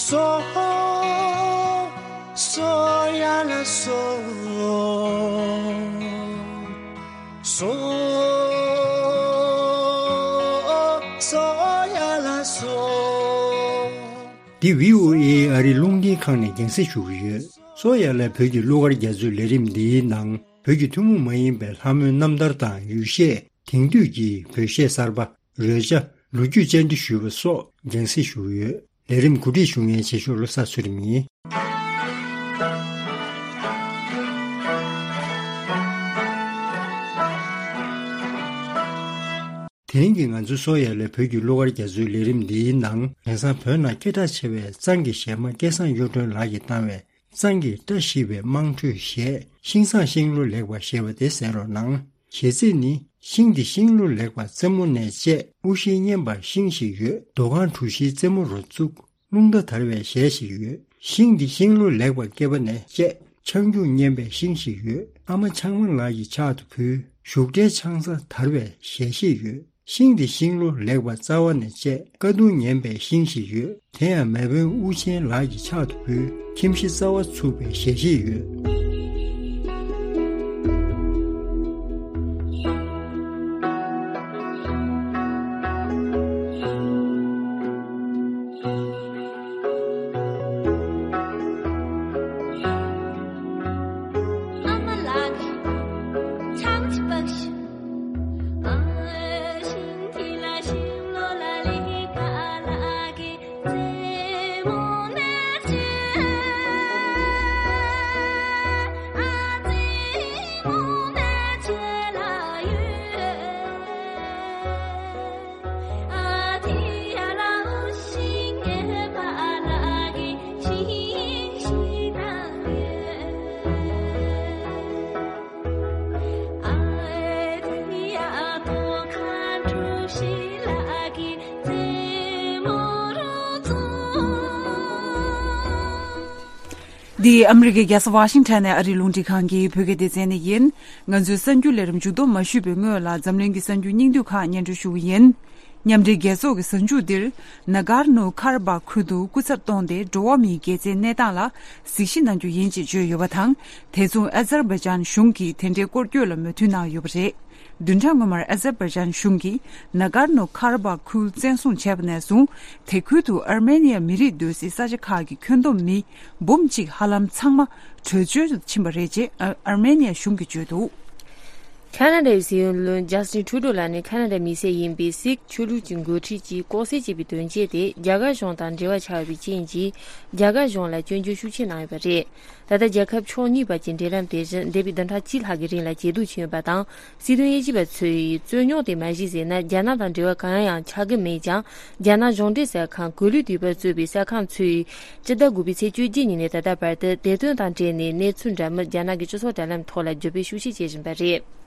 སོ། སོ་ཡ་ལ་སོ། སོ། སོ་ཡ་ལ་སོ། འདི་བྷི་ཨོ་ཨེ་ཨ་རི་རླུང་འཕྲིན་ཁང་ནས་རྒྱང་སྲིང་ཞུ་གི་ཡོད། སོ་ཡ་ལ་བོད་ཀྱི་གླུ་གར་རྒྱ་མཚོའི་ལས་རིམ་འདིའི་ནང་བོད་ཀྱི་ཐུན་མོང་མ་ཡིན་པའི་ལྷ་མོའི་རྣམ་ཐར་དང་ཡུལ་གཞས། དེང་དུས་ཀྱི་བོད་གཞས་གསར་པ། རོལ་ཆ། ལོ་རྒྱུས་བཅར་འདྲི་ཞུས་པ་སོགས་རྒྱང་སྲིང་ཞུ་གི་ཡོད། ལས་རིམ་གོ་སྒྲིག་ཞུ་མཁན་བྱེད་ཤོག་བློ་བཟང་ཚུལ་ཁྲིམས་ཡིན། དེ་རིང་གི་ང་ཚོའི་སོ་ཡ་ལ་བོད་ཀྱི་གླུ་གར་རྒྱ་མཚོའི་ལས་རིམ་འདིའི་ནང་དེང་སང་བོད་ནང་སྐད་གྲགས་ཆེ་བའི་གཙང་གི་གཞས་མ་སྐལ་བཟང་གཡུ་སྒྲོན་ལགས་ཀྱིས་བཏང་བའི་གཙང་གི་བཀྲ་ཤིས་པའི་དམངས་ཁྲོད་གཞས་ཤིང་བཟང་ཤིང་ལོ་ལེགས་པ་ཞེས་པ་དེ་གསན་རོགས་གནང་། གཞས་ཚིག་ནི། ཤིང་འདི་ཤིང་ལོ་ལེགས་པ་རྩེ་མོ་ནས་བཅད། དབུ་ཤིང་སྙན་པ་ཤིང་ཞིག་ཡོད། རྡོ་ཁང་གྲུ་བཞིའི་རྩེ་མོ་རུ་བཙུགས། རླུང་རྟ་དར་བའི་གཞས་ཤིག་ཡོད། ཤིང་འདི་ཤིང་ལོ་ལེགས་པ་སྐེད་པ་ནས་བཅད། ཆང་རྒྱུག་སྙན་པའི་ཤིང་ཞིག་ཡོད། ཨ་མ་ཆང་མ་ལགས་ཀྱི་ཕྱག་ཏུ་ཕུལ། བཞུགས་གྲལ་ཆང་ས་དར་བའི་གཞས་ཤིག་ཡོད། ཤིང་འདི་ཤིང་ལོ་ལེགས་པ་རྩ་བ་ནས་བཅད། ཀ་གདུང་ངན་པའི་ཤིང་ཞིག་ཡོད། དེ་ཡང་མེས་དབོན་དབུ་ཆེན་ལགས་ཀྱི་ཕྱག་ཏུ་ཕུལ། ཁྱིམ་གཞི་རྩ་བ་ཚུགས་པའི་གཞས་ཤིག་ཡོད། འདི་ཨ་མི་རི་ཀའི་རྒྱལ་ས་ཝ་ཤིང་ཊོན་ནས་ཨ་རིའི་རླུང་འཕྲིན་ཁང་གི་བོད་སྐད་སྡེ་ཚན་ནས་ཡིན། ང་ཚོའི་གསར་འགྱུར་ལས་རིམ་མཇུག་སྡོམ་མ་ཞུས་པའི་སྔོན་ལ་འཛམ་གླིང་གི་གསར་འགྱུར་སྙིང་བསྡུས་ཁག་སྙན་སྒྲོན་ཞུ་གི་ཡིན། མཉམ་འབྲེལ་རྒྱལ་ཚོགས་ཀྱི་གཟའ་མཇུག་འདིར་ནཱ་གར་ནོ་ཁར་བྷག་ཁུལ་དུ་སྐུ་ཚབ་བསྟོངས་ཏེ་འགྲོ་བ་མིའི་དགེ་མཚན་གནས་སྟངས་ལ་གཟིགས་ཞིབ་གནང་རྒྱུ་ཡིན་ཅེས་བརྗོད་ཡོད་པ་དང་། དེ་མཚུངས་ཨ་ཛར་བྷའི་ཇཱན་གཞུང་གིས་དེ་འབྲེལ་སྐོར་སྐྱོད་ལ་མོས་མཐུན་གནང་ཡོད་པ་རེད། བདུན་ཕྲག་སྔོན་མར་ཨ་ཛར་བྷའི་ཇཱན་གཞུང་གིས་ནཱ་གར་ནོ་ཁར་བྷག་ཁུལ་བཙན་བཟུང་བྱས་པ་ནས་བཟུང་། དེ་ཁུལ་དུ་ཨར་མེ་ནི་ཡ་མི་རིགས་སྡོད་སའི་ས་ཆ་ཁག་གི་ཁྱོན་བསྡོམས་མི་འབུམ་གཅིག་ཧ་ལམ་ཚང་མ་བྲོས་བྱོལ་དུ་ཕྱིན་པ་རེད་ཅེས་ཨར་མེ་ནི་ཡ་གཞུང་གིས་བརྗོད་འདུག། ཁ་ན་ཌའི་སྲིད་བློན་ཇ་སི་ཊིན་ཊུ་རུ་ཌོ་ལགས་ནས་ཁ་ན་ཌའི་མི་སེར་ཡིན་པའི་སིག་ཆོས་ལུགས་ཀྱི་འགོ་ཁྲིད་ཅིག་ལྐོག་བསད་བྱས་པའི་དོན་རྐྱེན་དེ་རྒྱ་གར་གཞུང་དང་འབྲེལ་བ་ཆགས་ཡོད་པའི་རྐྱེན་གྱིས་རྒྱ་གར་གཞུང་ལ་སྐྱོན་བརྗོད་ཤུགས་ཆེ་གནང་ཡོད་པ་རེད། ད་ལྟ་རྒྱལ་ཁབ་ཕྱོགས་གཉིས་བར་གྱི་འབྲེལ་ལམ་དེ་བཞིན་འདས་པའི་བདུན་ཕྲག་གཅིག་ལྷག་གི་རིང་ལ་ཇེ་སྡུག་ཕྱིན་ཡོད་པ་དང་། སྲིད་དོན་དབྱེ་ཞིབ་པ་ཚོས་རྩོད་རྙོག་དེ་མ་གཞི་ཟིན་ན་རྒྱ་ནག་དང་འབྲེལ་བ་གང་ཡང་ཆགས་ཀྱི་མེད་ཀྱང་། རྒྱ་ནག་གཞུང་འབྲེལ་གསར་ཁང་གོ་ལའི་དུས་བབ་གཙོས་པའི་གསར་ཁང་ཚོས་སྤྱི་ཟླ་དགུ་པའི་ཚེས་བཅོ་བརྒྱད་ཉིན་ནས་ད་ལྟ་བར་དུ་དེ་དོན་དང་འབྲེལ་ནས་གནས་ཚུལ་འདྲ་མིན་རྒྱ་ནག་གི་སྤྱི་ཚོགས་དྲ་ལམ་ཐོག་ལ་བརྗོད་སྤེལ་ཤུགས་ཆེ་བྱེད་བཞིན་པ་རེད།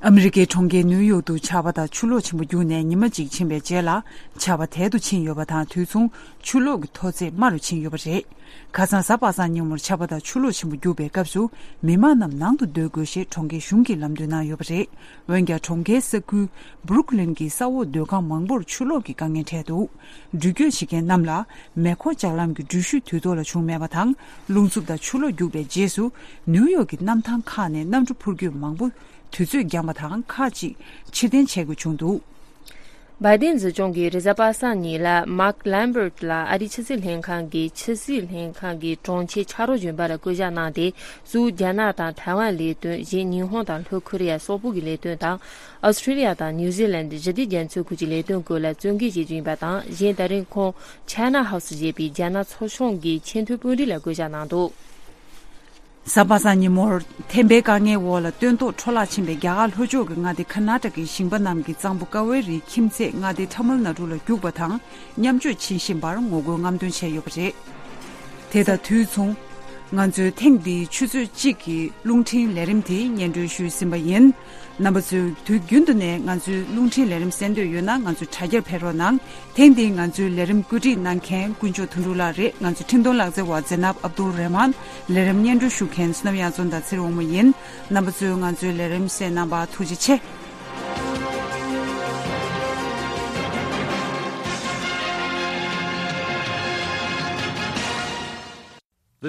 ཨ་མི་རི་ཀའི་གྲོང་ཁྱེར་ནིའུ་ཡོག་ཏུ་ཆར་པ་དང་ཆུ་ལོག་ཆེན་པོ་རྒྱུག་ནས་ཉི་མ་གཅིག་ཕྱིན་པའི་རྗེས་ལ། ཆར་པ་དལ་དུ་ཕྱིན་ཡོད་པ་དང་། དུས་མཚུངས་ཆུ་ལོག་གི་མཐོ་ཚད་དམའ་རུ་ཕྱིན་ཡོད་པ་རེད། ཁ་སང་གཟའ་པ་སངས་ཉིན་མོར་ཆར་པ་དང་ཆུ་ལོག་ཆེན་པོ་རྒྱུག་པའི་སྐབས་སུ། མི་མང་རྣམས་ནང་དུ་སྡོད་དགོས་ཞེས་གྲོང་ཁྱེར་གཞུང་གིས་ལམ་སྟོན་གནང་ཡོད་པ་རེད། འོན་ཀྱང་། གྲོང་ཁྱེར་ས་ཁུལ་སྦུ་རུག་ལིན་གྱི་ས་འོག་སྡོད་ཁང་མང་པོར་ཆུ་ལོག་གི་དཀའ་ངལ་འཕྲད་འདུག་འགྲུལ་སྐྱོད་བྱེད་མཁན་རྣམས་ལ་མེ་འཁོར་ལྕགས་ལམ་གྱི་འགྲུལ་བཞུད་དུས་ཐོག་ལ་བྱུང་མེད་པ་དང་། རླུང་འཚུབ་དང་ཆུ་ལོག་རྒྱུག་པའི་རྗེས་སུ། ནིའུ་ཡོག་གི་གནམ་ཐང་ཁག་ནས་གནམ་གྲུ་འཕུར་སྐྱོད་མང་པོ་དུས་ཚོད་འགྱངས་པ་དང་། ཁག་ཅིག་ཕྱིར་འཐེན་བྱེད་དགོས་བྱུང་འདུག་བའི་ཏིན་སྲིད་སྐྱོང་གིས་རེས་གཟའ་པ་སངས་ཉིན་ལ་མཱག་ལམ་བར་ལ་ཨ་རིའི་ཕྱི་སྲིད་ལྷན་ཁང་གི་ཕྱི་སྲིད་ལྷན་ཁང་གི་དྲུང་ཆེ་ཕྱག་རོགས་གཞོན་པར་བསྐོ་གཞག་གནང་སྟེ། གཙོ་བོ་རྒྱ་ནག་དང་ཐའེ་ཝན་ལས་དོན། གཞན་ཉི་ཧོང་དང་ལྷོ་ཁོ་རེ་ཡ་སོག་པོ་གི་ལས་དོན་དང་། ཨོ་སི་ཁྲི་ལི་ཡ་དང་ནིའུ་ཛི་ལན་ཞི་བདེ་རྒྱ་མཚོའི་ཁུལ་གྱི་ལས་དོན་སྐོར་ལ་བཙན་སྐུལ་བྱེད་རྒྱུ་ཡིན་པ་དང་། གཞན་ད་རིང་ཁོང་ཆའེ་ན་ཧའུ་སི་ཞེས་པའི་རྒྱ་ནག་ཚོགས་ཆུང་གི་ཆེས་མཐོའི་དཔོན་རིགས་ལ་བསྐོ་གཞག་གནང་འདུག་གཟའ་པ་སངས་ཉིན་མོར་ཐན་པའི་དཀའ་ངལ་འོག་ལ་སྟོན་ཐོག་འཕྲོ་བརླག་ཕྱིན་པའི་རྒྱ་གར་ལྷོ་ཕྱོགས་ཀྱི་མངའ་སྡེ་ཀར་ནཱ་ཊ་ཀའི་ཞིང་པ་རྣམས་ཀྱི་གཙང་པོ་ཀ་ཝེ་རིའི་ཁྱིམ་མཚེས་མངའ་སྡེ་ཐ་མིལ་ནཱ་ཌུ་ལ་རྒྱུག་པ་དང་མཉམ་སྤྱོད་བྱེད་བཞིན་པར་ངོ་རྒོལ་རྔམ་སྟོན་བྱས་ཡོད་པ་རེད། དེ་དང་དུས་མཚུངས། ང་ཚོས་ཐེངས་འདིའི་ཆུ་ཚོད་གཅིག་གི་རླུང་འཕྲིན་ལས་རིམ་དེ་སྙན་སྒྲོན་ཞུས་ཟིན་པ་ཡིན། རྣམ་པ་ཚོས་དུས་རྒྱུན་དུ་ནས་ང་ཚོའི་རླུང་འཕྲིན་ལས་རིམ་གསན་འདོད་ཡོད་ན། ང་ཚོའི་དྲ་རྒྱར་ཕེབས་རོགས་གནང་། ཐེངས་འདིའི་ང་ཚོའི་ལས་རིམ་བཀོད་སྒྲིག་གནང་མཁན་དཀོན་མཆོག་དོན་གྲུབ་ལགས་རེད། ང་ཚོའི་འཕྲིན་གཏོང་ལག་རྩལ་བ་ཛེ་ནབ་ཨབ་དུལ་རེ་མཱན། ལས་རིམ་སྙན་སྒྲོན་ཞུ་མཁན་བསོད་ནམས་གཡང་འཛོམས་དང་ཚེ་རིང་དབང་མོ་ཡིན། རྣམ་པ་ཚོས་ང་ཚོའི་ལས་རིམ་གསན་གནང་བར་ཐུགས་རྗེ་ཆེ།